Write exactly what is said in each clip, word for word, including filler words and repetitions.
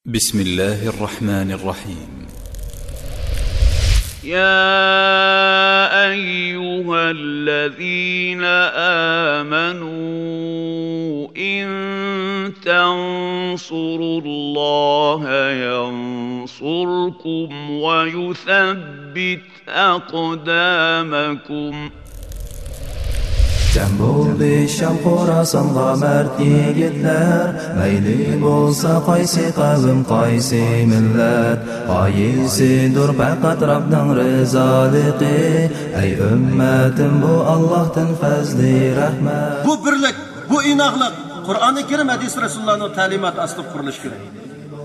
بسم الله الرحمن الرحيم. يا أيها الذين آمنوا إن تنصروا الله ينصركم ويثبت أقدامكم. جەم بولدى شام خوراسانغا مەرد يىگىتلەر، مەيلى بولسا قايسى قەۋم، قايسى مىللەت، غايىسىدۇر پەقەت رەبنىڭ رىزالىقى. ئەي ئۈممەتىم، بۇ ئاللاھتىن پەزلى رەھمەت. بۇ بىرلىك، بۇ ئىناقلىق قۇرئانى كەرىم، ھەدىس رەسۇلۇللانىڭ تەلىماتى ئاستىدا قۇرۇلۇشى كېرەك.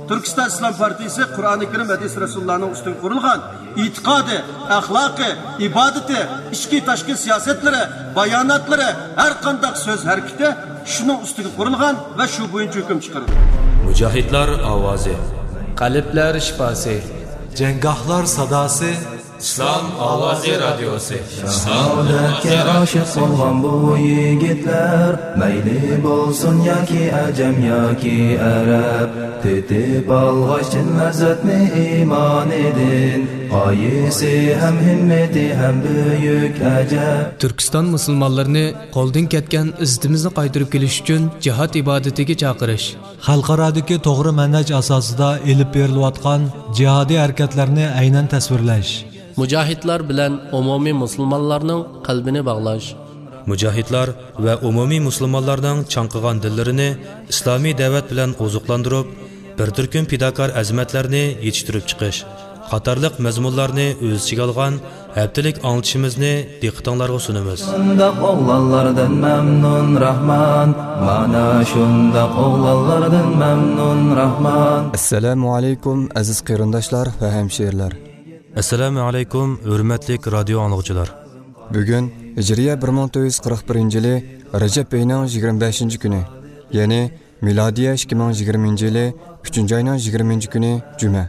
تۈركىستان ئىسلام پارتىيىسى قۇرئانى كەرىم، ھەدىس رەسۇلۇللانىڭ ئۈستىگە قۇرۇلغان ئېتىقادى، ئەخلاقى، ئىبادىتى، ئىچكى تاشقى سىياسەتلىرى، باياناتلىرى، ھەر قانداق سۆز ھەرىكىتى شۇنىڭ ئۈستىگە قۇرۇلغان ۋە شۇ بويىچە ھۆكۈم چىقىرىدۇ. مۇجاھىدلار ئاۋازى. قەلبلەر شىپاسى. جەڭگاھلار ساداسى. ئىسلام ئاۋازى رادىيوسى. شاھادەتكە ئاشىق بولغان بۇ يىگىتلەر، مەيلى بولسۇن ياكى ئەجەم ياكى ئەرەب، تېتىپ ئالغاچ چىن لەززەتنى ئىمانىدىن، غايىسى ھەم ھىممىتى ھەم بۈيۈك ئەجەب. تۈركىستان مۇسۇلمانلىرىنى قولدىن كەتكەن ئىززىتىمىزنى قايتۇرۇپ كېلىش ئۈچۈن جىھاد ئىبادىتىگە چاقىرىش. خەلقئارادىكى توغرا مەنھەج ئاساسىدا ئېلىپ بېرىلىۋاتقان جىھادىي ھەرىكەتلەرنى ئەينەن تەسۋىرلەش. مۇجاھىدلار بىلەن ئومۇمىي مۇسۇلمانلارنىڭ قەلبىنى باغلاش. مۇجاھىدلار ۋە ئومۇمىي مۇسۇلمانلارنىڭ چاڭقىغان دىللىرىنى ئىسلامىي دەۋەت بىلەن ئوزۇقلاندۇرۇپ، بىر تۈركۈم پىداكار ئەزىمەتلەرنى يېتىشتۈرۈپ چىقىش قاتارلىق مەزمۇنلارنى ئۆز ئىچىگە ئالغان ھەپتىلىك ئاڭلىتىشىمىزنى دىققىتىڭلارغا سۇنىمىز. شۇنداق ئوغلانلاردىن مەمنۇن راھمان، مانا شۇنداق ئوغلانلاردىن مەمنۇن راھمان. ئەسسالامۇ ئەلەيكۇم، ئەزىز قېرىنداشلار ۋە ھەمشىرىلەر. ئەسسالامۇ ئەلەيكۇم، ھۆرمەتلىك رادىيو ئاڭلىغۇچىلار. بۈگۈن ھىجرىيە بىر مىڭ تۆت يۈز قىرىق بىرىنچى يىلى رەجەب ئېيىنىڭ يىگىرمە بەشىنچى كۈنى، يەنى مىلادىيە ئىككى مىڭ يىگىرمىنچى يىلى ئۈچىنچى ئاينىڭ يىگىرمىنچى كۈنى جۈمە.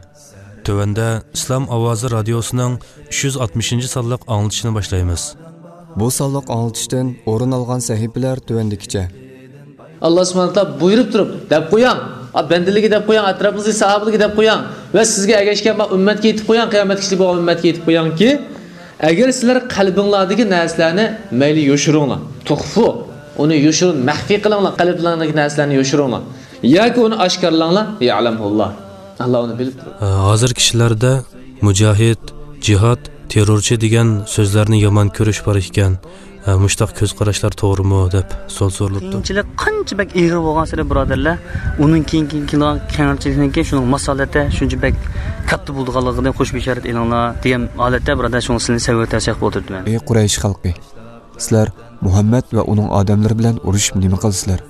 تۆۋەندە ئىسلام ئاۋازى رادىيوسىنىڭ ئۈچ يۈز ئاتمىشىنچى سانلىق ئاڭلىتىشنى باشلايمىز. بۇ سانلىق ئاڭلىتىشتىن ئورۇن ئالغان سەھىپىلەر تۆۋەندىكىچە. ئاللا سۇبھانەھۇ ۋە تائالا بۇيرۇپ تۇرۇپ، دەپ قويۇڭ. ئا، بەندىلىكى دەپ قويۇڭ، ئەتراپىڭىزدىكى ساھابىلىرىگە دەپ قويۇڭ. ۋە سىزگە ئەگەشكەن بار ئۈممەتكە ئېيتىپ قويۇڭ، قىيامەت كۈنى بولغان ئۈممەتكە ئېيتىپ قويۇڭكى، ئەگەر سىلەر قەلبىڭلاردىكى نەرسىلەرنى مەيلى يوشۇرۇڭلار. تۇخفۇ، ئۇنى يوشۇرۇن، مەخپىي قىلىڭلار، قەلبىڭلاردىكى نەرسىلەرنى يوشۇرۇڭلار. ياكى ئۇنى ئاشكارىلاڭلار، يەلەمھۇللا. ئاللا ئۇنى بىلىپ تۇرىدۇ. ھازىركى كىشىلەردە مۇجاھىد، جىھاد، تېررورچى دېگەن سۆزلەرنى يامان كۆرۈش بار ئىكەن. ھە، مۇشتاق كۆز قاراشلار توغرىمۇ دەپ سوئال سورىلىپتۇ. قىيىنچىلىق قانچە بەك ئېغىر بولغانسېرى، بۇرادەرلەر، ئۇنىڭ كېيىن، كېيىن كېلىدىغان كەڭرىچىلىكنىڭكى شۇنىڭ ماسالىتى شۇنچە بەك كاتتا بولىدىغانلىقىدىن خوش بېشارەت ئېلىڭلار دېگەن ھالەتتە، بۇرادەر، شۇڭا سىلەرنى سەۋر تەۋسىيە قىلىپ ئولتۇرىمەن. ئەي قۇرەيش خەلقى! سىلەر مۇھەممەد ۋە ئۇنىڭ ئادەملىرى بىلەن ئۇرۇشۇپ نېمە قىلىسىلەر؟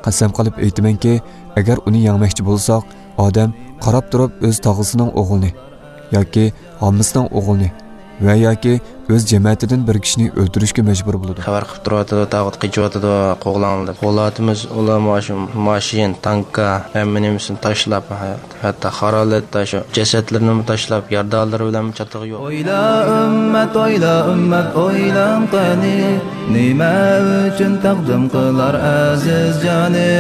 قەسەم قىلىپ ئېيتىمەنكى، ئەگەر ئۇنى يەڭمەكچى بولساق، ئادەم قاراپ تۇرۇپ ئۆز تاغىسىنىڭ ئوغلىنى ياكى ھاممىسىنىڭ ئوغلىنى ۋە ياكى ئۆز جەمەتىدىن بىر كىشىنى ئۆلتۈرۈشكە مەجبۇر بولىدۇ. خەۋەر قىلىپ تۇرۇۋاتىدۇ، تاغۇت قېچىۋاتىدۇ، قوغلاڭلار دەپ. قوغلاۋاتىمىز، ئۇلار مانا شۇ ماشىنا، تانكا، ھەممە نېمىسىنى تاشلاپ، ھەتتا خارالىتتا شۇ جەسەتلىرىنىمۇ تاشلاپ، يارىدارلىرى بىلەنمۇ چاتىقى يوق. ئويلا ئۈممەت، ئويلا ئۈممەت، ئويلاڭ قېنى، نېمە ئۈچۈن تەقدىم قىلار ئەزىز جانى؟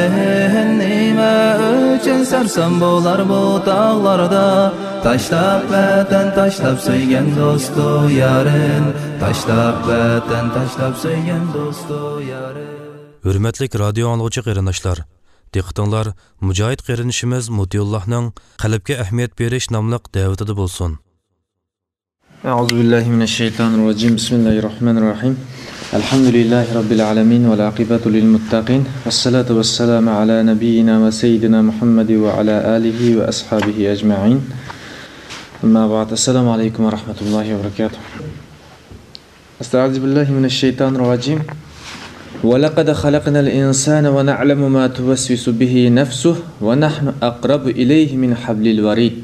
نېمە ئۈچۈن سەرسان بولار بۇ تاغلاردا؟ تاشلاپ ۋەتەن، تاشلاپ سۆيگەن دوستۇ يارىن، تاشلاپ ۋەتەن، تاشلاپ سۆيگەن دوستۇ يارىن. ھۆرمەتلىك رادىيو ئاڭلىغۇچى قېرىنداشلار، دىققىتىڭلار مۇجاھىد قېرىندىشىمىز مۇتىئۇللاھنىڭ قەلبكە ئەھمىيەت بېرىش ناملىق دەۋىتىدە بولسۇن. أعوذ بالله من الشيطان الرجيم. بسم الله الرحمن الرحيم. الحمد لله رب العالمين والعاقبة للمتقين والصلاة والسلام على نبينا وسيدنا محمد وعلى آله وأصحابه أجمعين. أما بعد. السلام عليكم ورحمة الله وبركاته. أستعيذ بالله من الشيطان الرجيم. ولقد خلقنا الإنسان ونعلم ما توسوس به نفسه ونحن أقرب إليه من حبل الوريد.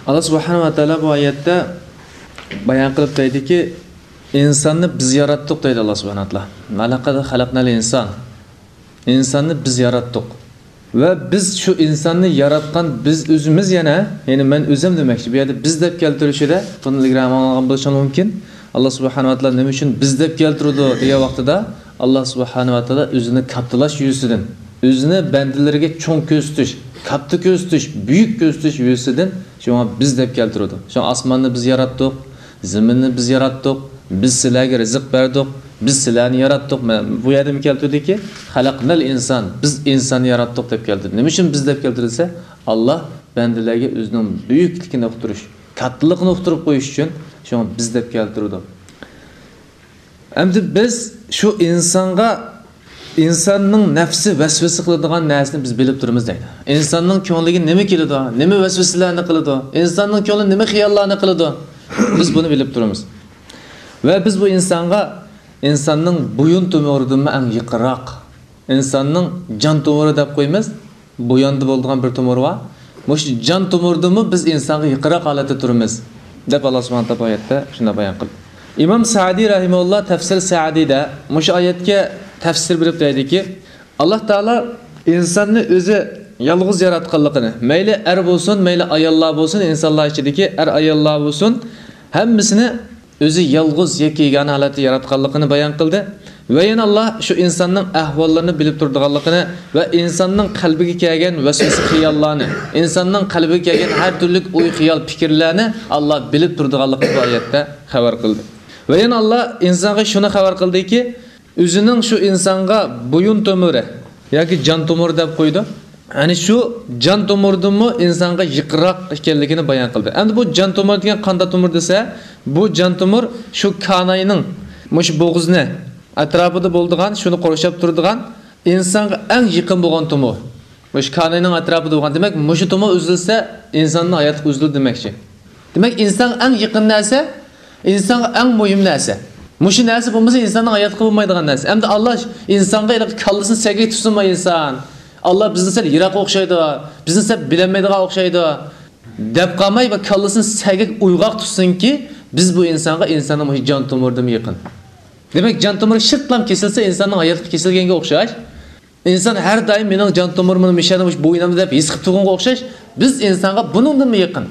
ئاللا سۇبھانەھۇ ۋە تائالا بۇ ئايەتتە بايان قىلىپ دەيدىكى، ئىنساننى بىز ياراتتۇق دەيدۇ ئاللا سۇبھانەھۇ ۋە تائالا. ولقد خلقنا الإنسان. ئىنساننى بىز ياراتتۇق. ۋە بىز شۇ ئىنساننى ياراتقان بىز ئۆزىمىز يەنە، يەنى مەن ئۆزۈم دېمەكچى. بۇ يەردە بىز دەپ كەلتۈرۈشىدە، بۇنى ئىلگىرى ئاڭلىغان بولۇشىڭىز مۇمكىن. ئاللا سۇبھانەھۇ ۋە تائالا نېمە ئۈچۈن بىز دەپ كەلتۈرىدۇ دېگەن ۋاقتىدا، ئاللا سۇبھانەھۇ ۋە تائالا ئۆزىنى كاتتىلاش يۈزىسىدىن، ئۆزىنى بەندىلىرىگە چوڭ كۆرسىتىش، كاتتا كۆرسىتىش، بۈيۈك كۆرسىتىش يۈزىسىدىن شۇڭا بىز دەپ كەلتۈرىدۇ. شۇڭا ئاسماننى بىز ياراتتۇق، زېمىننى بىز ياراتتۇق، بىز سىلەرگە رىزىق بەردۇق، بىز سىلەرنى ياراتتۇق. مەن بۇ يەردىمۇ كەلتۈردىكى، خەلەقنەل ئىنسان، بىز ئىنساننى ياراتتۇق دەپ كەلتۈردى. نېمە ئۈچۈن بىز دەپ كەلتۈردى دېسە، ئاللا بەندىلەرگە ئۆزىنىڭ بۈيۈكلۈكىنى ئۇقتۇرۇش، كاتتىلىقىنى ئۇقتۇرۇپ قويۇش ئۈچۈن شۇڭا بىز دەپ كەلتۈرىدۇ. ئەمدى بىز شۇ ئىنسانغا، ئىنساننىڭ نەپسى ۋەسۋەسە قىلىدىغان نەرسىنى بىز بىلىپ تۇرىمىز دەيدۇ. ئىنساننىڭ كۆڭلىگە نېمە كېلىدۇ، نېمە ۋەسۋەسىلەرنى قىلىدۇ، ئىنساننىڭ كۆڭلى نېمە خىياللارنى قىلىدۇ، بىز بۇنى بىلىپ تۇرىمىز. ۋە بىز بۇ ئىنسانغا، ئىنساننىڭ بويۇن تومۇرىدىنمۇ ئەڭ يېقىنراق، ئىنساننىڭ جان تومۇرى دەپ قويىمىز، بۇياندا بولىدىغان بىر تومۇر بار. مۇشۇ جان تومۇردىنمۇ بىز ئىنسانغا يېقىنراق ھالەتتە تۇرىمىز، دەپ ئاللا سۇبھانەھۇ ۋە تائالا بۇ ئايەتتە شۇنداق بايان قىلدى. ئىمام سەئدى رەھىمەھۇللا تەفسىر سەئدىدە مۇشۇ ئايەتكە تەپسىر بېرىپ دەيدىكى، ئاللا تائالا ئىنساننى ئۆزى يالغۇز ياراتقانلىقىنى، مەيلى ئەر بولسۇن، مەيلى ئاياللار بولسۇن، ئىنسانلار ئىچىدىكى ئەر ئاياللار بولسۇن، ھەممىسىنى ئۆزى يالغۇز يەككە يېگانە ھالەتتە ياراتقانلىقىنى بايان قىلدى. ۋە يەنە ئاللا شۇ ئىنساننىڭ ئەھۋاللىرىنى بىلىپ تۇرىدىغانلىقىنى ۋە ئىنساننىڭ قەلبىگە كەلگەن ۋەسۋەسە خىياللارنى، ئىنساننىڭ قەلبىگە كەلگەن ھەر تۈرلۈك ئوي خىيال پىكىرلەرنى ئاللا بىلىپ تۇرىدىغانلىقىنى بۇ ئايەتتە خەۋەر قىلدى. ۋە يەنە ئاللا ئىنسانغا شۇنى خەۋەر قىلدىكى، ئۆزىنىڭ شۇ ئىنسانغا بويۇن تومۇرى ياكى جان تومۇرى دەپ قويىدۇ. يەنى شۇ جان تومۇردىنمۇ ئىنسانغا يېقىنراق ئىكەنلىكىنى بايان قىلدى. ئەمدى بۇ جان تومۇر دېگەن قانداق تومۇر دېسە، بۇ جان تومۇر شۇ كاناينىڭ مۇشۇ بوغۇزنى ئەتراپىدا بولىدىغان، شۇنى قورشاپ تۇرىدىغان ئىنسانغا ئەڭ يېقىن بولغان تومۇر. مۇشۇ كاناينىڭ ئەتراپىدا بولغان، دېمەك، مۇشۇ تومۇر ئۈزۈلسە، ئىنساننىڭ ھاياتلىقى ئۈزۈلىدۇ دېمەكچى. دېمەك، ئىنسانغا ئەڭ يېقىن نەرسە، ئىنسانغا ئەڭ مۇھىم نەرسە. مۇشۇ نەرسە بولمىسا، ئىنساننىڭ ھاياتلىقى بولمايدىغان نەرسە. ئەمدى ئاللا ئىنسانغا ھېلىقى كاللىسىنى سەگەك تۇتسۇنما ئىنسان. ئاللا بىزنى سەل يىراق ئوخشايدۇ، بىزنى سەل بىلەلمەيدىغان ئوخشايدۇ، دەپ قالماي ۋە كاللىسىنى سەگەك ئويغاق تۇتسۇنكى، بىز بۇ ئىنسانغا ئىنساننىڭ مۇشۇ جان تومۇرىدىنمۇ يېقىن. دېمەك، جان تومۇرى شىرتلام كېسىلسە، ئىنساننىڭ ھاياتلىقى كېسىلگەنگە ئوخشاش. ئىنسان ھەر دائىم مېنىڭ جان تومۇرۇم مۇشۇ يەردە، مۇشۇ بوينۇمدا دەپ ھېس قىلىپ تۇرغىنىغا ئوخشاش، بىز ئىنسانغا بۇنىڭدىنمۇ يېقىن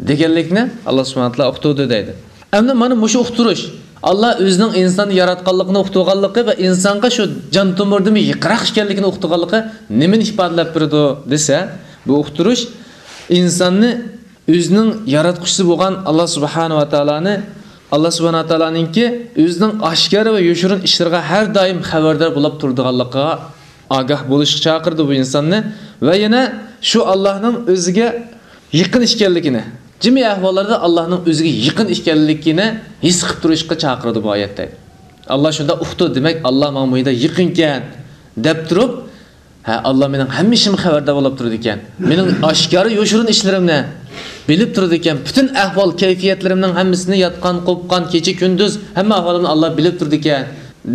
دېگەنلىكنى ئاللا سۇبھانەھۇ ۋە تائالا ئۇقتۇردى دەيدۇ. ئەمدى مانا مۇشۇ ئۇقتۇرۇش، ئاللا ئۆزىنىڭ ئىنساننى ياراتقانلىقىنى ئۇقتۇرغانلىقى ۋە ئىنسانغا شۇ جان تومۇردىنمۇ يېقىنراق ئىكەنلىكىنى ئۇقتۇرغانلىقى نېمىنى ئىپادىلەپ بېرىدۇ دېسە، بۇ ئۇقتۇرۇش ئىنساننى ئۆزىنىڭ ياراتقۇچىسى بولغان ئاللا سۇبھانەھۇ ۋە تائالانى، ئاللا سۇبھانەھۇ ۋە تائالانىڭكى ئۆزىنىڭ ئاشكارا ۋە يوشۇرۇن ئىشلىرىغا ھەر دائىم خەۋەردار بولۇپ تۇرىدىغانلىقىغا ئاگاھ بولۇشقا چاقىرىدۇ بۇ ئىنساننى. ۋە يەنە شۇ ئاللانىڭ ئۆزىگە يېقىن ئىكەنلىكىنى، جىمى ئەھۋاللاردا ئاللانىڭ ئۆزىگە يېقىن ئىكەنلىكىنى ھېس قىلىپ تۇرۇشقا چاقىرىدۇ بۇ ئايەتتە. ئاللا شۇنداق ئۇقتۇ، دېمەك، ئاللا ماڭا مۇنداق يېقىنكەن، دەپ تۇرۇپ، ھە، ئاللا مېنىڭ ھەممە ئىشىمغا خەۋەردار بولۇپ تۇرىدىكەن. مېنىڭ ئاشكارا يوشۇرۇن ئىشلىرىمنى بىلىپ تۇرىدىكەن. پۈتۈن ئەھۋال كەيپىياتلىرىمنىڭ ھەممىسىنى، ياتقان، قوپقان، كېچە كۈندۈز ھەممە ئەھۋالىمنى ئاللا بىلىپ تۇرىدىكەن،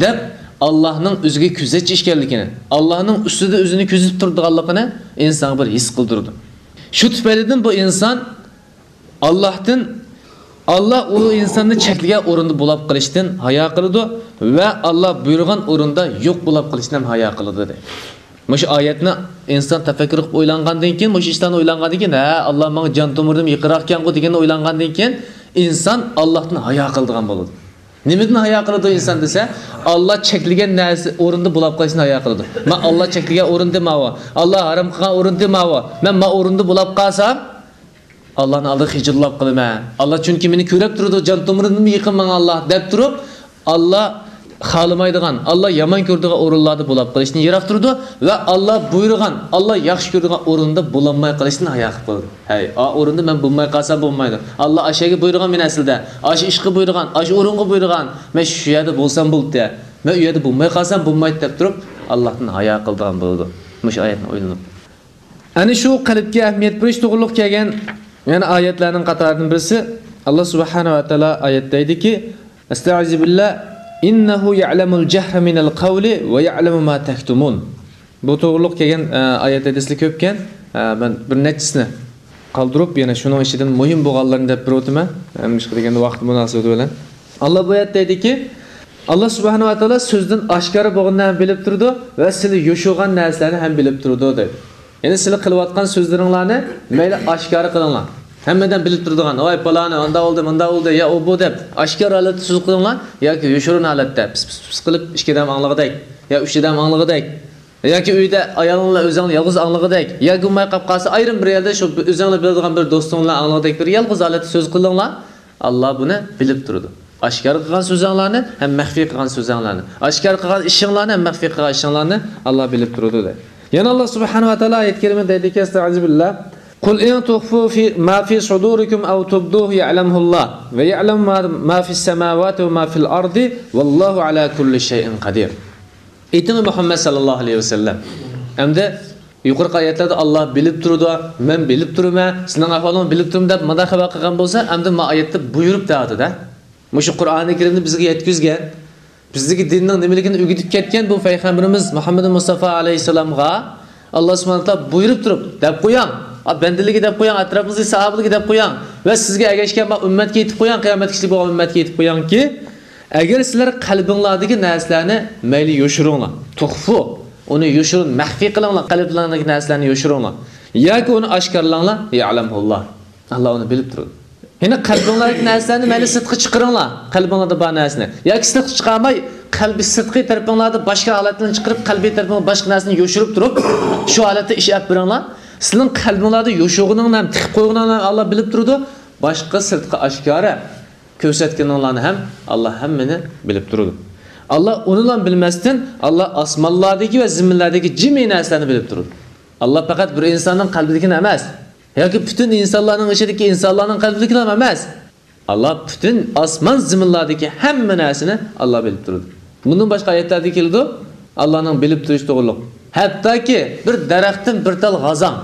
دەپ ئاللانىڭ ئۆزىگە كۆزەتچى ئىكەنلىكىنى، ئاللانىڭ ئۈستىدە ئۆزىنى كۆزىتىپ تۇرىدىغانلىقىنى ئىنسانغا بىر ھېس قىلدۇرىدۇ. شۇ تۈپەيلىدىن بۇ ئىنسان ئاللاھتىن، ئاللا ئۇ ئىنساننى چەكلىگەن ئورۇندا بولاپ قېلىشتىن ھايا قىلىدۇ ۋە ئاللا بۇيرۇغان ئورۇندا يوق بولاپ قېلىشتىن ھەم ھايا قىلىدۇ، دەيدۇ. مۇشۇ ئايەتنى ئىنسان تەپەككۇر قىلىپ ئويلانغاندىن كېيىن، مۇشۇ ئىشلارنى ئويلانغاندىن كېيىن، ھە، ئاللا ماڭا جان تومۇردىن يېقىنراقكەنغۇ دېگەننى ئويلانغاندىن كېيىن، ئىنسان ئاللاھتىن ھايا قىلىدىغان بولىدۇ. نېمىدىن ھايا قىلىدۇ ئىنسان دېسە، ئاللا چەكلىگەن نەرسە ئورۇندا بولاپ قېلىشتىن ھايا قىلىدۇ. مەن ئاللا چەكلىگەن ئورۇندە ماۋۇ، ئاللا ھارام قىلغان ئورۇندە ماۋۇ، مەن ما ئورۇندا بولاپ قالسام، ئاللانىڭ ئالدىدا خىجىللاپ قالىمەن. ئاللا چۈنكى مېنى كۆرۈپ تۇرىدۇ، جان تومۇردىنمۇ يېقىن ماڭا ئاللا، دەپ تۇرۇپ، ئاللا خالىمايدىغان، ئاللا يامان كۆرىدىغان ئورۇنلاردا بولاپ قېلىشتىن يىراق تۇرىدۇ ۋە ئاللا بۇيرۇغان، ئاللا ياخشى كۆرىدىغان ئورۇندا بولالماي قېلىشتىن ھايا قىلىپ قالىدۇ. ھەي، ئا ئورۇندا مەن بولماي قالسام بولمايدۇ. ئاللا ئاشۇ يەرگە بۇيرۇغان مېنى ئەسلىدە، ئاشۇ ئىشقا بۇيرۇغان، ئاشۇ ئورۇنغا بۇيرۇغان، مەن شۇ يەردە بولسام بولدى، مەن ئۇ يەردە بولماي قالسام بولمايدۇ، دەپ تۇرۇپ، ئاللاھتىن ھايا قىلىدىغان بولىدۇ. مۇشۇ ئايەتنى ئويلىنىپ. ئەنە شۇ قەلبكە ئەھمىيەت بېرىش توغرۇلۇق كەلگەن يەنە ئايەتلەرنىڭ قاتارىدىن بىرسى، ئاللا سۇبھانەھۇ ۋە تائالا ئايەتتە دەيدىكى، ئەستەئىزۇ بىللا، ئىننەھۇ يەئلەمۇل جەھرە مىنەل قەۋلى ۋە يەئلەمۇ ما تەكتۇمۇن. بۇ توغرۇلۇق كەلگەن، ئە، ئايەت ھەدىسلەر كۆپكەن. ئە، مەن بىر نەچچىسىنى قالدۇرۇپ، يەنە شۇنىڭ ئىچىدىن مۇھىم بولغانلىرىنى دەپ بېرىۋاتىمەن. ئە، نېمىشقا دېگەندە، ۋاقىت مۇناسىۋىتى بىلەن. ئاللا بۇ ئايەتتە دەيدىكى، ئاللا سۇبھانەھۇ ۋە تائالا سۆزدىن ئاشكارا بولغاننى ھەم بىلىپ تۇرىدۇ ۋە سىلى يوشۇرغان نەرسىلەرنى ھەم بىلىپ تۇرىدۇ، دەيدۇ. يەنى سىلى قىلىۋاتقان سۆزلىرىڭلارنى مەيلى ئاشكارا قىلىڭلار. ھەممە ئادەم بىلىپ تۇرىدىغان، ۋاي پالانى ئاندا بولدى، مۇندا بولدى، يا ئۇ بۇ دەپ ئاشكارا ھالەتتە سۆز قىلىڭلار ياكى يوشۇرۇن ھالەتتە پىس پىس پىس پىس قىلىپ ئىككى ئادەم ئاڭلىغۇدەك يا ئۈچ ئادەم ئاڭلىغۇدەك. ياكى ئۆيدە ئايالىڭ بىلەن ئۆزۈڭلا يالغۇز ئاڭلىغۇدەك، ياكى بولماي قاپ قالسا، ئايرىم بىر يەردە شۇ ئۆزۈڭلا بىلىدىغان بىر دوستۇڭ بىلەن ئاڭلىغۇدەك بىر يالغۇز ھالەتتە سۆز قىلىڭلار. ئاللا بۇنى بىلىپ تۇرىدۇ. ئاشكارا قىلغان سۆزۈڭلارنى ھەم مەخپىي قىلغان سۆزۈڭلارنى، ئاشكارا قىلغان ئىشىڭلارنى ھەم مەخپىي قىلغان ئىشىڭلارنى ئاللا بىلىپ تۇرىدۇ، دەيدۇ. يەنە ئاللا سۇبھانەھۇ ۋە تائالا ئايەت كەرىمىدە دەيدىكەن، ئەستەئىزۇ بىللا، قۇل ئىن تۇخفۇ فى، ما فى سۇدۇرىكۇم ئەۋ تۇبدۇھۇ يەئلەمھۇللا ۋە يەئلەمۇ ما، ما فىس سەماۋاتى ۋە ما فىل ئەرزى ۋەللاھۇ ئەلا كۇللى شەيئىن قەدىر. ئېيتىڭ، مۇھەممەد سەللەللاھۇ ئەلەيھى ۋەسەللەم. ئەمدى يۇقىرىقى ئايەتلەردە ئاللا بىلىپ تۇرىدۇ، مەن بىلىپ تۇرىمەن، سېنىڭ ئەھۋالىڭنى بىلىپ تۇرىمەن دەپ مۇنداق خەۋەر قىلغان بولسا، ئەمدى ما ئايەتتە بۇيرۇپ دەۋاتىدۇ. مۇشۇ قۇرئانى كەرىمنى بىزگە يەتكۈزگەن، بىزگە دىننىڭ نېمىلىكىنى ئۆگىتىپ كەتكەن بۇ پەيغەمبىرىمىز مۇھەممەد مۇستافا ئەلەيھىسسالامغا ئاللا سۇبھانەھۇ ۋە تائالا بۇيرۇپ تۇرۇپ، دەپ قويۇڭ، ئا، بەندىلىكى دەپ قويۇڭ، ئەتراپىڭىزدىكى ساھابىلەرگە دەپ قويۇڭ ۋە سىزگە ئەگەشكەن بۇ ئۈممەتكە ئېيتىپ قويۇڭ، قىيامەت كۈنى بولغان ئۈممەتكە ئېيتىپ قويۇڭكى، ئەگەر سىلەر قەلبىڭلاردىكى نەرسىلەرنى مەيلى يوشۇرۇڭلار، تۇخفۇ، ئۇنى يوشۇرۇن، مەخپىي قىلىڭلار، قەلبىڭلاردىكى نەرسىلەرنى يوشۇرۇڭلار ياكى ئۇنى ئاشكارىلاڭلار، يەئلەمھۇللا، ئاللا ئۇنى بىلىپ تۇرىدۇ. يەنە قەلبىڭلاردىكى نەرسىلەرنى مەيلى سىرتقا چىقىرىڭلار، قەلبىڭلاردا بار نەرسىنى. ياكى سىرتقا چىقارماي، قەلبى سىرتقى تەرىپىڭلاردا باشقا ھالەتلەرنى چىقىرىپ، قەلبىي تەرىپىڭلاردا باشقا نەرسىنى يوشۇرۇپ تۇرۇپ، شۇ ھالەتتە ئىش ئېلىپ بېرىڭلار. سىلىنىڭ قەلبىڭلاردا يوشۇرغىنىڭنى ھەم تىقىپ قويغىنىڭنى ھەم ئاللا بىلىپ تۇرىدۇ. باشقا سىرتقا ئاشكارا كۆرسەتكىنىڭلارنى ھەم ئاللا ھەممىنى بىلىپ تۇرىدۇ. ئاللا ئۇنىلا بىلمەستىن، ئاللا ئاسمانلاردىكى ۋە زېمىنلاردىكى جىمى نەرسىلەرنى بىلىپ تۇرىدۇ. ئاللا پەقەت بىر ئىنساننىڭ قەلبىدىكىنى ئەمەس، ياكى پۈتۈن ئىنسانلارنىڭ ئىچىدىكى ئىنسانلارنىڭ قەلبىدىكىنى ھەم ئەمەس. ئاللا پۈتۈن ئاسمان زېمىنلاردىكى ھەممە نەرسىنى ئاللا بىلىپ تۇرىدۇ. بۇندىن باشقا ئايەتلەردە كېلىدۇ، ئاللانىڭ بىلىپ تۇرۇشى توغرۇلۇق. ھەتتاكى بىر دەرەختىن بىر تال غازاڭ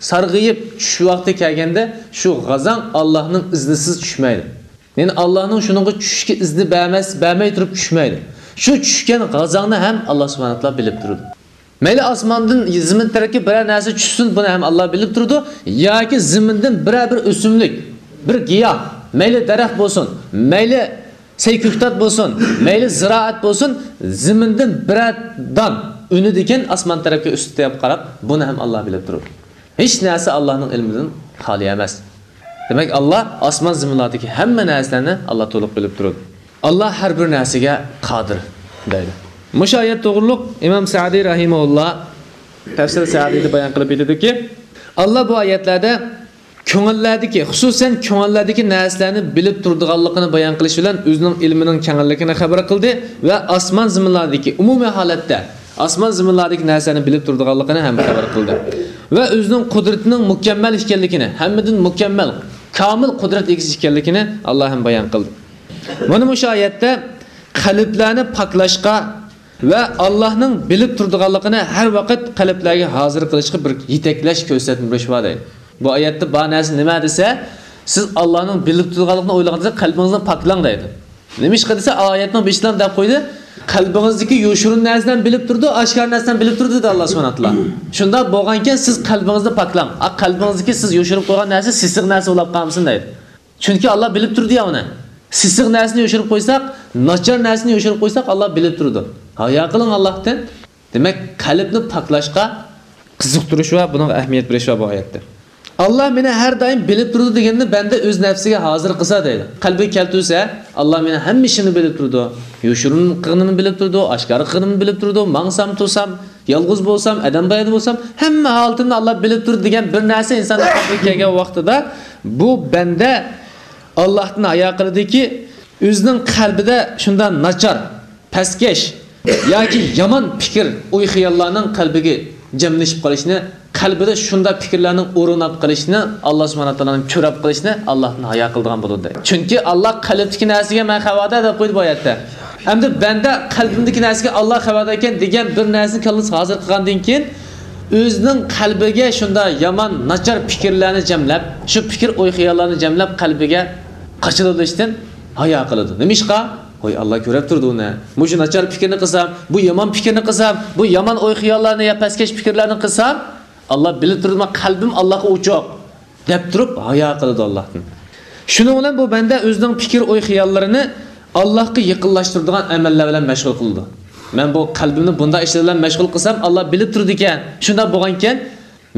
سارغىيىپ چۈشۈش ۋاقتى كەلگەندە، شۇ غازاڭ ئاللانىڭ ئىزنىسىز چۈشمەيدۇ. يەنى ئاللانىڭ شۇنىڭغا چۈشۈشكە ئىزنى بەرمەس، بەرمەي تۇرۇپ چۈشمەيدۇ. شۇ چۈشكەن غازاڭنى ھەم ئاللا سۇبھانەھۇ ۋە تائالا بىلىپ تۇرىدۇ. مەيلى ئاسماندىن زېمىن تەرەپكە بىرەر نەرسە چۈشسۇن، بۇنى ھەم ئاللا بىلىپ تۇرىدۇ. ياكى زېمىندىن بىرەر بىر ئۆسۈملۈك، بىر گىياھ، مەيلى دەرەخ بولسۇن، مەيلى سەي كۆكتات بولسۇن، مەيلى زىرائەت بولسۇن، زېمىندىن بىرەر دان ئۈنىدىكەن ئاسمان تەرەپكە ئۈستىگە قاراپ، بۇنى ھەم ئاللا بىلىپ تۇرىدۇ. ھېچ نەرسە ئاللانىڭ ئىلمىدىن خالىي ئەمەس. دېمەك، ئاللا ئاسمان زېمىنلاردىكى ھەممە نەرسىلەرنى ئاللا تولۇق بىلىپ تۇرىدۇ. ئاللا ھەر بىر نەرسىگە قادىر دەيدۇ. مۇشۇ ئايەت توغرۇلۇق ئىمام سەئدى رەھىمەھۇللا تەفسىر سەئدىدە بايان قىلىپ ئېيتىدۇكى، ئاللا بۇ ئايەتلەردە كۆڭۈللەردىكى، خۇسۇسەن كۆڭۈللەردىكى نەرسىلەرنى بىلىپ تۇرىدىغانلىقىنى بايان قىلىش بىلەن ئۆزىنىڭ ئىلمىنىڭ كەڭلىكىنى خەۋەر قىلدى ۋە ئاسمان زېمىنلاردىكى ئومۇمىي ھالەتتە ئاسمان زېمىنلاردىكى نەرسىلەرنى بىلىپ تۇرىدىغانلىقىنى ھەم خەۋەر قىلدى ۋە ئۆزىنىڭ قۇدرىتىنىڭ مۇكەممەل ئىكەنلىكىنى، ھەممىدىن مۇكەممەل، كامىل قۇدرەت ئىگىسى ئىكەنلىكىنى ئاللا ھەم بايان قىلدى. مانا مۇشۇ ئايەتتە قەلبلەرنى پاكلاشقا ۋە ئاللانىڭ بىلىپ تۇرىدىغانلىقىنى ھەر ۋاقىت قەلبلەرگە ھازىر قىلىشقا بىر يېتەكلەش، كۆرسەتمە بېرىش بار دەيدۇ. بۇ ئايەتتە بار نەرسە نېمە دېسە، سىز ئاللانىڭ بىلىپ تۇرىدىغانلىقىنى ئويلىغاندا قەلبىڭىزنى پاكلاڭ دەيدۇ. نېمىشقا دېسە، ئايەتنىڭ بېشىدا دەپ قويدى، قەلبىڭىزدىكى يوشۇرۇن نەرسىنى ھەم بىلىپ تۇرىدۇ، ئاشكارا نەرسىنى ھەم بىلىپ تۇرىدۇ دېدى ئاللا سۇبھانەھۇ ۋە تائالا. شۇنداق بولغانكەن، سىز قەلبىڭىزنى پاكلاڭ. ئا، قەلبىڭىزدىكى سىز يوشۇرۇپ قويغان نەرسە سېسىق نەرسە بولۇپ قالمىسۇن دەيدۇ. چۈنكى ئاللا بىلىپ تۇرىدۇ يا ئۇنى. سېسىق نەرسىنى يوشۇرۇپ قويساق، ناچار نەرسىنى يوشۇرۇپ قويساق، ئاللا بىلىپ تۇرىدۇ. ھايا قىلىڭ ئاللاھتىن. دېمەك، قەلبنى پاكلاشقا قىزىقتۇرۇش ۋە بۇنىڭغا ئەھمىيەت بېرىش ۋە بۇ ئايەتتە. ئاللا مېنى ھەر دائىم بىلىپ تۇرىدۇ دېگەننى بەندە ئۆز نەپسىگە ھازىر قىلسا دەيدۇ. قەلبىگە كەلتۈرسە، ئاللا مېنى ھەممە ئىشىمنى بىلىپ تۇرىدۇ. يوشۇرۇن قىلغىنىمنى بىلىپ تۇرىدۇ، ئاشكارا قىلغىنىمنى بىلىپ تۇرىدۇ، ماڭسام، تۇرسام، يالغۇز بولسام، ئادەم بايىدا بولسام، ھەممە ھالىتىمنى ئاللا بىلىپ تۇرىدۇ دېگەن بىر نەرسە ئىنساننىڭ قەلبىگە كەلگەن ۋاقتىدا، بۇ بەندە ئاللاھتىن ھايا قىلىدۇكى، ئۆزىنىڭ قەلبىدە شۇنداق ناچار، پەسكەش ياكى يامان پىكىر، ئوي-خىياللارنىڭ قەلبىگە جەملىشىپ قېلىشىنى، قەلبىدە شۇنداق پىكىرلەرنىڭ ئورۇن ئاپ قېلىشىنى، ئاللا سۇبھانەھۇ ۋە تائالانىڭ كۆرۈپ قېلىشىنى ئاللاھتىن ھايا قىلىدىغان بولىدۇ دەيدۇ. چۈنكى ئاللا قەلبتىكى نەرسىگە مەن خەۋەردار دەپ قويدى بۇ ئايەتتە. ئەمدى بەندە قەلبىمدىكى نەرسىگە ئاللا خەۋەردار ئىكەن دېگەن بىر نەرسىنى كاللىسىغا ھازىر قىلغاندىن كېيىن، ئۆزىنىڭ قەلبىگە شۇنداق يامان، ناچار پىكىرلەرنى جەملەپ، شۇ پىكىر، ئوي-خىياللارنى جەملەپ قەلبىگە قاچىلىۋېلىشتىن ھايا قىلىدۇ. نېمىشقا؟ ھوي، ئاللا كۆرۈپ تۇرىدۇ ئۇنى. مۇشۇ ناچار پىكىرنى قىلسام، بۇ يامان پىكىرنى قىلسام، بۇ يامان ئوي-خىياللارنى يا پەسكەش پىكىرلەرنى قىلسام، ئاللا بىلىپ تۇرىدۇ، مېنىڭ قەلبىم ئاللاغا ئوچۇق، دەپ تۇرۇپ ھايا قىلىدۇ ئاللاھتىن. شۇنىڭ بىلەن بۇ بەندە ئۆزىنىڭ پىكىر، ئوي-خىياللىرىنى ئاللاھقا يېقىنلاشتۇرىدىغان ئەمەللەر بىلەن مەشغۇل قىلىدۇ. مەن بۇ قەلبىمنى بۇنداق ئىشلار بىلەن مەشغۇل قىلسام، ئاللا بىلىپ تۇرىدىكەن. شۇنداق بولغانىكەن،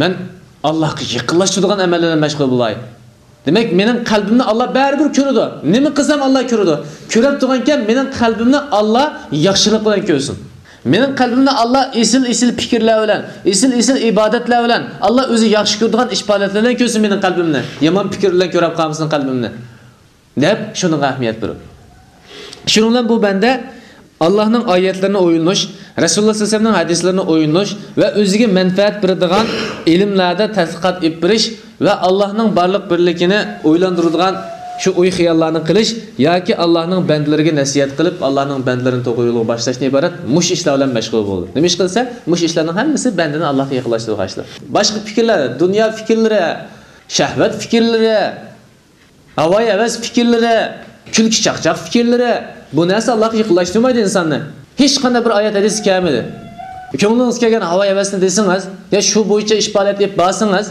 مەن ئاللاھقا يېقىنلاشتۇرىدىغان ئەمەللەر بىلەن مەشغۇل بولاي. دېمەك، مېنىڭ قەلبىمنى ئاللا بەرىبىر كۆرىدۇ. نېمە قىلسام، ئاللا كۆرىدۇ. كۆرۈپ تۇرغانكەن، مېنىڭ قەلبىمنى ئاللا ياخشىلىق بىلەن كۆرسۇن. مېنىڭ قەلبىمنى ئاللا ئېسىل-ئېسىل پىكىرلەر بىلەن، ئېسىل-ئېسىل ئىبادەتلەر بىلەن، ئاللا ئۆزى ياخشى كۆرىدىغان ئىش پائالىيەتلەر بىلەن كۆرسۇن مېنىڭ قەلبىمنى. يامان پىكىر بىلەن كۆرۈپ قالمىسۇن قەلبىمنى، دەپ شۇنىڭغا ئەھمىيەت بېرىدۇ. شۇنىڭ بىلەن بۇ بەندە ئاللانىڭ ئايەتلىرىنى ئويلىنىش، رەسۇلۇللا سەللەللاھۇ ئەلەيھى ۋەسەللەمنىڭ ھەدىسلىرىنى ئويلىنىش ۋە ئۆزىگە مەنپەئەت بېرىدىغان ئىلىملەردە تەتقىقات ئېلىپ بېرىش ۋە ئاللانىڭ بارلىق بىرلىكىنى ئويلاندۇرىدىغان شۇ ئوي-خىياللارنى قىلىش ياكى ئاللانىڭ بەندىلىرىگە نەسىھەت قىلىپ، ئاللانىڭ بەندىلىرىنى توغرا يولغا باشلاشتىن ئىبارەت مۇشۇ ئىشلار بىلەن مەشغۇل بولىدۇ. نېمە ئىش قىلسا، مۇشۇ ئىشلارنىڭ ھەممىسى بەندىنى ئاللاغا يېقىنلاشتۇرىدىغان ئىشلار. باشقا پىكىرلەر، دۇنيا پىكىرلىرى، شەھۋەت پىكىرلىرى، ھاۋايىھەۋەس پىكىرلىرى، كۈلكە-چاقچاق پىكىرلىرى، بۇ نەرسە ئاللاغا يېقىنلاشتۇرمايدۇ ئىنساننى. ھېچقانداق بىر ئايەت ھەدىس كەلمىدى. كۆڭلىڭىزگە كەلگەن ھاۋايىھەۋەسنى دېسىڭىز، يا شۇ بويىچە ئىش پائالىيەت ئېلىپ بارسىڭىز،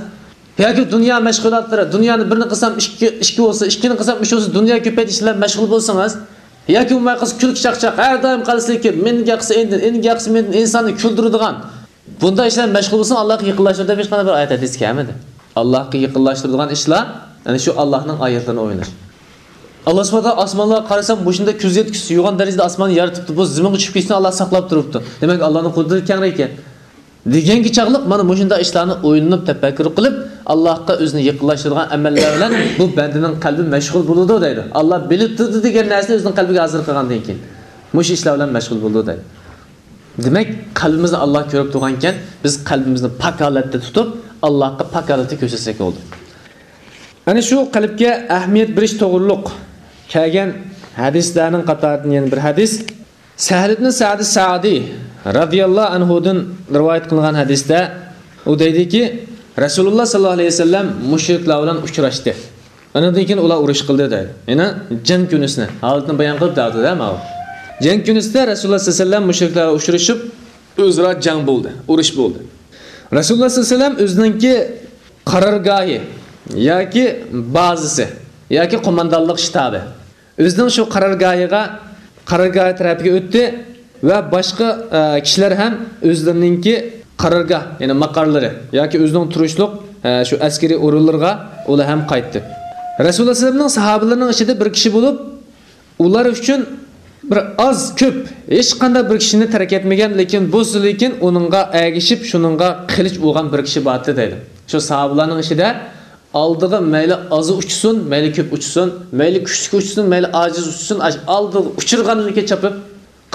ياكى دۇنيا مەشغۇلاتلىرى، دۇنيانى بىرنى قىلسام ئىككى، ئىككى بولسا، ئىككىنى قىلسام ئۈچ بولسا، دۇنيا كۆپەيتىش بىلەن مەشغۇل بولسىڭىز، ياكى بولماي قالسا كۈلكە-چاقچاق، ھەر دائىم قالسا لېكىن، مېنىڭ گەپ قىلسا ئىندىن، ئىنىڭ گەپ قىلسا مېندىن، ئىنساننى كۈلدۈرىدىغان، بۇنداق ئىشلار مەشغۇل بولساڭ، ئاللاغا يېقىنلاشتۇر دەپ ھېچقانداق بىر ئايەت ھەدىس كەلمىدى. ئاللاغا يېقىنلاشتۇرىدىغان ئىشلار، يەنى شۇ ئاللانىڭ ئايەتلىرىنى ئويلىنىش. ئاللا سۇبھانەھۇ ۋە تائالا ئاسمانلارغا قارىسام، مۇشۇنداق كۆز يەتكۈسىز يوغان دەرىجىدە ئاسماننى يارىتىپتۇ، بۇ زېمىنغا چۈشۈپ كەتسىنى ئاللا ساقلاپ تۇرۇپتۇ. دېمەك، ئاللانىڭ قۇدرىتى كەڭرى ئىكەن. دېگەنگە چاغلىق مانا مۇشۇنداق ئىشلارنى ئويلىنىپ، تەپەككۇر قىلىپ، ئاللاغا ئۆزىنى يېقىنلاشتۇرىدىغان ئەمەللەر بىلەن بۇ بەندىنىڭ قەلبى مەشغۇل بولىدۇ دەيدۇ. ئاللا بىلىپ تۇردى دېگەن نەرسىنى ئۆزىنىڭ قەلبىگە ھازىر قىلغاندىن كېيىن، مۇشۇ ئىشلار بىلەن مەشغۇل بولىدۇ دەيدۇ. دېمەك، قەلبىمىزنى ئاللا كۆرۈپ تۇرغانكەن، بىز قەلبىمىزنى پاك ھالەتتە تۇتۇپ، ئاللاغا پاك ھالەتتە كۆرسەتسەك بولدى. ئەنە شۇ قەلبكە ئەھمىيەت بېرىش توغرۇلۇق كەلگەن ھەدىسلەرنىڭ قاتارىدىن يەنە بىر ھەدىس. سەھل ئىبن سەئد سەئدى رەزىياللاھۇ ئەنھۇدىن رىۋايەت قىلىنغان ھەدىستە ئۇ دەيدىكى، رەسۇلۇللا ساللاللاھۇ ئەلەيھى ۋەسەللەم مۇشرىكلار بىلەن ئۇچراشتى. ئاندىن كېيىن ئۇلار ئۇرۇش قىلدى دەيدۇ. يەنى جەڭ كۈنىسىنى، ھالىتىنى بايان قىلىپ دەۋاتىدۇ ماۋۇ. جەڭ كۈنىسىدە رەسۇلۇللا ساللاللاھۇ ئەلەيھى ۋەسەللەم مۇشرىكلار بىلەن ئۇچرىشىپ، ئۆزئارا جەڭ بولدى، ئۇرۇش بولدى. رەسۇلۇللا ساللاللاھۇ ئەلەيھى ۋەسەللەم ئۆزىنىڭكى قارارگاھى ياكى بازىسى ياكى قوماندانلىق شتابى، ئۆزىنىڭ شۇ قارارگاھىغا، قارارگاھى تەرەپىگە ئۆتتى ۋە باشقا، ئە، كىشىلەر ھەم ئۆزلىرىنىڭكى قارارگاھ، يەنى ماقارلىرى ياكى ئۆزىنىڭ تۇرۇشلۇق، ئە، شۇ ئەسكىرىي ئورۇنلىرىغا ئۇلار ھەم قايتتى. رەسۇلۇللا سەللەللاھۇ ئەلەيھى ۋەسەللەمنىڭ ساھابىلىرىنىڭ ئىچىدە بىر كىشى بولۇپ، ئۇلار ئۈچۈن بىر ئاز كۆپ، ھېچقانداق بىر كىشىنى تەرك ئەتمىگەن، لېكىن بولسا لېكىن ئۇنىڭغا ئەگىشىپ، شۇنىڭغا قىلىچ ئۇرغان بىر كىشى بارتى دەيدۇ. شۇ ساھابىلارنىڭ ئىچىدە ئالدىغا مەيلى ئازى ئۇچسۇن، مەيلى كۆپ ئۇچسۇن، مەيلى كۈچلۈك ئۇچسۇن، مەيلى ئاجىز ئۇچسۇن، ئاش-، ئالدىغا ئۇچرىغانلىكى چاپىپ،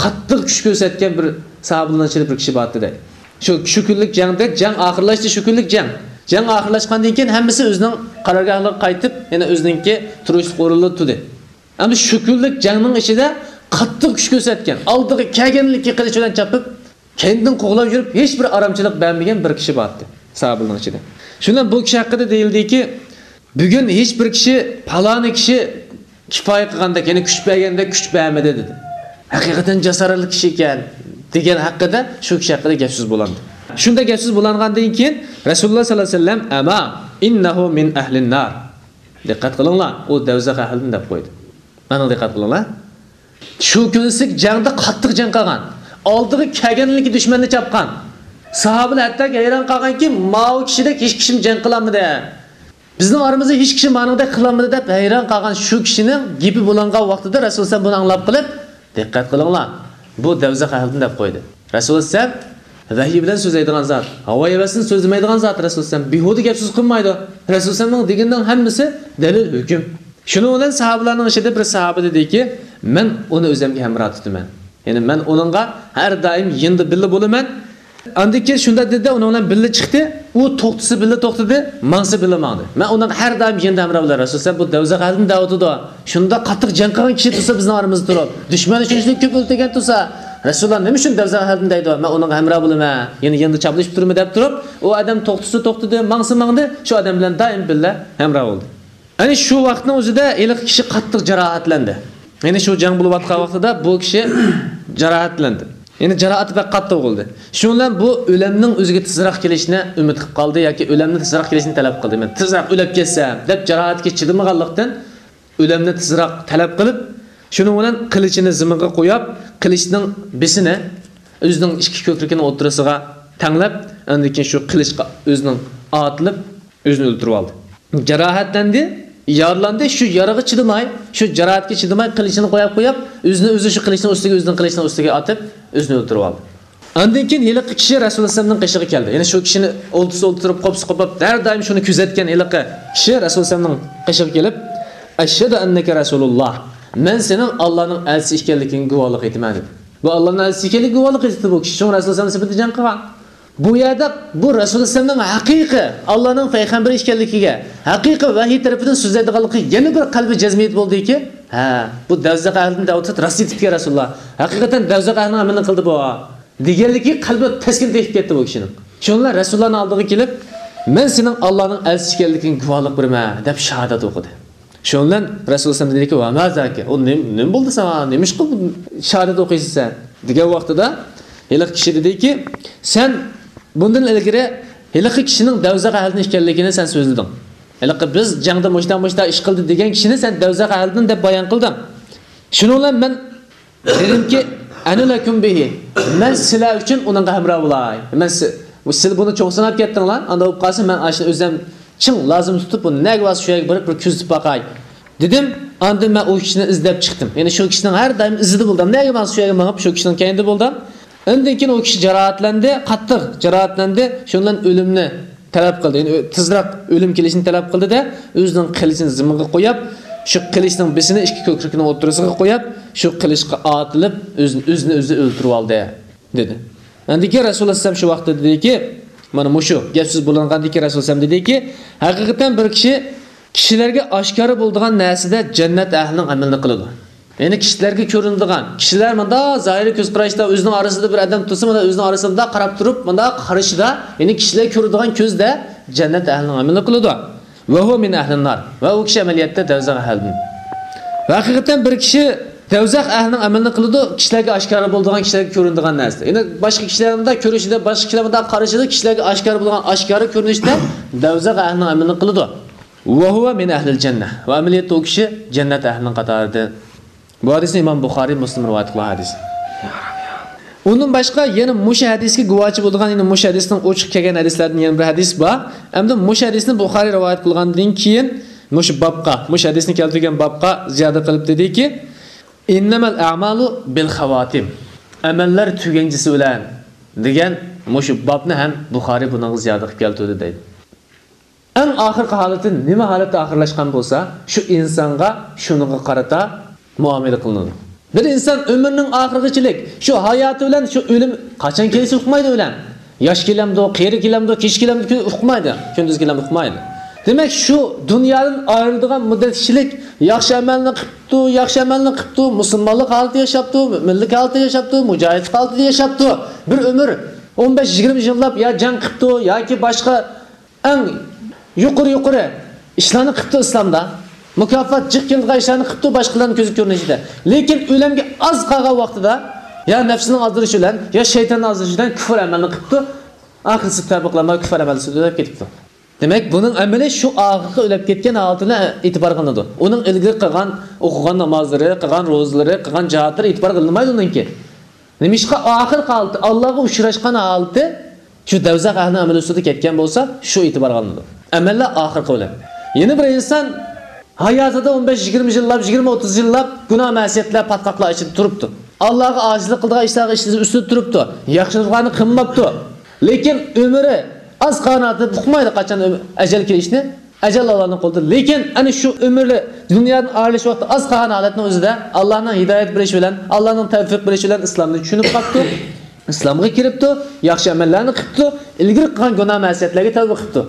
قاتتىق كۈچ كۆرسەتكەن بىر ساھابىلارنىڭ ئىچىدە بىر كىشى بارتى دەيدۇ. شۇ، شۇ كۈنلۈك جەڭدە، جەڭ ئاخىرلاشتى، شۇ كۈنلۈك جەڭ. جەڭ ئاخىرلاشقاندىن كېيىن ھەممىسى ئۆزىنىڭ قارارگاھلىرىغا قايتىپ، يەنە ئۆزىنىڭكى تۇرۇشلۇق ئورۇنلىرىدا تۇردى. ئەمدى شۇ كۈنلۈك جەڭنىڭ ئىچىدە قاتتىق كۈچ كۆرسەتكەن، ئالدىغا كەلگەنلىكى قىلىچ بىلەن چاپىپ، كەينىدىن قوغلاپ يۈرۈپ، ھېچ بىر ئارامچىلىق بەرمىگەن بىر كىشى بارتى ساھابىلارنىڭ ئىچىدە. شۇنىڭ بىلەن بۇ كىشى ھەققىدە دېيىلدىكى، بۈگۈن ھېچ بىر كىشى، پالانى كىشى كۇپايە قىلغاندەك، يەنى كۈچ بەرگەندەك كۈچ بەرمىدى دېدى. ھەقىقەتەن جاسارەتلىك كىشى ئىكەن دېگەن ھەققىدە شۇ كىشى ھەققىدە گەپ سۆز بولاندى. شۇنداق گەپ سۆز بولانغاندىن كېيىن رەسۇلۇللا ساللاللاھۇ ئەلەيھى ۋەسەللەم، ئەما ئىننەھۇ مىن ئەھلىن نار. دىققەت قىلىڭلار، ئۇ دەۋزەخ ئەھلىدىن دەپ قويدى. مانا دىققەت قىلىڭلار. شۇ كۈنسىك جەڭدە قاتتىق جەڭ قىلغان، ئالدىغا كەلگەنلىكى دۈشمەننى چاپقان. ساھابىلەر ھەتتا ھەيران قالغانكى، ماۋۇ كىشىدەك ھېچ كىشىمۇ جەڭ قىلالمىدى. بىزنىڭ ئارىمىزدا ھېچ كىشى مانىڭدەك قىلالمىدى دەپ ھەيران قالغان شۇ كىشىنىڭ گېپى بولۇنغان ۋاقتىدا رەسۇل سەللەللاھۇ ئەلەيھى ۋەسەللەم بۇنى ئاڭلاپ قېلىپ، دىققەت قىلىڭلار، بۇ دەۋزەخ ئەھلىدىن دەپ قويدى. رەسۇل سەللەللاھۇ ئەلەيھى ۋەسەللەم ۋەھىي بىلەن سۆزلەيدىغان زات، ھاۋا ھەۋەسىدىن سۆزلىمەيدىغان زات رەسۇل سەللەللاھۇ ئەلەيھى ۋەسەللەم. بىھۇدە گەپ سۆز قىلمايدۇ. رەسۇل سەللەللاھۇ ئەلەيھى ۋەسەللەمنىڭ دېگىنىنىڭ ھەممىسى دەلىل، ھۆكۈم. شۇنىڭ بىلەن ساھابىلارنىڭ ئىچىدە بىر ساھابە دېدىكى، مەن ئۇنى ئۆزۈمگە ھەمراھ تۇتىمەن. يەنى مەن ئۇنىڭغا ھەر دائىم يېنىدا بىللە بولىمەن. ئاندىن كېيىن شۇنداق دېدى، ئۇنىڭ بىلەن بىللە چىقتى. ئۇ توختىسا بىللە توختىدى، ماڭسا بىللە ماڭدى. مەن ئۇنىڭغا ھەر دائىم يېنىدا ھەمراھ بولىمەن. رەسۇل سەللەللاھۇ ئەلەيھى ۋەسەللەم بۇ دەۋزەخ ئەھلىدىن دەۋاتىدۇ. شۇنداق قاتتىق جەڭ قىلغان كىشى تۇرسا بىزنىڭ ئارىمىزدا تۇرۇپ، دۈشمەننى شۇنچىلىك كۆپ ئۆلتۈرگەن تۇرسا، رەسۇلۇللا نېمە ئۈچۈن دەۋزەخ ئەھلىدىن دەيدۇ؟ مەن ئۇنىڭغا ھەمراھ بولىمەن، يەنە يېنىدا چاپلىشىپ تۇرىمەن دەپ تۇرۇپ، ئۇ ئادەم توختىسا توختىدى، ماڭسا ماڭدى، شۇ ئادەم بىلەن دائىم بىللە ھەمراھ بولدى. يەنى شۇ ۋاقىتنىڭ ئۆزىدە ھېلىقى كىشى قاتتىق جاراھەتلەندى. يەنى شۇ جەڭ بولۇۋاتقان ۋاقتىدا بۇ كىشى جاراھەتلەندى. يەنى جاراھىتى بەك قاتتىق بولدى. شۇنىڭ بىلەن بۇ ئۆلۈمنىڭ ئۆزىگە تېزراق كېلىشىنى ئۈمىد قىلىپ قالدى ياكى ئۆلۈمنى تېزراق كېلىشىنى تەلەپ قىلدى. مەن تېزراق ئۆلۈپ كەتسەم دەپ جاراھەتكە چىدىمىغانلىقتىن، ئۆلۈمنى تېزراق تەلەپ قىلىپ، شۇنىڭ بىلەن قىلىچىنى زېمىنغا قويۇپ، قىلىچنىڭ بىسىنى ئۆزىنىڭ ئىككى كۆكرىكىنىڭ ئوتتۇرىسىغا تەڭلەپ، ئاندىن كېيىن شۇ قىلىچقا ئۆزىنىڭ ئاتىلىپ، ئۆزىنى ئۆلتۈرۈۋالدى. جاراھەتلەندى، يارىلاندى، شۇ يارىغا چىدىماي، شۇ جاراھەتكە چىدىماي قىلىچىنى قويۇپ، قويۇپ، ئۆزىنى ئۆزى شۇ قىلىچنىڭ ئۈستىگە، ئۆزىنىڭ قىلىچنىڭ ئۈستىگە ئاتىپ، ئۆزىنى ئۆلتۈرۈۋالدى. ئاندىن كېيىن ھېلىقى كىشى رەسۇلۇللا ئەلەيھىسسالامنىڭ قېشىغا كەلدى. يەنى شۇ كىشىنى ئولتۇرسا ئولتۇرۇپ، قوپسا قوپۇپ، ھەر دائىم شۇنى كۆزەتكەن ھېلىقى كىشى رەسۇلۇللا ئەلەيھىسسالامنىڭ قېشىغا كېلىپ، «ئەشھەدۇ ئەننەكە رەسۇلۇللا، مەن سېنىڭ ئاللانىڭ ئەلچىسى ئىكەنلىكىڭگە گۇۋاھلىق ئېيتىمەن» دېدى. بۇ ئاللانىڭ ئەلچىسى ئىكەنلىكىگە گۇۋاھلىق ئېيتتى بۇ كىشى، شۇڭا رەسۇلۇللا ئەلەيھىسسالام سۈپىتىدە جەڭ قىلغان. بۇ يەردە بۇ رەسۇلۇللا ئەلەيھىسسالامنىڭ ھەقىقىي ئاللانىڭ پەيغەمبىرى ئىكەنلىكىگە، ھەقىقىي ۋەھىي تەرىپىدىن سۆزلەيدىغانلىقىغا يەنە بىر قەلبى جەزم يېتىپ بولدىكى، ھە، بۇ دەۋزەخ ئەھلىدىن دەۋاتىدۇ، راست ئېيتىپتىكەن رەسۇلۇللا. ھەقىقەتەن دەۋزەخ ئەھلىنىڭ ئەمىلىنى قىلدى بۇ، دېگەنلىكى قەلبى تەسكىن تېپىپ كەتتى بۇ كىشىنىڭ. شۇنىڭ بىلەن رەسۇلۇللانىڭ ئالدىغا كېلىپ، «مەن سېنىڭ ئاللانىڭ ئەلچىسى ئىكەنلىكىڭگە گۇۋاھلىق بېرىمەن» دەپ شاھادەت ئوقۇدى. شۇنىڭ بىلەن رەسۇلۇللا ئەلەيھىسسالام دېدىكى، «ۋە ما زاكە، ئۇ نېم-، نېمە بولدى ساڭا؟ نېمىشقا بۇ شاھادەت ئوقۇيسەن سەن؟» دېگەن ۋاقتىدا ھېلىقى كىشى دېدىكى، «سەن بۇندىن ئىلگىرى ھېلىقى كىشىنىڭ دەۋزەخ ئەھلىدىن ئىكەنلىكىنى سەن سۆزلىدىڭ. ھېلىقى بىز جەڭدە مۇشتا-مۇشتا ئىش قىلدى دېگەن كىشىنى سەن دەۋزەخ ئەھلىدىن دەپ بايان قىلدىڭ. شۇنىڭ بىلەن مەن دېدىمكى، ئەنە لەكۇم بىھى، مەن سىلەر ئۈچۈن ئۇنىڭغا ھەمراھ بولاي. مەن سى-، سىلەر بۇنى چوڭ ساناپ كەتتىڭلار، ئاندا بولۇپ قالسا مەن ئاشۇنى ئۆزۈم چىڭ لازىم تۇتۇپ، بۇنى نەگە بارسا شۇ يەرگە بېرىپ بىر كۆزىتىپ باقاي» دېدىم. ئاندىن مەن ئۇ كىشىنى ئىزدەپ چىقتىم. يەنى شۇ كىشىنىڭ ھەر دائىم ئىزىدا بولدۇم. نەگە ماڭسا شۇ يەرگە مېڭىپ شۇ كىشىنىڭ كەينىدە بولدۇم. ئاندىن كېيىن ئۇ كىشى جاراھەتلەندى، قاتتىق جاراھەتلەندى. شۇنىڭ بىلەن ئۆلۈمنى تەلەپ قىلدى. يەنى ئۆ-، تېزراق ئۆلۈم كېلىشىنى تەلەپ قىلدى-دە، ئۆزىنىڭ قىلىچىنى زېمىنغا قويۇپ، شۇ قىلىچنىڭ بېشىنى ئىككى كۆكرىكىنىڭ ئوتتۇرىسىغا قويۇپ، شۇ قىلىچقا ئاتىلىپ، ئۆزىنى، ئۆزىنى ئۆزى ئۆلتۈرۈۋالدى، دېدى. ئاندىن كېيىن رەسۇلۇللا ئەلەيھىسسالام شۇ ۋاقىتتا دېدىكى، مانا مۇشۇ گەپ سۆز بولۇنغاندىن كېيىن رەسۇلۇللا ئەلەيھىسسالام دېدىكى، ھەقىقەتەن بىر كىشى كىشىلەرگە ئاشكارا بولىدىغان نەرسىدە جەننەت ئەھلىنىڭ ئەمىلىنى قىلىدۇ. يەنى كىشىلەرگە كۆرۈنىدىغان، كىشىلەر مۇنداق زاھىرىي كۆز قاراشتا ئۆزىنىڭ ئارىسىدا بىر ئادەم تۇرسا، مانا ئۆزىنىڭ ئارىسىدا مۇنداق قاراپ تۇرۇپ، مۇنداق قارىشىدا، يەنى كىشىلەر كۆرىدىغان كۆزدە جەننەت ئەھلىنىڭ ئەمىلىنى قىلىدۇ. ۋە ھۇۋە مىن ئەھلىن نار. ۋە ئۇ كىشى ئەمەلىيەتتە دەۋزەخ ئەھلىدىن. ۋە ھەقىقەتەن بىر كىشى دەۋزەخ ئەھلىنىڭ ئەمىلىنى قىلىدۇ، كىشىلەرگە ئاشكارا بولىدىغان، كىشىلەرگە كۆرۈنىدىغان نەرسىدە. يەنى باشقا كىشىلەر مۇنداق كۆرۈشىدە، باشقا كىشىلەر مۇنداق قارىشىدا، كىشىلەرگە ئاشكارا بولىدىغان ئاشكارا كۆرۈنۈشتە دەۋزەخ ئەھلىنىڭ ئەمىلىنى قىلىدۇ. ۋە ھۇۋە مىن ئەھلىل جەننە. ۋە ئەمەلىيەتتە ئۇ كىشى جەننەت ئەھلىنىڭ قاتارىدىن. بۇ ھەدىسنى ئىمام بۇخارىي، مۇسلىم رىۋايەت قىلغان ھەدىس. ئۇندىن باشقا يەنە مۇشۇ ھەدىسكە گۇۋاھچى بولىدىغان، يەنە مۇشۇ ھەدىسنىڭ ئوچۇق كەلگەن ھەدىسلەردىن يەنە بىر ھەدىس بار. ئەمدى مۇشۇ ھەدىسنى بۇخارىي رىۋايەت قىلغاندىن كېيىن مۇشۇ بابقا، مۇشۇ ھەدىسنى كەلتۈرگەن بابقا زىيادە قىلىپ دېدىكى، ئىننەمەل ئەمالۇ بىل خاۋاتىم. ئەمەللەر تۈگەنچىسى بىلەن دېگەن مۇشۇ بابنى ھەم بۇخارىي بۇنىڭغا زىيادە قىلىپ كەلتۈردى دەيدۇ. ئەڭ ئاخىرقى ھالىتى نېمە ھالەتتە ئاخىرلاشقان بولسا، شۇ ئىنسانغا شۇنىڭغا قارىتا مۇئامىلە قىلىنىدۇ. بىر ئىنسان ئۆمرىنىڭ ئاخىرىغىچىلىك شۇ ھاياتى بىلەن شۇ ئۆلۈم قاچان كېلىشى ئۇقمايدۇ ئۆلەم. ياش كېلەمدۇ، قېرى كېلەمدۇ، كېچە كېلەمدۇ، كۈن ئۇقمايدۇ، كۈندۈز كېلەمدۇ ئۇقمايدۇ. دېمەك، شۇ دۇنيادىن ئايرىلىدىغان مۇددەت ئىچىلىك ياخشى ئەمەلنى قىپتۇ، ياخشى ئەمەلنى قىپتۇ، مۇسۇلمانلىق ھالىتى ياشاپتۇ، مۆمىنلىك ھالىتى ياشاپتۇ، مۇجاھىدلىق ھالىتىدە ياشاپتۇ. بىر ئۆمۈر ئون بەش يىگىرمە يىللاپ يا جەڭ قىپتۇ ياكى باشقا ئەڭ يۇقىرى، يۇقىرى ئىشلارنى قىپتۇ ئىسلامدا. مۇكاپات جىق كېلىدىغان ئىشلارنى قىپتۇ باشقىلارنىڭ كۆزى كۆرۈنۈشىدە. لېكىن ئۆلۈمگە ئاز قالغان ۋاقتىدا يا نەپسىنىڭ ئازدۇرۇشى بىلەن يا شەيتاننىڭ ئازدۇرۇشى بىلەن كۈفر ئەمەلنى قىپتۇ. ئاخىرسى تەۋبە قىلالماي كۈفر ئەمەلدە سۆزلەپ كېتىپتۇ. دېمەك، بۇنىڭ ئەمىلى شۇ ئاخىرقى ئۆلۈپ كەتكەن ھالىتىنى ئېتىبار قىلىنىدۇ. ئۇنىڭ ئىلگىرى قىلغان، ئوقۇغان نامازلىرى، قىلغان روزىلىرى، قىلغان جىھادلىرى ئېتىبار قىلىنمايدۇ ئۇنىڭكى. نېمىشقا؟ ئاخىرقى ھالىتى، ئاللاغا ئۇچراشقان ھالىتى شۇ دەۋزەخ ئەھلىنىڭ ئەمەلى ئۈستىدە كەتكەن بولسا، شۇ ئېتىبارغا ئالىنىدۇ. ئەمەللەر ئاخىرقى ئۆلۈم. يەنە بىر ئىنسان ھاياتىدا ئون بەش يىگىرمە يىللاپ، يىگىرمە ئوتتۇز يىللاپ گۇناھ مەسىيەتلەر، پاتقاقلار ئىچىدە تۇرۇپتۇ. ئاللاغا ئاجىزلىق قىلىدىغان ئىشلارغا ئىشلىرى ئۈستىدە تۇرۇپتۇ. ياخشىلىقلارنى قىلماپتۇ. لېكىن ئۆمرى ئاز قالغان ھالەتتە ئۇقمايدۇ قاچان ئۆم-، ئەجەل كېلىشىنى. ئەجەل ئاللانىڭ قولىدا. لېكىن ئەنە شۇ ئۆمرى دۇنيادىن ئايرىلىش ۋاقتى ئاز قالغان ھالەتنىڭ ئۆزىدە ئاللانىڭ ھىدايەت بېرىشى بىلەن، ئاللانىڭ تەۋپىق بېرىشى بىلەن ئىسلامنى چۈشىنىپ قاپتۇ. ئىسلامغا كىرىپتۇ، ياخشى ئەمەللەرنى قىپتۇ، ئىلگىرى قىلغان گۇناھ مەسىيەتلەرگە تەۋبە قىپتۇ.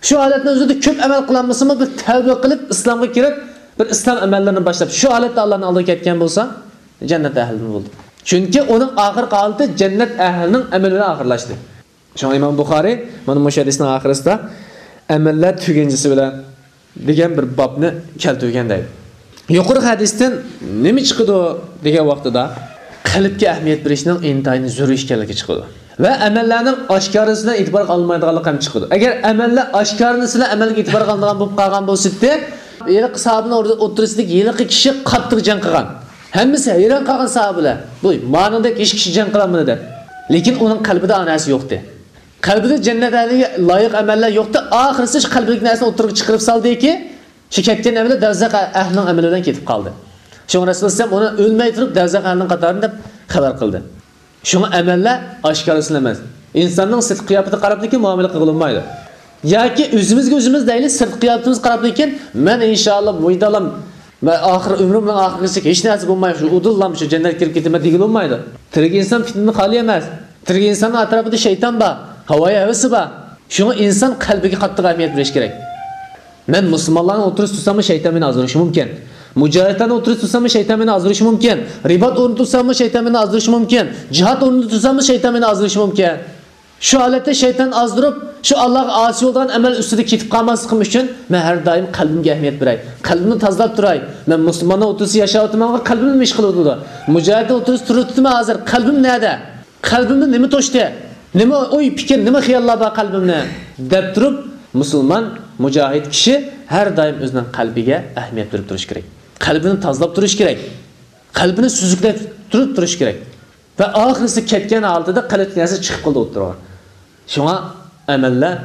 شۇ ھالەتنىڭ ئۆزىدە كۆپ ئەمەل قىلالمىسىمۇ، بىر تەۋبە قىلىپ، ئىسلامغا كىرىپ، بىر ئىسلام ئەمەللىرىنى باشلاپ، شۇ ھالەتتە ئاللانىڭ ئالدىغا كەتكەن بولسا، جەننەت ئەھلىدىن بولدى. چۈنكى ئۇنىڭ ئاخىرقى ھالىتى جەننەت ئەھلىنىڭ ئەمىلى بىلەن ئاخىرلاشتى. شۇڭا ئىمام بۇخارىي مانا مۇشۇ ھەدىسنىڭ ئاخىرىسىدا ئەمەللەر تۈگەنچىسى بىلەن دېگەن بىر بابنى كەلتۈرگەن دەيدۇ. يۇقىرىقى ھەدىستىن نېمە چىقىدۇ دېگەن ۋاقتىدا، قەلبكە ئەھمىيەت بېرىشنىڭ ئىنتايىن زۆرۈر ئىكەنلىكى چىقىدۇ. ۋە ئەمەللەرنىڭ ئاشكارىسى بىلەن ئېتىبارغا ئالمايدىغانلىقى ھەم چىقىدۇ. ئەگەر ئەمەللەر ئاشكارىسى بىلەن ئەمەلگە ئېتىبارغا ئالىدىغان بولۇپ قالغان بولسا ئىدى، ھېلىقى ساھابىنىڭ ئوتتۇرىسىدىكى ھېلىقى كىشى قاتتىق جەڭ قىلغان. ھەممىسى ھەيران قالغان ساھابىلەر. بۇ مانىڭدەك ھېچ كىشى جەڭ قىلالمىدى دەپ. لېكىن ئۇنىڭ قەلبىدە ئا نەرسە يوقتى. قەلبىدە جەننەت ئەھلىگە لايىق ئەمەللەر يوقتى. ئاخىرسى شۇ قەلبىدىكى نەرسىنى ئوتتۇرىغا چىقىرىپ سالدىكى، شۇ كەتكەن ئەمىلى دەۋزەخ ئەھلىنىڭ ئەمىلى بىلەن كېتىپ قالدى. شۇڭا رەسۇلۇللا ئەلەيھىسسالام ئۇنى ئۆلمەي تۇرۇپ دەۋزەخ ئەھلىنىڭ قاتارىدىن دەپ خەۋەر قىلدى. شۇڭا ئەمەللەر ئاشكارىسىلا ئەمەس. ئىنساننىڭ سىرتقى قىياپىتىگە قاراپلىكىن مۇئامىلە قىلغىلى بولمايدۇ. ياكى ئۆزىمىزگە ئۆزىمىز دەيلى، سىرتقى قىياپىتىمىزگە قاراپلىكىن، مەن ئىنشائاللا مۇيدالام، مەن ئاخىر ئۆمرۈمنىڭ ئاخىرىغىچە ھېچ نەرسە بولماي، شۇ ئۇدۇللام شۇ جەننەتكە كىرىپ كېتىمەن دېگىلى بولمايدۇ. تىرىك ئىنسان پىتنىدىن خالىي ئەمەس. تىرىك ئىنساننىڭ ئەتراپىدا شەيتان بار، ھاۋايى ھەۋىسى بار. شۇڭا ئىنسان قەلبىگە قاتتىق ئەھمىيەت بېرىش كېرەك. مەن مۇسۇلمانلارنىڭ ئوتتۇرىسىدا تۇرساممۇ شەيتان مېنى ئازدۇرۇشى مۇمكىن. مۇجاھىدلارنىڭ ئوتتۇرىسىدا تۇرساممۇ شەيتان مېنى ئازدۇرۇشى مۇمكىن. رىبات ئورنىدا تۇرساممۇ شەيتان مېنى ئازدۇرۇشى مۇمكىن. جىھاد ئورنىدا تۇرساممۇ شەيتان مېنى ئازدۇرۇشى مۇمكىن. شۇ ھالەتتە شەيتان ئازدۇرۇپ، شۇ ئاللاغا ئاسىي بولىدىغان ئەمەل ئۈستىدە كېتىپ قالماسلىقىم ئۈچۈن، مەن ھەر دائىم قەلبىمگە ئەھمىيەت بېرەي. قەلبىمنى تازىلاپ تۇراي. مەن مۇسۇلماننىڭ ئوتتۇرىسىدا ياشاۋاتىمەنغۇ، قەلبىم نېمە ئىش قىلىۋاتىدۇ؟ مۇجاھىدنىڭ ئوتتۇرىسىدا تۇرۇۋاتىمەن ھازىر، قەلبىم نەدە؟ قەلبىمنى نېمە توشتى؟ نېمە ئوي، پىكىر، نېمە خىياللار بار قەلبىمنى؟ دەپ تۇرۇپ، مۇسۇلمان، مۇجاھىد كىشى ھەر دائىم ئۆزىنىڭ قەلبىگە ئەھمىيەت بېرىپ تۇرۇشى كېرەك. قەلبىنى تازىلاپ تۇرۇشى كېرەك. قەلبىنى سۈزۈكلەپ تۇرۇپ تۇرۇشى كېرەك. ۋە ئاخىرسى كەتكەن ھالىتىدە قەلبتىكى نەرسە چىقىپ قالىدۇ ئوتتۇرىغا. شۇڭا ئەمەللەر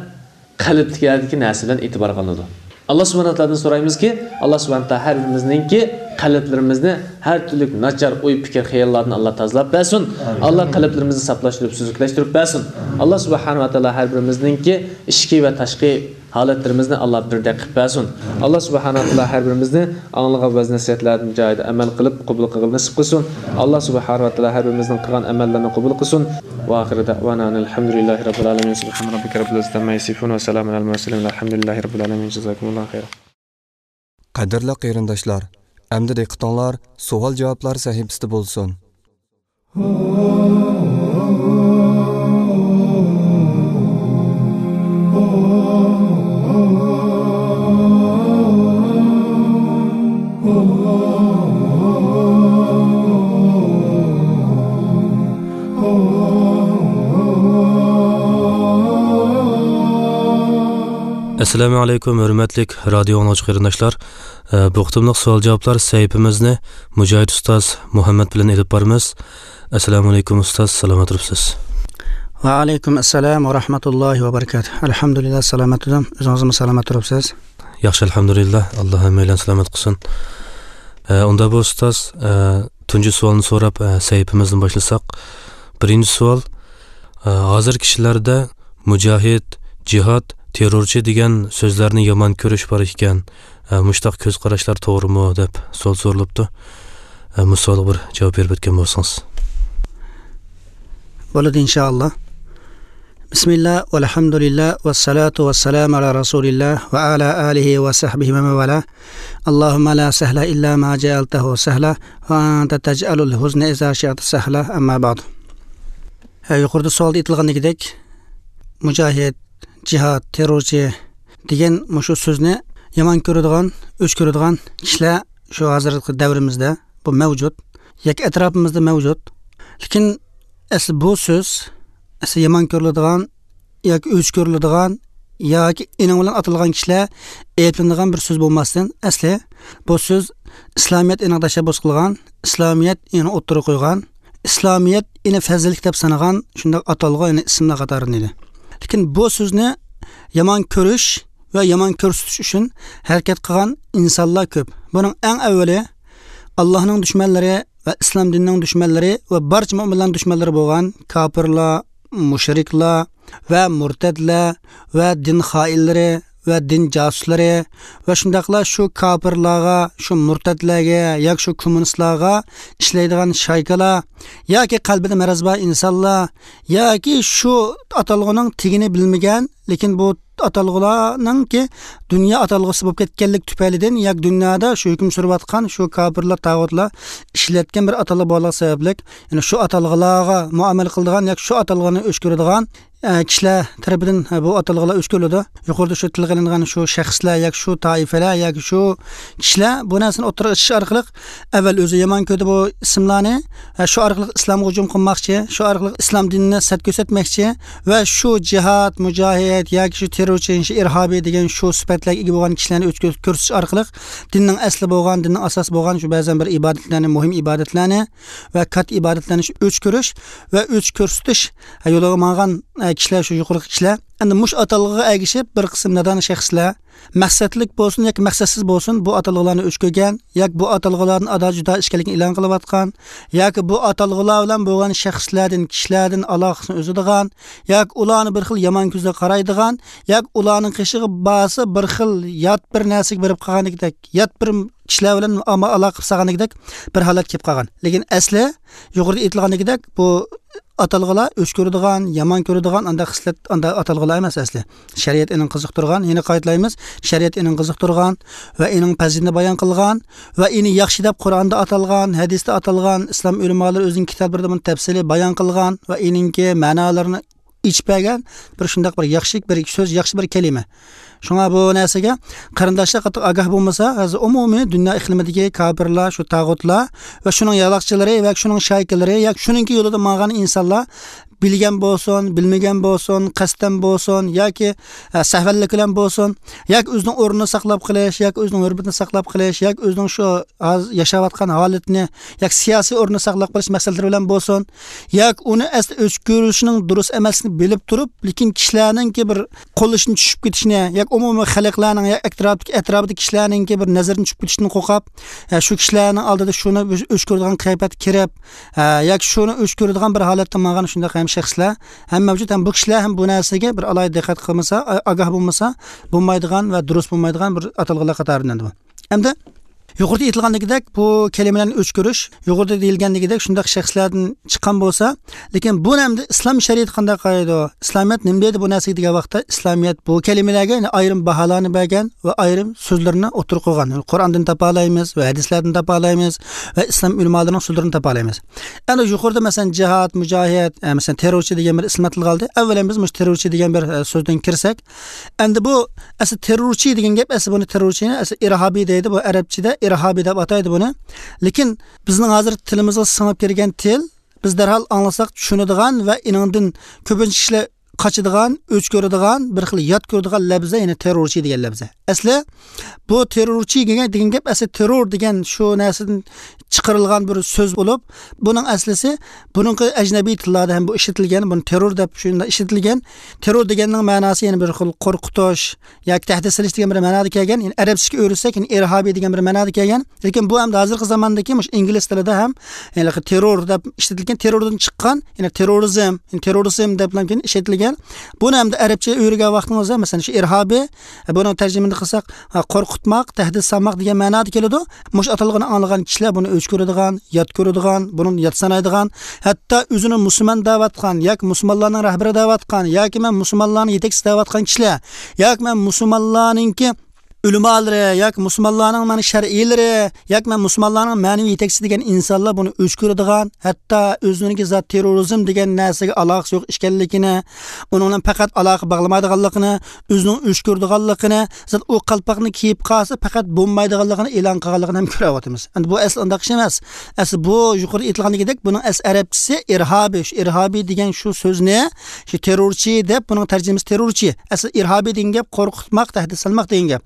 قەلبتىكى يەردىكى نەرسە بىلەن ئېتىبارغا ئالىنىدۇ. ئاللا سۇبھانەھۇ ۋە تائالادىن سورايمىزكى، ئاللا سۇبھانەھۇ ۋە تائالا ھەر بىرىمىزنىڭكى قەلبلىرىمىزنى ھەر تۈرلۈك ناچار ئوي، پىكىر، خىياللاردىن ئاللا تازىلاپ بەرسۇن. ئامىن. ئاللا قەلبلىرىمىزنى ساپلاشتۇرۇپ، سۈزۈكلەشتۈرۈپ بەرسۇن. ئاللا سۇبھانەھۇ ۋە تائالا ھەر بىرىمىزنىڭكى ئىچكى ۋە تاشقى ھالەتلىرىمىزنى ئاللا بىردەك قىلىپ بەرسۇن. ئاللا سۇبھانەھۇ ۋە تائالا ھەر بىرىمىزنى ئاڭلىغان ۋەز نەسىھەتلەردىن جايىدا ئەمەل قىلىپ قوبۇل قىلغىلى نېسىپ قىلسۇن. ئاللا سۇبھانەھۇ ۋە تائالا ھەر بىرىمىزنىڭ قىلغان ئەمەللىرىنى قوبۇل قىلسۇن. ۋە ئاخىرى دەئۋانا ئەنىل ھەمدۇلىللاھى رەببىل ئالەمىن. سۇبھانە رەببىكە رەببىل ئىززەتى ئەمما يەسىفۇن ۋە سەلامۇن ئەلەل مۇرسەلىن ۋەلھەمدۇلىللاھى رەببىل ئالەمىن. جازاكۇمۇللاھۇ خەيرا. قەدىرلىك قېرىنداشلار، ئەمدى دىققىتىڭلار سوئال-جاۋابلار سەھىپىسىدە بولسۇن. ئەسسالامۇ ئەلەيكۇم، ھۆرمەتلىك رادىيو ئاڭلىغۇچى قېرىنداشلار. ئە، بۇ قېتىملىق سوئال-جاۋابلار سەھىپىمىزنى مۇجاھىد ئۇستاز مۇھەممەد بىلەن ئېلىپ بارىمىز. ئەسسالامۇ ئەلەيكۇم ئۇستاز، سالامەت تۇرۇپسىز؟ ۋەئەلەيكۇم ئەسسالام ۋە رەھمەتۇللاھى ۋە بەرىكاتۇھ. ئەلھەمدۇلىللا، سالامەت تۇردۇم. ئۆزىڭىزمۇ سالامەت تۇرۇپسىز؟ ياخشى، ئەلھەمدۇلىللا. ئاللا ھەممەيلەننى سالامەت قىلسۇن. ئە، ئۇندا بۇ ئۇستاز، ئە، تۇنجى سوئالنى سوراپ، ئە، سەھىپىمىزدىن باشلىساق. بىرىنچى سوئال، ئە، ھازىر كىشىلەردە مۇجاھىد، جىھاد، تېررورچى دېگەن سۆزلەرنى يامان كۆرۈش بار ئىكەن. ئە، مۇشۇنداق كۆز قاراشلار توغرىمۇ دەپ سوئال سورىلىپتۇ. ئە، مۇشۇ سوئالغا بىر جاۋاب بېرىپ ئۆتكەن بولسىڭىز. بولىدۇ، ئىنشائاللا. بىسمىللا، ۋەلھەمدۇلىللا، ۋەسسالاتۇ ۋەسسالامۇ ئالا رەسۇلىللا ۋە ئالا ئالىھى ۋە سەھبىھى ۋە مەن ۋالا. ئاللاھۇممە لا سەھلە ئىللا ما جەئەلتەھۇ سەھلا ۋە ئەنتە تەجئەلۇل ھۇزنە ئىزا شىئتە سەھلا. ئەمما بەئد. ھە، يۇقىرىدا سوئالدا ئېيتىلغاندىكىدەك، مۇجاھىد، جىھاد، تېررورچى دېگەن مۇشۇ سۆزنى يامان كۆرىدىغان، ئۆچ كۆرىدىغان كىشىلەر شۇ ھازىرقى دەۋرىمىزدە بۇ مەۋجۇت، ياكى ئەتراپىمىزدا مەۋجۇت. لېكىن ئەسلى بۇ سۆز، ئەسلى يامان كۆرۈلىدىغان ياكى ئۆچ كۆرۈلىدىغان ياكى ئېنىڭ بىلەن ئاتالغان كىشىلەر ئەيىبلىنىدىغان بىر سۆز بولماستىن، ئەسلى بۇ سۆز ئىسلامىيەت ئېنىڭ تەشەببۇس قىلغان، ئىسلامىيەت ئېنىڭ ئوتتۇرىغا قويغان، ئىسلامىيەت ئېنى پەزىللىك دەپ سانىغان شۇنداق ئاتالغۇ، يەنى ئىسىملار قاتارىدىن ئىدى. لېكىن بۇ سۆزنى يامان كۆرۈش ۋە يامان كۆرسىتىش ئۈچۈن ھەرىكەت قىلغان ئىنسانلار كۆپ. بۇنىڭ ئەڭ ئەۋۋىلى ئاللاھنىڭ دۈشمەنلىرى ۋە ئىسلام دىنىنىڭ دۈشمەنلىرى ۋە بارچە مۆمىنلەرنىڭ دۈشمەنلىرى بولغان كاپىرلار، مۇشرىكلار ۋە مۇرتەدلەر ۋە دىن خائىنلىرى ۋە دىن جاسۇسلىرى ۋە شۇنداقلا شۇ كاپىرلارغا، شۇ مۇرتەدلەرگە ياكى شۇ كوممۇنىستلارغا ئىشلەيدىغان شايكىلار ياكى قەلبىدە مەرەز بار ئىنسانلار ياكى شۇ ئاتالغۇنىڭ تېگىنى بىلمىگەن، لېكىن بۇ ئاتالغۇلارنىڭكى دۇنيا ئاتالغۇسى بولۇپ كەتكەنلىك تۈپەيلىدىن ياكى دۇنيادا شۇ ھۆكۈم سۈرۈۋاتقان شۇ كاپىرلار، تاغۇتلار ئىشلەتكەن بىر ئاتالغۇ بولغان سەۋەبلىك، يەنى شۇ ئاتالغۇلارغا مۇئامىلە قىلىدىغان ياكى شۇ ئاتالغۇنى ئۆچ كۆرىدىغان، ئە، كىشىلەر تەرىپىدىن، ئە، بۇ ئاتالغۇلار ئۆچ كۆرۈلىدۇ. يۇقىرىدا شۇ تىلغا ئېلىنغان شۇ شەخسلەر ياكى شۇ تائىپىلەر ياكى شۇ كىشىلەر بۇ نەرسىنى ئوتتۇرىغا چىقىرىش ئارقىلىق ئەۋۋەل ئۆزى يامان كۆردى بۇ ئىسىملارنى، ئە، شۇ ئارقىلىق ئىسلامغا ھۇجۇم قىلماقچى، شۇ ئارقىلىق ئىسلام دىنىنى سەت كۆرسەتمەكچى ۋە شۇ جىھاد، مۇجاھىد ياكى شۇ تېررورچى، شۇ ئىرھابىي دېگەن شۇ سۈپەتلەرگە ئىگە بولغان كىشىلەرنى ئۆچ كۆرسىتىش ئارقىلىق دىننىڭ ئەسلى بولغان، دىننىڭ ئاساسى بولغان شۇ بەزەن بىر ئىبادەتلەرنى، مۇھىم ئىبادەتلەرنى ۋە كاتتا ئىبادەتلەرنى ئۆچ كۆرۈش ۋە ئۆچ كۆرسىتىش يولىغا ماڭغان، ئە، كىشىلەر، شۇ يۇقىرىقى كىشىلەر ئەمدى مۇشۇ ئاتالغۇغا ئەگىشىپ بىر قىسىم نادان شەخسلەر مەقسەتلىك بولسۇن ياكى مەقسەتسىز بولسۇن، بۇ ئاتالغىلارنى ئۆچ كۆرگەن ياكى بۇ ئاتالغىلاردىن ئادا جۇدا ئىكەنلىكىنى ئېلان قىلىۋاتقان ياكى بۇ ئاتالغىلار بىلەن بولغان شەخسلەردىن، كىشىلەردىن ئالاقىسىنى ئۈزىدىغان ياكى ئۇلارنى بىر خىل يامان كۆزدە قارايدىغان ياكى ئۇلارنىڭ قېشىغا بارسا بىر خىل يات بىر نەرسىگە بېرىپ قالغاندەك، يات بىر كىشىلەر بىلەن ئاما-، ئالاقە قىلىپ سالغاندەك بىر ھالەت كېلىپ قالغان. لېكىن ئەسلى يۇقىرىدا ئېيتىلغاندەك بۇ ئاتالغىلار ئۆچ كۆرىدىغان، يامان كۆرىدىغان ئانداق خىسلەت، ئانداق ئاتالغىلار ئەمەس ئەسلى. شەرىئەت ئېنىڭ قىزىقتۇرغان، يەنە قايتىلايمىز، شەرىئەت ئېنىڭ قىزىقتۇرغان ۋە ئېنىڭ پەزىلىتىنى بايان قىلغان ۋە ئېنى ياخشى دەپ قۇرئاندا ئاتالغان، ھەدىستە ئاتالغان، ئىسلام ئۆلىمالىرى ئۆزىنىڭ كىتابلىرىدا بۇنى تەپسىلىي بايان قىلغان ۋە ئېنىڭكى مەنالىرىنى ئېچىپ بەرگەن بىر شۇنداق بىر ياخشى بىر سۆز، ياخشى بىر كەلىمە. شۇڭا بۇ نەرسىگە قېرىنداشلار قاتتىق ئاگاھ بولمىسا، ھازىر ئومۇمىي دۇنيا ئىقلىمىدىكى كاپىرلار، شۇ تاغۇتلار ۋە شۇنىڭ يالاقچىلىرى ۋە شۇنىڭ شايكىلىرى ياكى شۇنىڭكى يولىدا ماڭغان ئىنسانلار بىلگەن بولسۇن، بىلمىگەن بولسۇن، قەستەن بولسۇن ياكى، ئە، سەھۋەنلىك بىلەن بولسۇن، ياكى ئۆزىنىڭ ئورنىنى ساقلاپ قېلىش، ياكى ئۆزىنىڭ ھۆرمىتىنى ساقلاپ قېلىش، ياكى ئۆزىنىڭ شۇ ھازىر ياشاۋاتقان ھالىتىنى ياكى سىياسىي ئورنىنى ساقلاپ قېلىش مەقسەتلىرى بىلەن بولسۇن، ياكى ئۇنى ئەسلى ئۆچ كۆرۈشنىڭ دۇرۇس ئەمەسلىكىنى بىلىپ تۇرۇپ، لېكىن كىشىلەرنىڭكى بىر قوللىشىنى چۈشۈپ كېتىشىنى ياكى ئومۇمىي خەلقلەرنىڭ ياكى ئەتراپتىكى، ئەتراپىدىكى كىشىلەرنىڭكى بىر نەزىرىدىن چۈشۈپ كېتىشىدىن قورقۇپ، ئە، شۇ كىشىلەرنىڭ ئالدىدا شۇنى ئۆچ، ئۆچ كۆرىدىغان قىياپەتكە كىرىپ، ئە، ياكى شۇنى ئۆچ كۆرىدىغان بىر ھالەتتە ماڭغان شۇنداق ھەم شەخسلەر ھەم مەۋجۇت. ھەم بۇ كىشىلەر ھەم بۇ نەرسىگە بىر ئالاھىدە دىققەت قىلمىسا، ئا-، ئاگاھ بولمىسا، بولمايدىغان ۋە دۇرۇس بولمايدىغان بىر ئاتالغۇلار قاتارىدىن بۇ. ئەمدى يۇقىرىدا ئېيتىلغاندىكىدەك بۇ كەلىمىلەرنى ئۆچ كۆرۈش، يۇقىرىدا دېيىلگەندىكىدەك شۇنداق شەخسلەردىن چىققان بولسا، لېكىن بۇنى ئەمدى ئىسلام شەرىئىتى قانداق قارايدۇ؟ ئىسلامىيەت نېمە دەيدۇ بۇ نەرسىگە دېگەن ۋاقىتتا، ئىسلامىيەت بۇ كەلىمىلەرگە يەنە ئايرىم باھالارنى بەرگەن ۋە ئايرىم سۆزلىرىنى ئوتتۇرىغا قويغان. قۇرئاندىن تاپالايمىز ۋە ھەدىسلەردىن تاپالايمىز ۋە ئىسلام ئۆلىمالىرىنىڭ سۆزلىرىدىن تاپالايمىز. ئەمدى يۇقىرىدا مەسىلەن جىھاد، مۇجاھىد، ئە، مەسىلەن تېررورچى دېگەن بىر ئىسىم ئاتالغانىدى. ئەۋۋەلەن بىز مۇشۇ تېررورچى دېگەن بىر، ئە، سۆزدىن كىرسەك، ئەمدى بۇ ئەسلى تېررورچى دېگەن گەپ، ئەسلى بۇنى تېررورچىنى ئەسلى ئىرھابىي دەيدۇ، بۇ ئەرەبچىدە ئىرھابىي دەپ ئاتايدۇ بۇنى. لېكىن بىزنىڭ ھازىر تىلىمىزغا سىڭىپ كىرگەن تىل، بىز دەرھال ئاڭلىساق چۈشىنىدىغان ۋە ئېنىڭدىن كۆپىنچە كىشىلەر قاچىدىغان، ئۆچ كۆرىدىغان، بىر خىل يات كۆرىدىغان لەپزە، يەنى تېررورچى دېگەن لەپزە. ئەسلى بۇ تېررورچى دېگەن، دېگەن گەپ ئەسلى تېررور دېگەن شۇ نەرسىدىن چىقىرىلغان بىر سۆز بولۇپ، بۇنىڭ ئەسلىسى بۇنىڭقى ئەجنەبىي تىللاردا ھەم بۇ ئىشلىتىلگەن، بۇنى تېررور دەپ شۇنداق ئىشلىتىلگەن. تېررور دېگەننىڭ مەناسى يەنە بىر خىل قورقۇتۇش ياكى تەھدىت سېلىش دېگەن بىر مەنادا كەلگەن. يەنى ئەرەبچىگە ئۆرۈتسەك، يەنى ئىرھابىي دېگەن بىر مەنادا كەلگەن. لېكىن بۇ ئەمدى ھازىرقى زاماندىكى مۇشۇ ئىنگلىز تىلىدا ھەم ھېلىقى تېررور دەپ ئىشلىتىلگەن، تېرروردىن چىققان، يەنى تېررورىزم، يەنى تېررورىزم دەپ كېيىن ئىشلىتىلگەن. بۇنى ئەمدى ئەرەبچە ئۆرۈگەن ۋاقتىڭىزدا، مەسىلەن، شۇ ئىرھابىي، بۇنىڭ تەرجىمىنى قىلساق، ھە، قورقۇتماق، تەھدىت سالماق دېگەن مەنادا كېلىدۇ. مۇشۇ ئاتالغۇنى ئاڭلىغان كىشىلەر بۇنى ئۆچ كۆرىدىغان، يات كۆرىدىغان، بۇنى يات سانايدىغان، ھەتتا ئۆزىنى مۇسۇلمان دەۋاتقان ياكى مۇسۇلمانلارنىڭ رەھبىرى دەۋاتقان ياكى مەن مۇسۇلمانلارنىڭ يېتەكچىسى دەۋاتقان كىشىلەر ياكى مەن مۇسۇلمانلارنىڭكى ئۆلىمالىرى ياكى مۇسۇلمانلارنىڭ مانا شەرئىيلىرى ياكى مەن مۇسۇلمانلارنىڭ مەنىۋى يېتەكچىسى دېگەن ئىنسانلار بۇنى ئۆچ كۆرىدىغان، ھەتتا ئۆزىنىڭكى زات تېررورىزم دېگەن نەرسىگە ئالاقىسى يوق ئىكەنلىكىنى، ئۇنىڭ بىلەن پەقەت ئالاقە باغلىمايدىغانلىقىنى، ئۆزىنىڭ ئۆچ كۆرىدىغانلىقىنى، زات ئۇ قالپاقنى كىيىپ قالسا پەقەت بولمايدىغانلىقىنى ئېلان قىلغانلىقىنى ھەم كۆرۈۋاتىمىز. ئەمدى بۇ ئەسلى ئۇنداق ئىش ئەمەس. ئەسلى بۇ يۇقىرىدا ئېيتىلغاندىكىدەك بۇنىڭ ئەسلى ئەرەبچىسى ئىرھابىي. شۇ ئىرھابىي دېگەن شۇ سۆزنى، شۇ تېررورچى دەپ، بۇنىڭ تەرجىمىسى تېررورچى. ئەسلى ئىرھابىي دېگەن گەپ قورقۇتماق، تەھدىت سالماق دېگەن گەپ.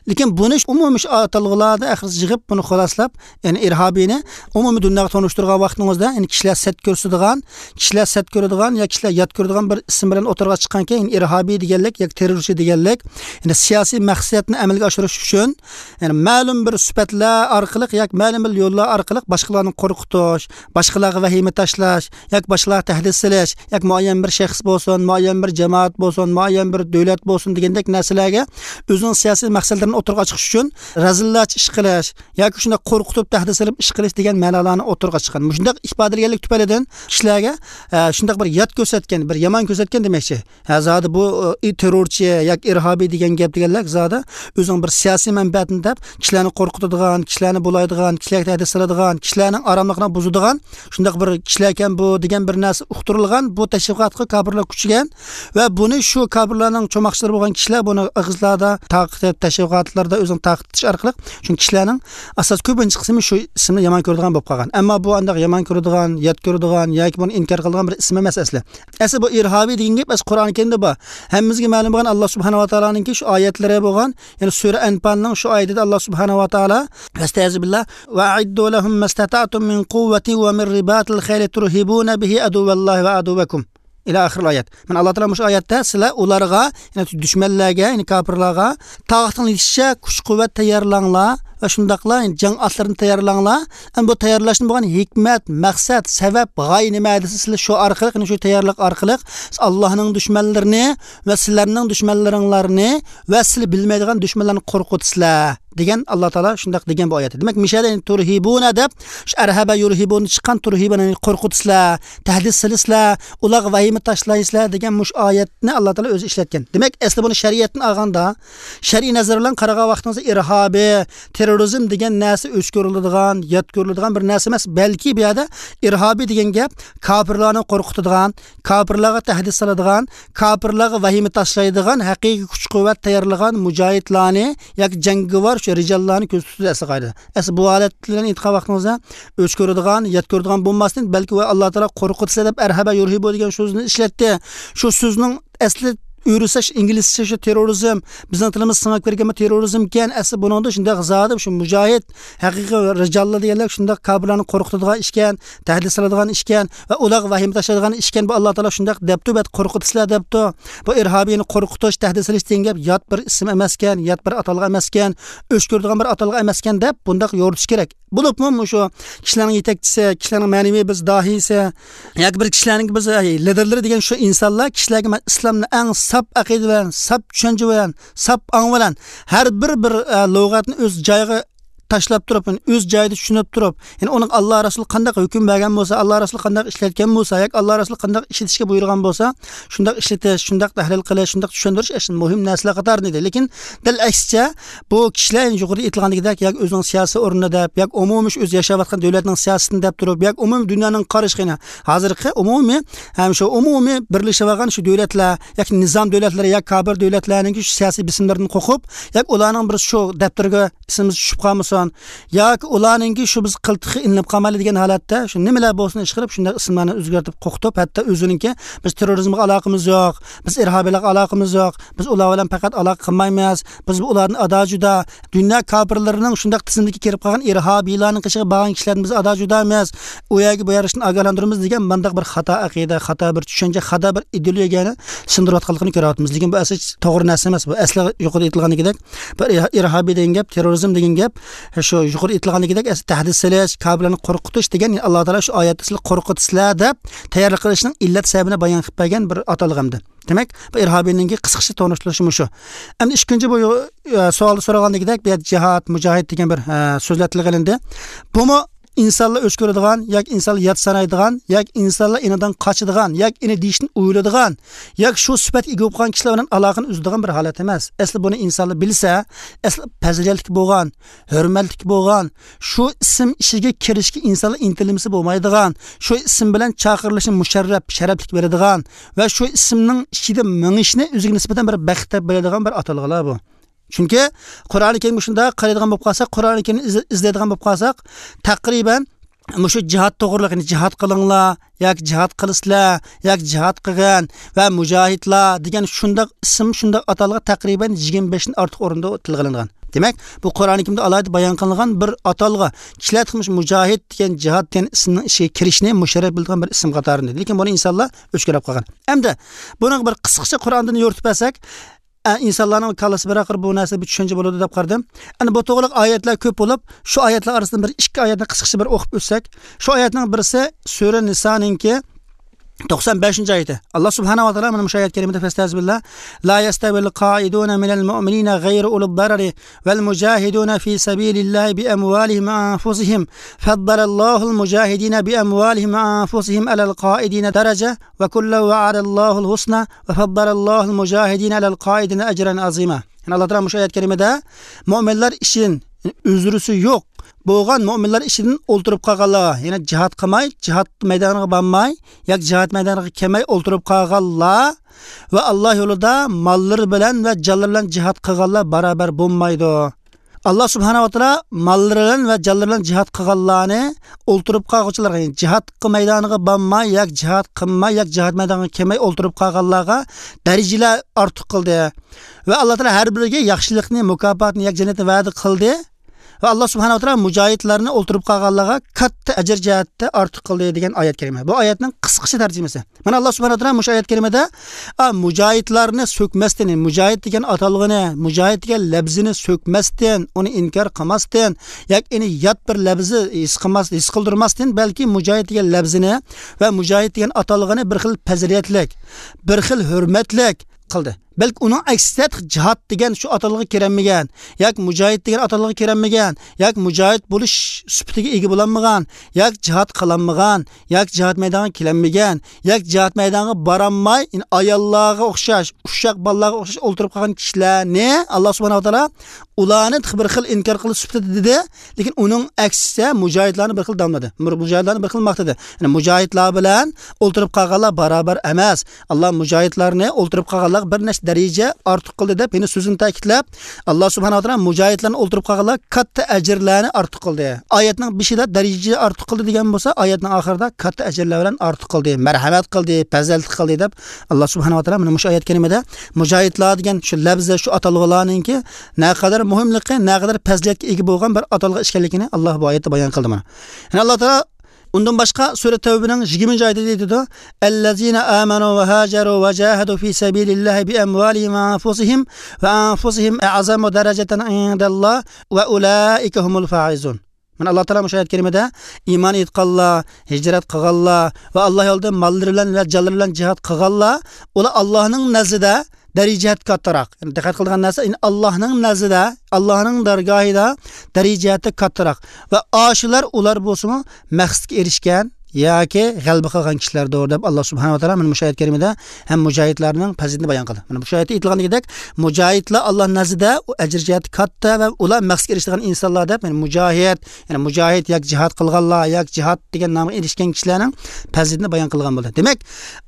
لېكىن بۇنى ئومۇمىي شۇ ئاتالغۇلاردا ئاخىرىسى يىغىپ بۇنى خۇلاسىلاپ، يەنى ئىرھابىينى ئومۇمىي دۇنياغا تونۇشتۇرغان ۋاقتىڭىزدا، يەنى كىشىلەر سەت كۆرسىتىدىغان، كىشىلەر سەت كۆرىدىغان يا كىشىلەر يات كۆرىدىغان بىر ئىسىم بىلەن ئوتتۇرىغا چىققانكەن، يەنى ئىرھابىي دېگەنلىك ياكى تېررورچى دېگەنلىك، يەنى سىياسىي مەقسەتنى ئەمەلگە ئاشۇرۇش ئۈچۈن، يەنى مەلۇم بىر سۈپەتلەر ئارقىلىق ياكى مەلۇم بىر يوللار ئارقىلىق باشقىلارنى قورقۇتۇش، باشقىلارغا ۋەھىمە تاشلاش ياكى باشقىلارغا تەھدىت سېلىش ياكى مۇئەييەن بىر شەخس بولسۇن، مۇئەييەن بىر جامائەت بولسۇن، مۇئەييەن بىر دۆلەت بولسۇن دېگەندەك نەرسىلەرگە ئۆزىنىڭ سىياسىي مەقسەتلىرىنى ئوتتۇرىغا چىقىش ئۈچۈن رەزىللەرچە ئىش قىلىش، ياكى شۇنداق قورقۇتۇپ تەھدىت سېلىپ ئىش قىلىش دېگەن مەنالارنى ئوتتۇرىغا چىققان. مۇشۇنداق ئىپادىلىگەنلىك تۈپەيلىدىن كىشىلەرگە، ئە، شۇنداق بىر يات كۆرسەتكەن، بىر يامان كۆرسەتكەن دېمەكچى. ھە، زادى بۇ، ئە، تېررورچى ياكى ئىرھابىي دېگەن گەپ دېگەنلەر زادى ئۆزىنىڭ بىر سىياسىي مەنپەئەتىنى دەپ كىشىلەرنى قورقۇتىدىغان، كىشىلەرنى بۇلايدىغان، كىشىلەرگە تەھدىت سېلىدىغان، كىشىلەرنىڭ ئاراملىقىنى بۇزىدىغان شۇنداق بىر كىشىلەركەن بۇ دېگەن بىر نەرسە ئۇقتۇرۇلغان. بۇ تەشۋىقاتقا كاپىرلار كۈچىگەن ۋە بۇنى شۇ كاپىرلارنىڭ چوماقچىلىرى بولغان كىشىلەر بۇنى ئېغىزلاردا تارقىتىپ، تەشۋىقاتلاردا ئۆزىنى تارقىتىش ئارقىلىق، چۈنكى كىشىلەرنىڭ ئاساس كۆپىنچە قىسمى شۇ ئىسىمنى يامان كۆرىدىغان بولۇپ قالغان. ئەمما بۇ ئانداق يامان كۆرىدىغان، يات كۆرىدىغان ياكى بۇنى ئىنكار قىلىدىغان بىر ئىسىم ئەمەس ئەسلى. ئەسلى بۇ ئىرھابىي دېگەن گەپ ئەسلى قۇرئان كەرىمدە بار. ھەممىمىزگە مەلۇم بولغان ئاللا سۇبھانەھۇ ۋە تائالانىڭكى شۇ ئايەتلىرى بولغان، يەنى سۈرە ئەنپالنىڭ شۇ ئايىتىدە ئاللا سۇبھانەھۇ ۋە تائالا، ئەستەئىزۇبىللا، «وأعدوا لهم ما استطعتم من قوة ومن رباط الخيل ترهبون به عدو الله وعدوكم.» ئىلە ئاخىرىل ئايەت. مانا، ئاللا تائالا مۇشۇ ئايەتتە سىلەر ئۇلارغا، يەنى دۈشمەنلەرگە، يەنى كاپىرلارغا تاقىتىڭلار يېتىشىچە كۈچ-قۇۋۋەت تەييارلاڭلار ۋە شۇنداقلا، يەنى جەڭ ئاتلىرىنى تەييارلاڭلار. ئەمدى بۇ تەييارلاشنى بولغان ھېكمەت، مەقسەت، سەۋەب، غايە نېمە دېسە، سىلەر شۇ ئارقىلىق، يەنى شۇ تەييارلىق ئارقىلىق سىز ئاللانىڭ دۈشمەنلىرىنى ۋە سىلەرنىڭ دۈشمەنلىرىڭلارنى ۋە سىلەر بىلمەيدىغان دۈشمەنلەرنى قورقۇتىسىلەر دېگەن، ئاللا تائالا شۇنداق دېگەن بۇ ئايەتتە. دېمەك، مىشەدە، يەنى تۇرھىبۇنە دەپ، شۇ ئەرھەبە يۇرھىبۇنى چىققان تۇرھىبۇنى، يەنى قورقۇتىسىلەر، تەھدىت سېلىسىلەر، ئۇلارغا ۋەھىمە تاشلايسىلەر دېگەن مۇشۇ ئايەتنى ئاللا تائالا ئۆزى ئىشلەتكەن. دېمەك، ئەسلى بۇنى شەرىئەتتىن ئالغاندا، شەرئىي نەزەر بىلەن قارىغان ۋاقتىڭىزدا ئىرھابىي، تېررورىزم دېگەن نەرسە ئۆچ كۆرۈلىدىغان، يات كۆرۈلىدىغان بىر نەرسە ئەمەس. بەلكى بۇ يەردە ئىرھابىي دېگەن گەپ كاپىرلارنى قورقۇتىدىغان، كاپىرلارغا تەھدىت سالىدىغان، كاپىرلارغا ۋەھىمە تاشلايدىغان، ھەقىقىي كۈچ-قۇۋۋەت تەييارلىغان مۇجاھىدلارنى ياكى جەڭگىۋار شۇ رىجاللارنى كۆز ئۈستىدە ئەسلى قايدا. ئەسلى بۇ ھالەت بىلەن ئېيتقان ۋاقتىڭىزدا ئۆچ كۆرىدىغان، يات كۆرىدىغان بولماستىن، بەلكى ۋە ئاللا تائالا قورقۇتىسىلەر دەپ ئەرھەبە يۇرھىبۇ دېگەن سۆزنى ئىشلەتتى. شۇ سۆزنىڭ ئەسلى ئۆرۈسە شۇ ئىنگلىزچە شۇ تېررورىزم، بىزنىڭ تىلىمىز سىڭىپ كىرگەنمۇ تېررورىزمكەن، ئەسلى بۇنىڭدا شۇنداق زادى شۇ مۇجاھىد، ھەقىقىي رىجاللا دېگەنلەر شۇنداق كاپىرلارنى قورقۇتىدىغان ئىشكەن، تەھدىت سالىدىغان ئىشكەن ۋە ئۇلارغا ۋەھىمە تاشلايدىغان ئىشكەن. بۇ ئاللا تائالا شۇنداق دەپتۇ، بەت قورقۇتىسىلەر دەپتۇ. بۇ ئىرھابىينى قورقۇتۇش، تەھدىت سېلىش دېگەن گەپ يات بىر ئىسىم ئەمەسكەن، يات بىر ئاتالغۇ ئەمەسكەن، ئۆچ كۆرىدىغان بىر ئاتالغۇ ئەمەسكەن دەپ بۇنداق يورۇتۇش كېرەك. بولۇپمۇ مۇشۇ كىشىلەرنىڭ يېتەكچىسى، كىشىلەرنىڭ مەنىۋى بىز داھىيسى ياكى بىر كىشىلەرنىڭ بىز، ئەي، لىدېرلىرى دېگەن شۇ ئىنسانلار كىشىلەرگە مەن ئىسلامنى ئەڭ ساپ ئەقىدە بىلەن، ساپ چۈشەنچە بىلەن، ساپ ئاڭ بىلەن، ھەر بىر، بىر، ئە، لۇغەتنى ئۆز جايىغا تاشلاپ تۇرۇپ، يەنى ئۆز جايىدا چۈشىنىپ تۇرۇپ، يەنى ئۇنىڭ ئاللا رەسۇلى قانداق ھۆكۈم بەرگەن بولسا، ئاللا رەسۇلى قانداق ئىشلەتكەن بولسا ياكى ئاللا رەسۇلى قانداق ئىشلىتىشكە بۇيرۇغان بولسا، شۇنداق ئىشلىتىش، شۇنداق تەھلىل قىلىش، شۇنداق چۈشەندۈرۈش ئەسلى مۇھىم نەرسىلەر قاتارىدا ئىدى. لېكىن دەل ئەكسىچە، بۇ كىشىلەر يۇقىرىدا ئېيتىلغاندىكىدەك ياكى ئۆزىنىڭ سىياسىي ئورنىنى دەپ، ياكى ئومۇمىي شۇ ئۆزى ياشاۋاتقان دۆلەتنىڭ سىياسىتىنى دەپ تۇرۇپ، ياكى ئومۇمىي دۇنيانىڭ قارىشى، يەنى ھازىرقى ئومۇمىي ھەم شۇ ئومۇمىي بىرلىشىۋالغان شۇ دۆلەتلەر ياكى نىزام دۆلەتلىرى ياكى كاپىر دۆلەتلەرنىڭكى شۇ سىياسىي بېسىملىرىدىن قورقۇپ، ياكى ئۇلارنىڭ بىر شۇ دەپتىرىگە ئىسمىمىز چۈشۈپ قالمىسۇن ياكى ئۇلارنىڭكى شۇ بىز قىلتىقى ئىلىنىپ قالمايلى دېگەن ھالەتتە شۇ نېمىلەر بولسۇن ئىشقىلىپ شۇنداق ئىسىملارنى ئۆزگەرتىپ قورقۇتۇپ، ھەتتا ئۆزىنىڭكى بىز تېررورىزمغا ئالاقىمىز يوق، بىز ئىرھابىيلارغا ئالاقىمىز يوق، بىز ئۇلار بىلەن پەقەت ئالاقە قىلمايمىز، بىز ئۇلاردىن ئادا جۇدا، دۇنيا كاپىرلىرىنىڭ شۇنداق تىزىملىككە كىرىپ قالغان ئىرھابىيلارنىڭ قېشىغا بارغان كىشىلەردىن بىز ئادا جۇدا ئەمەس، ئۇ يەرگە بۇ يەرگە ئاگاھلاندۇرىمىز دېگەن مانداق بىر خاتا ئەقىدە، خاتا بىر چۈشەنچە، خاتا بىر ئىدېئولوگىيەنى سىڭدۈرۈۋاتقانلىقىنى كۆرۈۋاتىمىز. لېكىن بۇ ئەسلى توغرا نەرسە ئەمەس. بۇ ئەسلى يۇقىرىدا ئېيتىلغاندىكىدەك بىر ئىرھابىي دېگەن گەپ، تېررورىزم دېگەن گەپ، شۇ يۇقىرىدا ئېيتىلغاندىكىدەك ئەسلى تەھدىت سېلىش، كاپىرلارنى قورقۇتۇش دېگەن، ئاللا تائالا شۇ ئايەتتە سىلەر قورقۇتىسىلەر دەپ تەييارلىق قىلىشنىڭ ئىللەت سەۋەبىنى بايان قىلىپ بەرگەن بىر ئاتالغۇ ئەمدى. دېمەك، بۇ ئىرھابىينىڭكى قىسقىچە تونۇشتۇرۇشى مۇشۇ. ئەمدى ئىككىنچى بۇ، ئە، سوئالدا سورالغاندىكىدەك، بۇ يەردە جىھاد، مۇجاھىد دېگەن بىر، ئە، سۆزلەر تىلغا ئېلىندى. بۇمۇ ئىنسانلار ئۆچ كۆرىدىغان ياكى ئىنسانلار يات سانايدىغان ياكى ئىنسانلار ئېنىدىن قاچىدىغان ياكى ئېنى دېيىشتىن ئويلىدىغان ياكى شۇ سۈپەتكە ئىگە بولۇپ قالغان كىشىلەر بىلەن ئالاقىنى ئۈزىدىغان بىر ھالەت ئەمەس. ئەسلى بۇنى ئىنسانلار بىلسە، ئەسلى پەزىلەتلىك بولغان، ھۆرمەتلىك بولغان، شۇ ئىسىم ئىچىگە كىرىشكە ئىنسانلار ئىنتىلمىسە بولمايدىغان، شۇ ئىسىم بىلەن چاقىرىلىشنى مۇشەررەپ، شەرەپلىك بىلىدىغان ۋە شۇ ئىسىمنىڭ ئىچىدە مېڭىشنى ئۆزىگە نىسبەتەن بىر بەخت دەپ بىلىدىغان بىر ئاتالغۇلار بۇ. چۈنكى قۇرئانى كەرىمگە شۇنداق قارايدىغان بولۇپ قالساق، قۇرئانى كەرىمنى ئىز-، ئىزدەيدىغان بولۇپ قالساق، تەقرىبەن مۇشۇ جىھاد توغرىلىق، يەنى جىھاد قىلىڭلار ياكى جىھاد قىلىسىلەر ياكى جىھاد قىلغىن ۋە مۇجاھىدلار دېگەن شۇنداق ئىسىم، شۇنداق ئاتالغۇ تەقرىبەن يىگىرمە بەشتىن ئارتۇق ئورۇندا تىلغا ئېلىنغان. دېمەك، بۇ قۇرئانى كەرىمدە ئالاھىدە بايان قىلىنغان بىر ئاتالغۇ. كىشىلەر تېخى مۇشۇ مۇجاھىد دېگەن، جىھاد دېگەن ئىسىمنىڭ ئىچىگە كىرىشنى مۇشەررەپ بىلىدىغان بىر ئىسىم قاتارىدا. لېكىن بۇنى ئىنسانلار ئۆچ كۆرۈپ قالغان. ئەمدى بۇنىڭغا بىر قىسقىچە قۇرئاندىن يورۇتۇپ بەرسەك، ئە، ئىنسانلارنىڭ كاللىسى بىر ئاخىر بۇ نەرسە بىر چۈشەنچە بولىدۇ دەپ قارىدىم. ئەنە بۇ توغرىلىق ئايەتلەر كۆپ بولۇپ، شۇ ئايەتلەر ئارىسىدىن بىر ئىككى ئايەتنى قىسقىچە بىر ئوقۇپ ئۆتسەك، شۇ ئايەتنىڭ بىرسى سۈرە نىسانىڭكى توقسان بەشىنچى ئايىتى. ئاللا سۇبھانەھۇ ۋە تائالا مانا مۇشۇ ئايەت كەرىمىدە فەستەئىزبىللا، لا يستوي القاعدون من المؤمنين غير أولي الضرر والمجاهدون في سبيل الله بأموالهم وأنفسهم فضل الله المجاهدين بأموالهم وأنفسهم على القاعدين درجة وكلا وعد الله الحسنى وفضل الله المجاهدين على القاعدين أجرا عظيما. يەنى ئاللا تائالا مۇشۇ ئايەت كەرىمىدە مۆمىنلەر ئىچىدىن، يەنى ئۆزرىسى يوق بولغان مۆمىنلەر ئىچىدىن ئولتۇرۇپ قالغانلارغا، يەنى جىھاد قىلماي، جىھاد مەيدانىغا بارماي ياكى جىھاد مەيدانىغا كەلمەي ئولتۇرۇپ قالغانلار ۋە ئاللا يولىدا ماللىرى بىلەن ۋە جانلىرى بىلەن جىھاد قىلغانلار بارابەر بولمايدۇ. ئاللا سۇبھانەھۇ ۋە تائالا ماللىرى بىلەن ۋە جانلىرى بىلەن جىھاد قىلغانلارنى ئولتۇرۇپ قالغۇچىلارغا، يەنى جىھاد مەيدانىغا بارماي ياكى جىھاد قىلماي ياكى جىھاد مەيدانىغا كەلمەي ئولتۇرۇپ قالغانلارغا دەرىجىلەر ئارتۇق قىلدى. ۋە ئاللا تائالا ھەر بىرىگە ياخشىلىقنى، مۇكاپاتنى ياكى جەننەتنى ۋەدە قىلدى. ۋە ئاللا سۇبھانەھۇ ۋە تائالا مۇجاھىدلارنى ئولتۇرۇپ قالغانلارغا كاتتا ئەجىر جەھەتتە ئارتۇق قىلدى دېگەن ئايەت كەرىمە. بۇ ئايەتنىڭ قىسقىچە تەرجىمىسى. مانا ئاللا سۇبھانەھۇ ۋە تائالا مۇشۇ ئايەت كەرىمىدە، ئا، مۇجاھىدلارنى سۆكمەستىن، مۇجاھىد دېگەن ئاتالغۇنى، مۇجاھىد دېگەن لەپزىنى سۆكمەستىن، ئۇنى ئىنكار قىلماستىن، ياكى ئۇنى يات بىر لەپزى ھېس قىلماس، ھېس قىلدۇرماستىن، بەلكى مۇجاھىد دېگەن لەپزىنى ۋە مۇجاھىد دېگەن ئاتالغىنى بىر خىل پەزىلەتلىك، بىر خىل ھۆرمەتلىك قىلدى. بەلكى ئۇنىڭ ئەكسىچە جىھاد دېگەن شۇ ئاتالغۇغا كىرەلمىگەن، ياكى مۇجاھىد دېگەن ئاتالغۇغا كىرەلمىگەن، ياكى مۇجاھىد بولۇش سۈپىتىگە ئىگە بولالمىغان، ياكى جىھاد قىلالمىغان، ياكى جىھاد مەيدانىغا كېلەلمىگەن، ياكى جىھاد مەيدانىغا بارالماي، يەنى ئاياللارغا ئوخشاش، ئۇششاق بالىلارغا ئوخشاش ئولتۇرۇپ قالغان كىشىلەرنى ئاللا سۇبھانەھۇ ۋە تائالا ئۇلارنى تېخى بىر خىل ئىنكار قىلىش سۈپىتىدە دېدى. لېكىن ئۇنىڭ ئەكسىچە مۇجاھىدلارنى بىر خىل داملىدى. مۇ-، مۇجاھىدلارنى بىر خىل ماختىدى. يەنى مۇجاھىدلار بىلەن ئولتۇرۇپ قالغانلار باراۋەر ئەمەس. ئاللا مۇجاھىدلارنى ئولتۇرۇپ قالغانلارغا بىر نەچچە دەرىجە ئارتۇق قىلدى دەپ، يەنە سۆزىنى تەكىتلەپ، ئاللا سۇبھانەھۇ ۋە تائالا مۇجاھىدلارنى ئولتۇرۇپ قالغانلارغا كاتتا ئەجىرلەرنى ئارتۇق قىلدى. ئايەتنىڭ بېشىدا دەرىجە ئارتۇق قىلدى دېگەن بولسا، ئايەتنىڭ ئاخىرىدا كاتتا ئەجىرلەر بىلەن ئارتۇق قىلدى، مەرھەمەت قىلدى، پەزىلەتلىك قىلدى دەپ، ئاللا سۇبھانەھۇ ۋە تائالا مانا مۇشۇ ئايەت كەرىمىدە مۇجاھىدلار دېگەن شۇ لەپزى، شۇ ئاتالغۇلارنىڭكى نەقەدەر مۇھىملىقى، نەقەدەر پەزىلەتكە ئىگە بولغان بىر ئاتالغۇ ئىكەنلىكىنى ئاللا بۇ ئايەتتە بايان قىلدى مانا. يەنە ئاللا تائالا ئۇندىن باشقا سۈرە تەۋبىنىڭ يىگىرمىنچى ئايىتىدە ئېيتىدۇ، «الذين آمنوا وهاجروا وجاهدوا في سبيل الله بأموالهم وأنفسهم وأنفسهم أعظم درجة عند الله وأولئك هم الفائزون.» مانا ئاللا تائالا مۇشۇ ئايەت كەرىمىدە ئىمان ئېيتقانلار، ھىجرەت قىلغانلار ۋە ئاللا يولىدا ماللىرى بىلەن ۋە جانلىرى بىلەن جىھاد قىلغانلار، ئۇلار ئاللانىڭ نەزدىدە دەرىجە جەھەتتە كاتتىراق. يەنى دىققەت قىلىدىغان نەرسە، يەنى ئاللانىڭ نەزدىدە، ئاللانىڭ دەرگاھىدا دەرىجە جەھەتتە كاتتىراق. ۋە ئاشۇلار، ئۇلار بولسىمۇ مەقسەتكە ئېرىشكەن ياكى غەلىبە قىلغان كىشىلەردۇر دەپ، ئاللا سۇبھانەھۇ ۋە تائالا مانا مۇشۇ ئايەت كەرىمىدە ھەم مۇجاھىدلارنىڭ پەزىلىتىنى بايان قىلدى. مانا مۇشۇ ئايەتتە ئېيتىلغاندىكىدەك، مۇجاھىدلار ئاللا نەزدىدە ئۇ ئەجىر جەھەتتە كاتتا ۋە ئۇلار مەقسەتكە ئېرىشىدىغان ئىنسانلار دەپ، يەنى مۇجاھىد، يەنى مۇجاھىد ياكى جىھاد قىلغانلار ياكى جىھاد دېگەن نامغا ئېرىشكەن كىشىلەرنىڭ پەزىلىتىنى بايان قىلغان بولدى. دېمەك،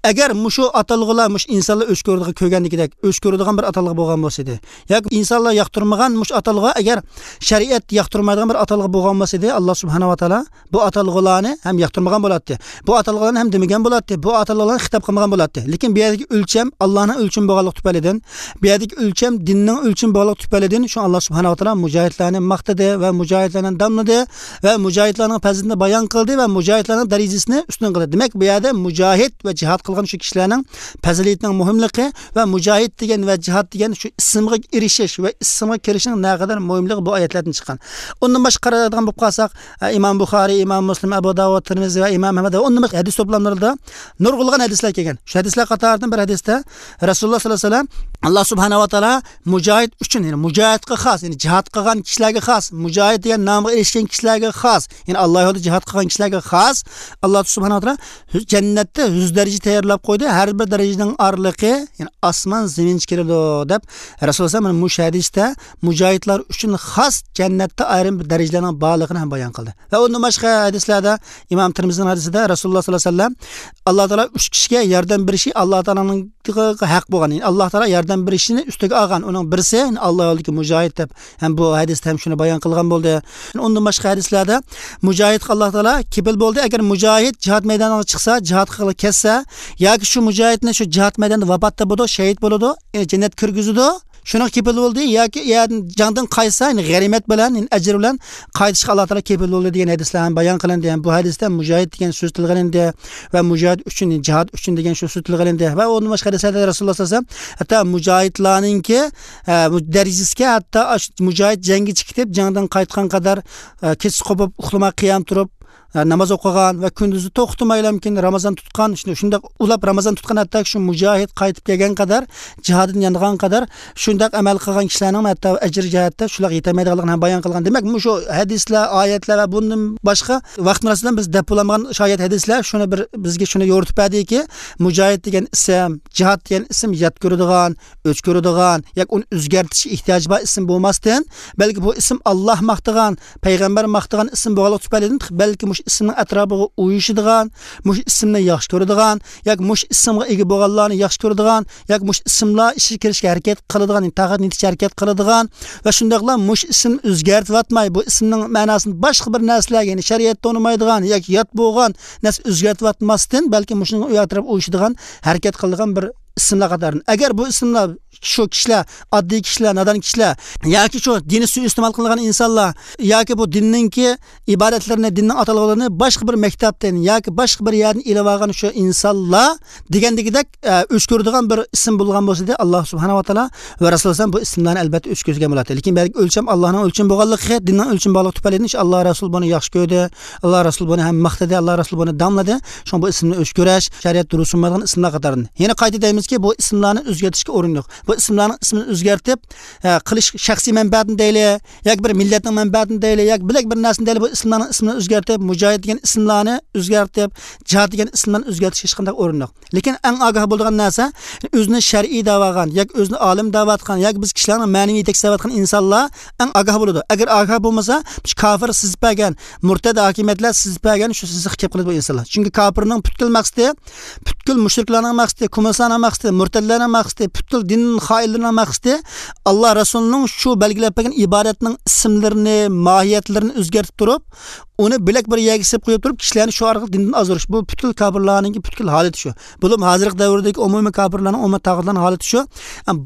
ئەگەر مۇشۇ ئاتالغۇلار، مۇشۇ ئىنسانلار ئۆچ كۆرىدىغان، كۆرگەندىكىدەك ئۆچ كۆرىدىغان بىر ئاتالغۇ بولغان بولسا ئىدى، ياكى ئىنسانلار ياقتۇرمىغان مۇشۇ ئاتالغۇ ئەگەر شەرىئەت ياقتۇرمايدىغان بىر ئاتالغۇ بولغان بولسا ئىدى، ئاللا سۇبھانەھۇ ۋە تائالا بۇ ئاتالغۇلارنى ھەم ياقتۇرمىغان بولاتتى. بۇ ئاتالغۇلارنى ھەم دېمىگەن بولاتتى. بۇ ئاتالغۇلارنى خىتاب قىلمىغان بولاتتى. لېكىن بۇ يەردىكى ئۆلچەم ئاللانىڭ ئۆلچىمى بولغانلىقى تۈپەيلىدىن، بۇ يەردىكى ئۆلچەم دىننىڭ ئۆلچىمى بولغانلىقى تۈپەيلىدىن، شۇ ئاللا سۇبھانەھۇ ۋە تائالا مۇجاھىدلارنى ماختىدى ۋە مۇجاھىدلارنى داملىدى ۋە مۇجاھىدلارنىڭ پەزىلىتىنى بايان قىلدى ۋە مۇجاھىدلارنىڭ دەرىجىسىنى ئۈستۈن قىلدى. دېمەك، بۇ يەردە مۇجاھىد ۋە جىھاد قىلغان شۇ كىشىلەرنىڭ پەزىلىتىنىڭ مۇھىملىقى ۋە مۇجاھىد دېگەن ۋە جىھاد دېگەن شۇ ئىسىمغا ئېرىشىش ۋە ئىسىمغا كىرىشنىڭ نەقەدەر مۇھىملىقى بۇ ئايەتلەردىن چىققان. ئۇندىن باشقا قارايدىغان بولۇپ قالساق، ئە، ئىمام بۇخارىي، ئىمام مۇسلىم، ئەبۇ داۋۇد، تىرمىزى ۋە ئىمام ئەھمەد ۋە ئۇندىن باشقا ھەدىس توپلاملىرىدا نۇرغۇنلىغان ھەدىسلەر كەلگەن. شۇ ھەدىسلەر قاتارىدىن بىر ھەدىستە رەسۇلۇللا سەللەللاھۇ ئەلەيھى ۋەسەللەم، ئاللا سۇبھانەھۇ ۋە تائالا مۇجاھىد ئۈچۈن، يەنى مۇجاھىدقا خاس، يەنى جىھاد قىلغان كىشىلەرگە خاس، مۇجاھىد دېگەن نامغا ئېرىشكەن كىشىلەرگە خاس، يەنى ئاللا يولىدا جىھاد قىلغان كىشىلەرگە خاس، ئاللا سۇبھانەھۇ ۋە تائالا جەننەتتە يۈز دەرىجە تەييارلاپ قويدى. ھەر بىر دەرىجىنىڭ ئارىلىقى، يەنى ئاسمان زېمىنچە كېلىدۇ، دەپ رەسۇلۇللا سەللەللاھۇ ئەلەيھى ۋەسەللەم مۇشۇ ھەدىستە مۇجاھىدلار ئۈچۈن خاس جەننەتتە ئايرىم بىر دەرىجىلەرنىڭ بارلىقىنى ھەم بايان قىلدى. ۋە ئۇندىن باشقا ھەدىسلەردە، ئىمام تىرمىزىنىڭ ھەدىسىدە رەسۇلۇللا سەللەللاھۇ ئەلەيھى ۋەسەللەم، ئاللا تائالا ئۈچ كىشىگە ياردەم بېرىشى ئاللا تائالانىڭ ھەق بولغان، يەنى ئاللا تائالا ياردەم بېرىشىنى ئۈستىگە ئالغان، ئۇنىڭ بىرسى ئاللا يولىدىكى مۇجاھىد دەپ، ھەم بۇ ھەدىستە ھەم شۇنى بايان قىلغان بولدى. ئۇندىن باشقا ھەدىسلەردە مۇجاھىدقا ئاللا تائالا كېپىل بولدى. ئەگەر مۇجاھىد جىھاد مەيدانىغا چىقسا، جىھاد قىلغىلى كەتسە، ياكى شۇ مۇجاھىدنى شۇ جىھاد مەيدانىدا ۋاپات تاپىدۇ، شەھىد بولىدۇ، يەنى جەننەتكە كىرگۈزىدۇ. شۇنىڭغا كېپىل بولدى ياكى يەردىن، جەڭدىن قايتسا، يەنى غەنىيمەت بىلەن، يەنى ئەجىر بىلەن قايتىشقا ئاللا تائالا كېپىل بولدى دېگەن ھەدىسلەر ھەم بايان قىلىندى. ھەم بۇ ھەدىستە مۇجاھىد دېگەن سۆز تىلغا ئېلىندى ۋە مۇجاھىد ئۈچۈن، يەنى جىھاد ئۈچۈن دېگەن شۇ سۆز تىلغا ئېلىندى. ۋە ئۇندىن باشقا ھەدىسلەردە رەسۇلۇللا سەللەللاھۇ ئەلەيھى ۋەسەللەم ھەتتا مۇجاھىدلارنىڭكى، ئە، بۇ دەرىجىسىگە ھەتتا ئاش-، مۇجاھىد جەڭگە چىقىپ، جەڭدىن قايتقان قەدەر، ئە، كېچىسى قوپۇپ، ئۇخلىماي قىيام تۇرۇپ، ئە، ناماز ئوقۇغان ۋە كۈندۈزى توختىمايلا مۇمكىن رامىزان تۇتقان، شۇنداق، شۇنداق ئۇلاپ رامىزان تۇتقان، ھەتتا شۇ مۇجاھىد قايتىپ كەلگەن قەدەر، جىھادىدىن يانغان قەدەر شۇنداق ئەمەل قىلغان كىشىلەرنىڭ ھەتتا ئەجىر جەھەتتە شۇلارغا يېتەلمەيدىغانلىقىنى ھەم بايان قىلغان. دېمەك، مۇشۇ ھەدىسلەر، ئايەتلەر ۋە بۇندىن باشقا ۋاقىت مۇناسىۋىتى بىلەن بىز دەپ بولالمىغان شايەت ھەدىسلەر، شۇنى بىر، بىزگە شۇنى يورۇتۇپ بەردىكى، مۇجاھىد دېگەن ئىسىم، جىھاد دېگەن ئىسىم يات كۆرىدىغان، ئۆچ كۆرىدىغان ياكى ئۇنى ئۆزگەرتىشكە ئېھتىياجى بار ئىسىم بولماستىن، بەلكى بۇ ئىسىم ئاللا ماختىغان، پەيغەمبەر ماختىغان ئىسىم بولغانلىقى تۈپەيلىدىن، بەلكى مۇشۇ ئىسىمنىڭ ئەتراپىغا ئۇيۇشىدىغان، مۇشۇ ئىسىمنى ياخشى كۆرىدىغان ياكى مۇشۇ ئىسىمغا ئىگە بولغانلارنى ياخشى كۆرىدىغان ياكى مۇشۇ ئىسىملار ئىچىگە كىرىشكە ھەرىكەت قىلىدىغان، يەنى تاقەت يېتىشكە ھەرىكەت قىلىدىغان ۋە شۇنداقلا مۇشۇ ئىسىمنى ئۆزگەرتىۋاتماي، بۇ ئىسىمنىڭ مەناسىنى باشقا بىر نەرسىلەرگە، يەنى شەرىئەتتە ئۇنىمايدىغان ياكى يات بولغان نەرسە ئۆزگەرتىۋاتماستىن، بەلكى مۇشۇنىڭغا ئەتراپىغا ئۇيۇشىدىغان ھەرىكەت قىلىدىغان بىر ئىسىملار قاتارىدىن. ئەگەر بۇ ئىسىملار شۇ كىشىلەر، ئاددىي كىشىلەر، نادان كىشىلەر ياكى شۇ دىنى سۇيىئىستېمال قىلغان ئىنسانلار ياكى بۇ دىننىڭكى ئىبادەتلىرىنى، دىننىڭ ئاتالغۇلىرىنى باشقا بىر مەكتەپتىن ياكى باشقا بىر يەردىن ئېلىۋالغان شۇ ئىنسانلار دېگەندىكىدەك، ئە، ئۆچ كۆرىدىغان بىر ئىسىم بولغان بولسىدى، ئاللا سۇبھانەھۇ ۋە تائالا ۋە رەسۇلى ئەلەيھىسسالام بۇ ئىسىملارنى ئەلبەتتە ئۆچ كۆرگەن بولاتتى. لېكىن بەلكى ئۆلچەم ئاللانىڭ ئۆلچىمى بولغانلىقى، دىننىڭ ئۆلچىمى بولغانلىقى تۈپەيلىدىن شۇ ئاللا رەسۇلى بۇنى ياخشى كۆردى، ئاللا رەسۇلى بۇنى ھەم ماختىدى، ئاللا رەسۇلى بۇنى داملىدى. شۇڭا بۇ ئىسىمنى ئۆچ كۆرۈش شەرىئەتتە دۇرۇس بولمايدىغان ئىسىملار قاتارىدىن. يەنە قايتا دەيمىزكى، بۇ ئىسىملارنى ئۆزگەرتىشكە ئورۇن يوق. بۇ ئىسىملارنىڭ ئىسمىنى ئۆزگەرتىپ، ئە، قىلىش شەخسىي مەنپەئەتنى دەيلى، ياكى بىر مىللەتنىڭ مەنپەئەتىنى دەيلى، ياكى بىلەك بىر نەرسىنى دەيلى، بۇ ئىسىملارنىڭ ئىسمىنى ئۆزگەرتىپ، مۇجاھىد دېگەن ئىسىملارنى ئۆزگەرتىپ، جىھاد دېگەن ئىسىملارنى ئۆزگەرتىشكە ھېچقانداق ئورۇن يوق. لېكىن ئەڭ ئاگاھ بولىدىغان نەرسە، ئۆزىنى شەرئىي دەۋاتقان ياكى ئۆزىنى ئالىم دەۋاتقان ياكى بىز كىشىلەرنىڭ مەنىۋى يېتەكچىسى دەۋاتقان ئىنسانلار ئەڭ ئاگاھ بولىدۇ. ئەگەر ئاگاھ بولمىسا، شۇ كاپىر سىزىپ بەرگەن، مۇرتەد ھاكىمىيەتلەر سىزىپ بەرگەن شۇ سىزىققا كېلىپ قالىدۇ بۇ ئىنسانلار. چۈنكى كاپىرنىڭ پۈتكۈل مەقسىتى، پۈتكۈل مۇشرىكلارنىڭ مەقسىتى، كوممۇنىستلارنىڭ مەقسىتى، مۇرتەدلەرنىڭ مەقسىتى، پۈتكۈل دىن خائىنلىرىنىڭ مەقسىتى، ئاللا رەسۇلىنىڭ شۇ بەلگىلەپ بەرگەن ئىبادەتنىڭ ئىسىملىرىنى، ماھىيەتلىرىنى ئۆزگەرتىپ تۇرۇپ، ئۇنى بىلەك بىر يەرگە سېلىپ قويۇپ تۇرۇپ، كىشىلەرنى شۇ ئارقىلىق دىندىن ئازدۇرۇش. بۇ پۈتكۈل كاپىرلارنىڭكى پۈتكۈل ھالىتى شۇ. بولۇپمۇ ھازىرقى دەۋردىكى ئومۇمىي كاپىرلارنىڭ، ئومۇمىي تاغۇتلارنىڭ ھالىتى شۇ.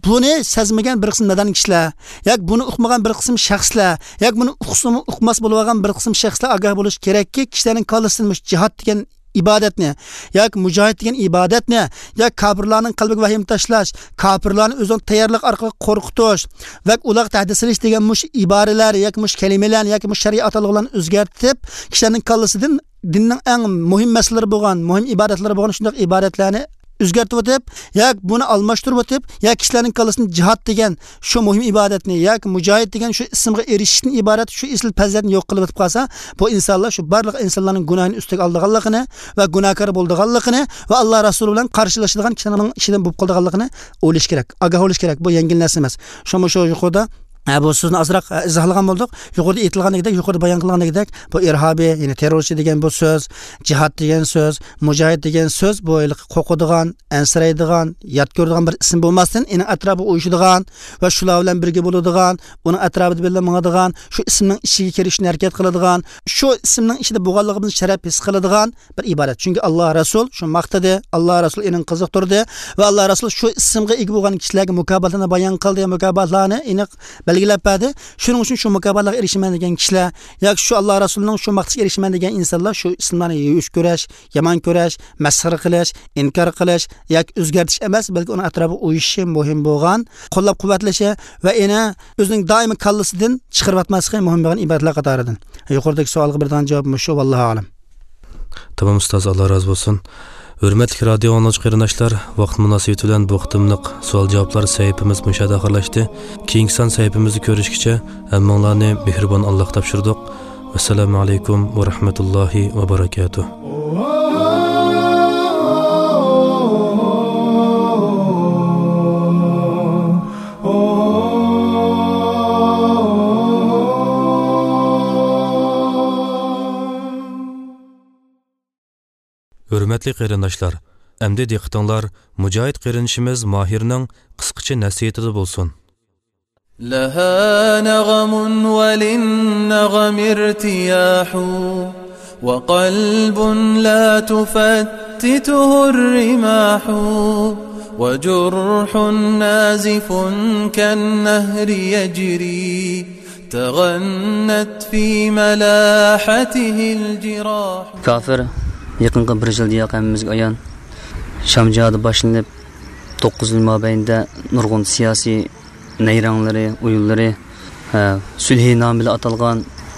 بۇنى سەزمىگەن بىر قىسىم نادان كىشىلەر ياكى بۇنى ئۇقمىغان بىر قىسىم شەخسلەر ياكى بۇنى ئۇقسىمۇ ئۇقماس بولۇۋالغان بىر قىسىم شەخسلەر ئاگاھ بولۇشى كېرەككى، كىشىلەرنىڭ كاللىسىدىن مۇشۇ جىھاد دېگەن ئىبادەتنى ياكى مۇجاھىد دېگەن ئىبادەتنى ياكى كاپىرلارنىڭ قەلبىگە ۋەھىمە تاشلاش، كاپىرلارنى ئۆزىنىڭ تەييارلىقى ئارقىلىق قورقۇتۇش ۋە ئۇلارغا تەھدىت سېلىش دېگەن مۇشۇ ئىبارىلەر ياكى مۇشۇ كەلىمىلەرنى ياكى مۇشۇ شەرئىي ئاتالغۇلارنى ئۆزگەرتىپ، كىشىلەرنىڭ كاللىسىدىن دىننىڭ ئەڭ مۇھىم مەسىلىلىرى بولغان، مۇھىم ئىبادەتلىرى بولغان شۇنداق ئىبادەتلەرنى ئۆزگەرتىۋېتىپ، ياكى بۇنى ئالماشتۇرۇۋېتىپ، ياكى كىشىلەرنىڭ كاللىسىنى جىھاد دېگەن شۇ مۇھىم ئىبادەتنى ياكى مۇجاھىد دېگەن شۇ ئىسىمغا ئېرىشىشتىن ئىبارەت شۇ ئېسىل پەزىلەتنى يوق قىلىۋېتىپ قالسا، بۇ ئىنسانلار شۇ بارلىق ئىنسانلارنىڭ گۇناھىنى ئۈستىگە ئالىدىغانلىقىنى ۋە گۇناھكار بولىدىغانلىقىنى ۋە ئاللا رەسۇلى بىلەن قارشىلىشىدىغان كىشىلەرنىڭ ئىچىدىن بولۇپ قالىدىغانلىقىنى ئويلىشى كېرەك، ئاگاھ بولۇشى كېرەك. بۇ يەڭگىل نەرسە ئەمەس. شۇڭا شۇ يۇقىرىدا ھە، بۇ سۆزنى ئازراق، ھە، ئىزاھلىغان بولدۇق. يۇقىرىدا ئېيتىلغاندەك، يۇقىرىدا بايان قىلغاندەك، بۇ ئىرھابىي، يەنى تېررورچى دېگەن بۇ سۆز، جىھاد دېگەن سۆز، مۇجاھىد دېگەن سۆز، بۇ ھېلىقى قورقىدىغان، ئەنسىرەيدىغان، يات كۆرىدىغان بىر ئىسىم بولماستىن، ئېنىڭ ئەتراپىغا ئۇيۇشىدىغان ۋە شۇلار بىلەن بىرگە بولىدىغان، ئۇنىڭ ئەتراپىدا بىللە ماڭىدىغان، شۇ ئىسىمنىڭ ئىچىگە كىرىشنى ھەرىكەت قىلىدىغان، شۇ ئىسىمنىڭ ئىچىدە بولغانلىقىمىزنى شەرەپ ھېس قىلىدىغان، بىر ئىبارەت. چۈنكى ئاللا رەسۇل شۇ ماختىدى، ئاللا رەسۇل ئېنىڭ قىزىقتۇردى ۋە ئاللا رەسۇل شۇ ئىسىمغا ئىگە بولغان كىشىلەرگە مۇكاپاتلارنى بايان قىلدى، مۇكاپاتلارنى ئېنىق بەلگىلەپ بەردى. شۇنىڭ ئۈچۈن شۇ مۇكاپاتلارغا ئېرىشىمەن دېگەن كىشىلەر ياكى شۇ ئاللا رەسۇلنىڭ شۇ ماختىشىغا ئېرىشىمەن دېگەن ئىنسانلار شۇ ئىسىملارنى يوش كۆرۈش، يامان كۆرۈش، مەسخىرە قىلىش، ئىنكار قىلىش ياكى ئۆزگەرتىش ئەمەس، بەلكى ئۇنىڭ ئەتراپىغا ئۇيۇشۇشى مۇھىم بولغان، قوللاپ-قۇۋۋەتلىشى ۋە ئېنى ئۆزىنىڭ دائىمىي كاللىسىدىن چىقىرىۋاتماسلىقى مۇھىم بولغان ئىبادەتلەر قاتارىدىن. يۇقىرىدىكى سوئالغا بېرىدىغان جاۋاب مۇشۇ، ۋاللاھۇ ئەلەم. تامام ئۇستاز، ئاللا رازى بولسۇن. ھۆرمەتلىك رادىيو ئاڭلىغۇچى قېرىنداشلار، ۋاقىت مۇناسىۋىتى بىلەن بۇ قېتىملىق سوئال-جاۋابلار سەھىپىمىز مۇشۇ يەردە ئاخىرلاشتى. كېيىنكى سان سەھىپىمىزدە كۆرۈشكىچە ھەممىڭلارنى مېھرىبان ئاللاغا تاپشۇردۇق. ۋەسسالامۇ ئەلەيكۇم ۋە رەھمەتۇللاھى ۋە بەرەكاتۇھ. ھۆرمەتلىك قېرىنداشلار، ئەمدى دىققىتىڭلار مۇجاھىد قېرىندىشىمىز ماھىرنىڭ قىسقىچە نەسىھىتىدە بولسۇن. لها نغم وللنغم ارتياح، وقلب لا تفتته الرماح، وجرح نازف كالنهر يجري، تغنت في ملاحته الجراح. كافىر يېقىنقى بىر يىل دېيەر ھەممىمىزگە ئايان، شام جىھادى باشلىنىپ، توققۇز يىل مابەينىدە نۇرغۇن سىياسىي نەيرەڭلىرى، ئويۇنلىرى، ھە، سۈلھىنامە بىلەن ئاتالغان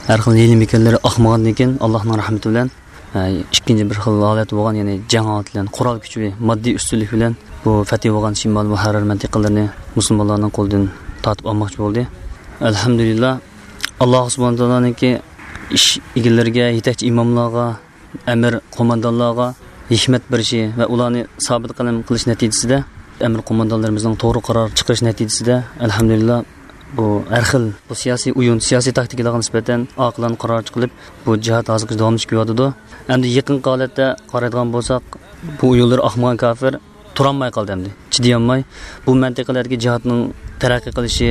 ھەر خىل ھىيلە-مىكىرلىرى ئاقمىغاندىن كېيىن، ئاللاھنىڭ رەھمىتى بىلەن، ھە، ئىككىنچى بىر خىل ھالەت بولغان، يەنى جەڭ ھالىتى بىلەن، قورال كۈچى، ماددىي ئۈستۈنلۈك بىلەن بۇ فەتھى بولغان شىمالىي مۇھەررەر مەنتىقىلىرىنى مۇسۇلمانلارنىڭ قولىدىن تارتىپ ئالماقچى بولدى. ئەلھەمدۇلىللا، ئاللاھ سۇبھانەھۇ ۋە تائالانىڭكى ئىش ئىگىلىرىگە، يېتەكچى ئىماملارغا، ئەمىر قوماندانلارغا ھېكمەت بېرىشى ۋە ئۇلارنى سابىت قەدەم قىلىش نەتىجىسىدە، ئەمىر قوماندانلىرىمىزنىڭ توغرا قارار چىقىرىش نەتىجىسىدە، ئەلھەمدۇلىللا، بۇ ھەر خىل بۇ سىياسىي ئويۇن، سىياسىي تاكتىكىلارغا نىسبەتەن ئاقىلانە قارار چىقىرىلىپ، بۇ جىھاد ھازىرغىچە داۋاملىشىپ كېلىۋاتىدۇ. ئەمدى يېقىنقى ھالەتتە قارايدىغان بولساق، بۇ ئويۇنلىرى ئاقمىغان كافىر تۇرالماي قالدى ئەمدى. چىدىيالماي، بۇ مەنتىقىلەردىكى جىھادنىڭ تەرەققىي قىلىشى،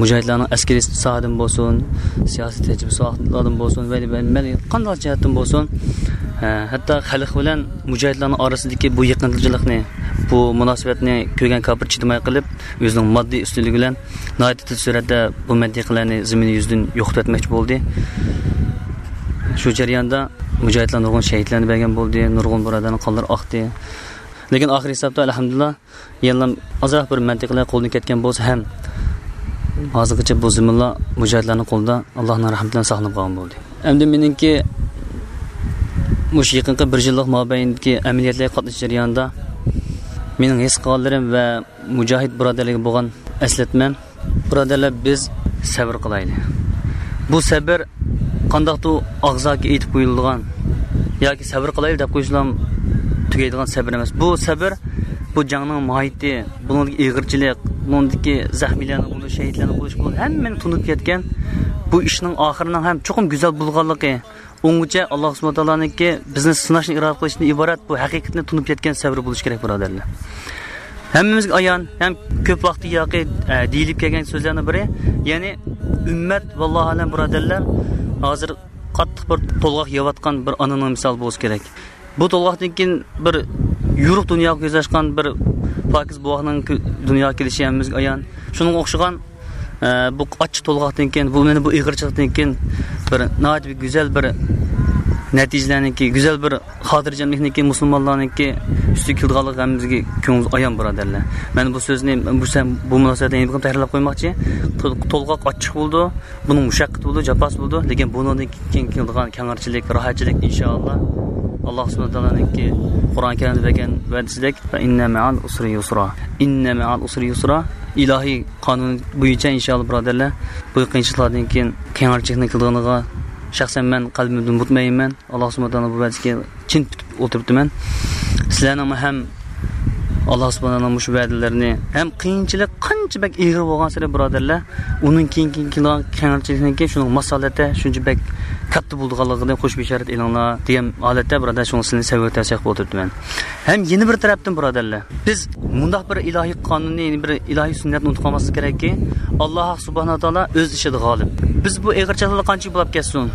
مۇجاھىدلارنىڭ ئەسكىرىي ساھەدىن بولسۇن، سىياسىي تەجرىبە ساھەلەردىن بولسۇن، ۋە، ۋە، ۋە قانداق جەھەتتىن بولسۇن، ھە، ھەتتا خەلق بىلەن مۇجاھىدلارنىڭ ئارىسىدىكى بۇ يېقىنچىلىقنى، بۇ مۇناسىۋەتنى كۆرگەن كاپىر چىدىماي قېلىپ، ئۆزىنىڭ ماددىي ئۈستۈنلۈكى بىلەن ناھايىتى تېز سۈرئەتتە بۇ مەنتىقىلەرنى زېمىن يۈزىدىن يوقىتىۋەتمەكچى بولدى. شۇ جەرياندا مۇجاھىدلار نۇرغۇن شەھىدلەرنى بەرگەن بولدى، نۇرغۇن بۇرادەرنىڭ قانلىرى ئاقتى. لېكىن ئاخىر ھېسابتا، ئەلھەمدۇلىللا، يەنىلا ئازراق بىر مەنتىقىلەر قولدىن كەتكەن بولسا ھەم، ھازىرغىچە بۇ زېمىنلار مۇجاھىدلارنىڭ قولىدا، ئاللاھنىڭ رەھمىتى بىلەن ساقلىنىپ قالغان بولدى. ئەمدى مېنىڭكى مۇشۇ يېقىنقى بىر يىللىق مابەينىدىكى ئەمەلىيەتلەرگە قاتنىشىش جەريانىدا مېنىڭ ھېس قىلغانلىرىم ۋە مۇجاھىد بۇرادەرلەرگە بولغان ئەسلەتمەم، بۇرادەرلەر، بىز سەۋر قىلايلى. بۇ سەۋر قانداقتۇر ئاغزاكى ئېيتىپ قويۇلىدىغان ياكى سەۋر قىلايلى دەپ قويسىلا تۈگەيدىغان سەۋر ئەمەس. بۇ سەۋر، بۇ جەڭنىڭ ماھىيىتى، بۇنىڭدىكى ئېغىرچىلىق، بۇنىڭدىكى زەخمىيلەرنىڭ بولۇشى، شەھىدلەرنىڭ بولۇشى، بۇ ھەممىنى تونۇپ يەتكەن، بۇ ئىشنىڭ ئاخىرىنىڭ ھەم چوقۇم گۈزەل بولغانلىقى، ئۇنىڭغىچە ئاللاھ سۇبھانەھۇ تائالانىڭكى بىزنى سىناشنى ئىرادە قىلىشتىن ئىبارەت بۇ ھەقىقەتنى تونۇپ يەتكەن سەۋر بولۇشى كېرەك، بۇرادەرلەر. ھەممىمىزگە ئايان ھەم كۆپ ۋاقىتتىن ياقى، ئە، دېيىلىپ كەلگەن سۆزلەرنىڭ بىرى، يەنى ئۈممەت، ۋاللاھۇ ئەلەم، بۇرادەرلەر، ھازىر قاتتىق بىر تولغاق يەۋاتقان بىر ئانىنىڭ مىسالى بولسا كېرەك. بۇ تولغاقتىن كېيىن بىر يورۇق دۇنياغا كۆز ئاچقان بىر پاكىز بوۋاقنىڭ كۆ-، دۇنياغا كېلىشى ھەممىمىزگە ئايان. شۇنىڭغا ئوخشىغان، ئە، بۇ ئاچچىق تولغاقتىن كېيىن، بۇ، مانا بۇ ئېغىرچىلىقتىن كېيىن بىر ناھايىتى بىر گۈزەل بىر نەتىجىلەرنىڭكى، گۈزەل بىر خاتىرجەملىكنىڭكى، مۇسۇلمانلارنىڭكى ئۈستىگە كېلىدىغانلىقى ھەممىمىزگە كۆڭلىمىز ئايان، بۇرادەرلەر. مەن بۇ سۆزنى، بۇ سەن-، بۇ مۇناسىۋەتتە يەنە بىر قېتىم تەكرارلاپ قويماقچى. تول-، تولغاق ئاچچىق بولىدۇ، بۇنىڭ مۇشەققىتى بولىدۇ، جاپاسى بولىدۇ، لېكىن بۇنىڭدىن كېيىن كېلىدىغان كەڭرىچىلىك، راھەتچىلىك، ئىنشائاللا، ئاللاھ سۇبھانەھۇ تائالانىڭكى قۇرئان كەرىمدە بەرگەن ۋەدىسىدەك، فە ئىننە مەئەل ئۇسرى يۇسرا، ئىننە مەئەل ئۇسرى يۇسرا، ئىلاھىي قانۇن بويىچە، ئىنشائاللا، بۇرادەرلەر، بۇ قىيىنچىلىقلاردىن كېيىن كەڭرىچىلىكنىڭ كېلىدىغىنىغا شەخسەن مەن قەلبىمدىن مۇتمەئىنمەن. ئاللاھ سۇبھانەھۇ ۋە تائالا بۇ ۋەدىسىگە چىن پۈتۈپ ئولتۇرۇپتىمەن. سىلەرنىڭمۇ ھەم ئاللاھ سۇبھانەھۇ ۋە تائالانىڭ مۇشۇ ۋەدىلىرىنى، ھەم قىيىنچىلىق قانچە بەك ئېغىر بولغانسېرى، بۇرادەرلەر، ئۇنىڭ كېيىن، كېيىن كېلىدىغان كەڭرىچىلىكنىڭكى شۇنىڭ ماسالەتتە شۇنچە بەك كاتتا بولىدىغانلىقىدىن خۇش بېشارەت ئېلىڭلار دېگەن ھالەتتە، بۇرادەر، شۇڭا سىلەرنى سەۋر تەۋسىيە قىلىپ ئولتۇرۇپتىمەن. ھەم يەنە بىر تەرەپتىن، بۇرادەرلەر، بىز مۇنداق بىر ئىلاھىي قانۇننى، يەنە بىر ئىلاھىي سۈننەتنى ئۇنتۇپ قالماسلىق كېرەككى، ئاللاھ سۇبھانەھۇ ۋە تائالا ئۆز ئىشىدا غالىب. بىز بۇ ئېغىرچىلىقلار قانچە بولاپ كەتسۇن،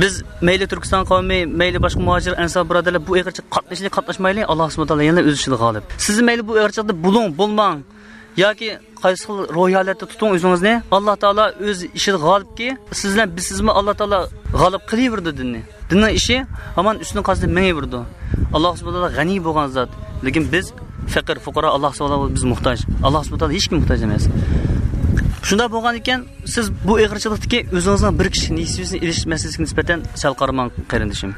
بىز مەيلى تۈركىستان قەۋمى، مەيلى باشقا مۇھاجىر، ئەنسار بۇرادەرلەر بۇ ئېغىرچىلىققا قاتنىشىلى قاتناشمايلى، ئاللاھ سۇبھانەھۇ ۋە تائالا يەنە ئۆز ئىشىدا غالىب. سىز مەيلى بۇ ئېغىرچىلىقتا بولۇڭ، بولماڭ ياكى قايسى خىل روھىي ھالەتتە تۇتۇڭ ئۆزىڭىزنى، ئاللاھ تائالا ئۆز ئىشىدا غالىبكى، سىز بىلەن بىزسىزمۇ ئاللاھ تائالا غالىب قىلىۋېرىدۇ دىننى. دىننىڭ ئىشى ھامان ئۈستىنى قازىنىپ مېڭىۋېرىدۇ. ئاللاھ سۇبھانەھۇ ۋە تائالا غەنىي بولغان زات. لېكىن بىز پەقىر، فۇقارا، ئاللاھ سۇبھانەھۇ ۋە تائالا بىز موھتاج. ئاللاھ سۇبھانەھۇ ۋە تائالا ھېچكىمگە موھتاج ئەمەس. شۇنداق بولغان ئىكەن، سىز بۇ ئېغىرچىلىقتىكى ئۆزىڭىزنىڭ بىر كىشىلىك نېسىۋىسىنى ئېلىش مەسىلىسىگە نىسبەتەن سەل قارىماڭ، قېرىندىشىم.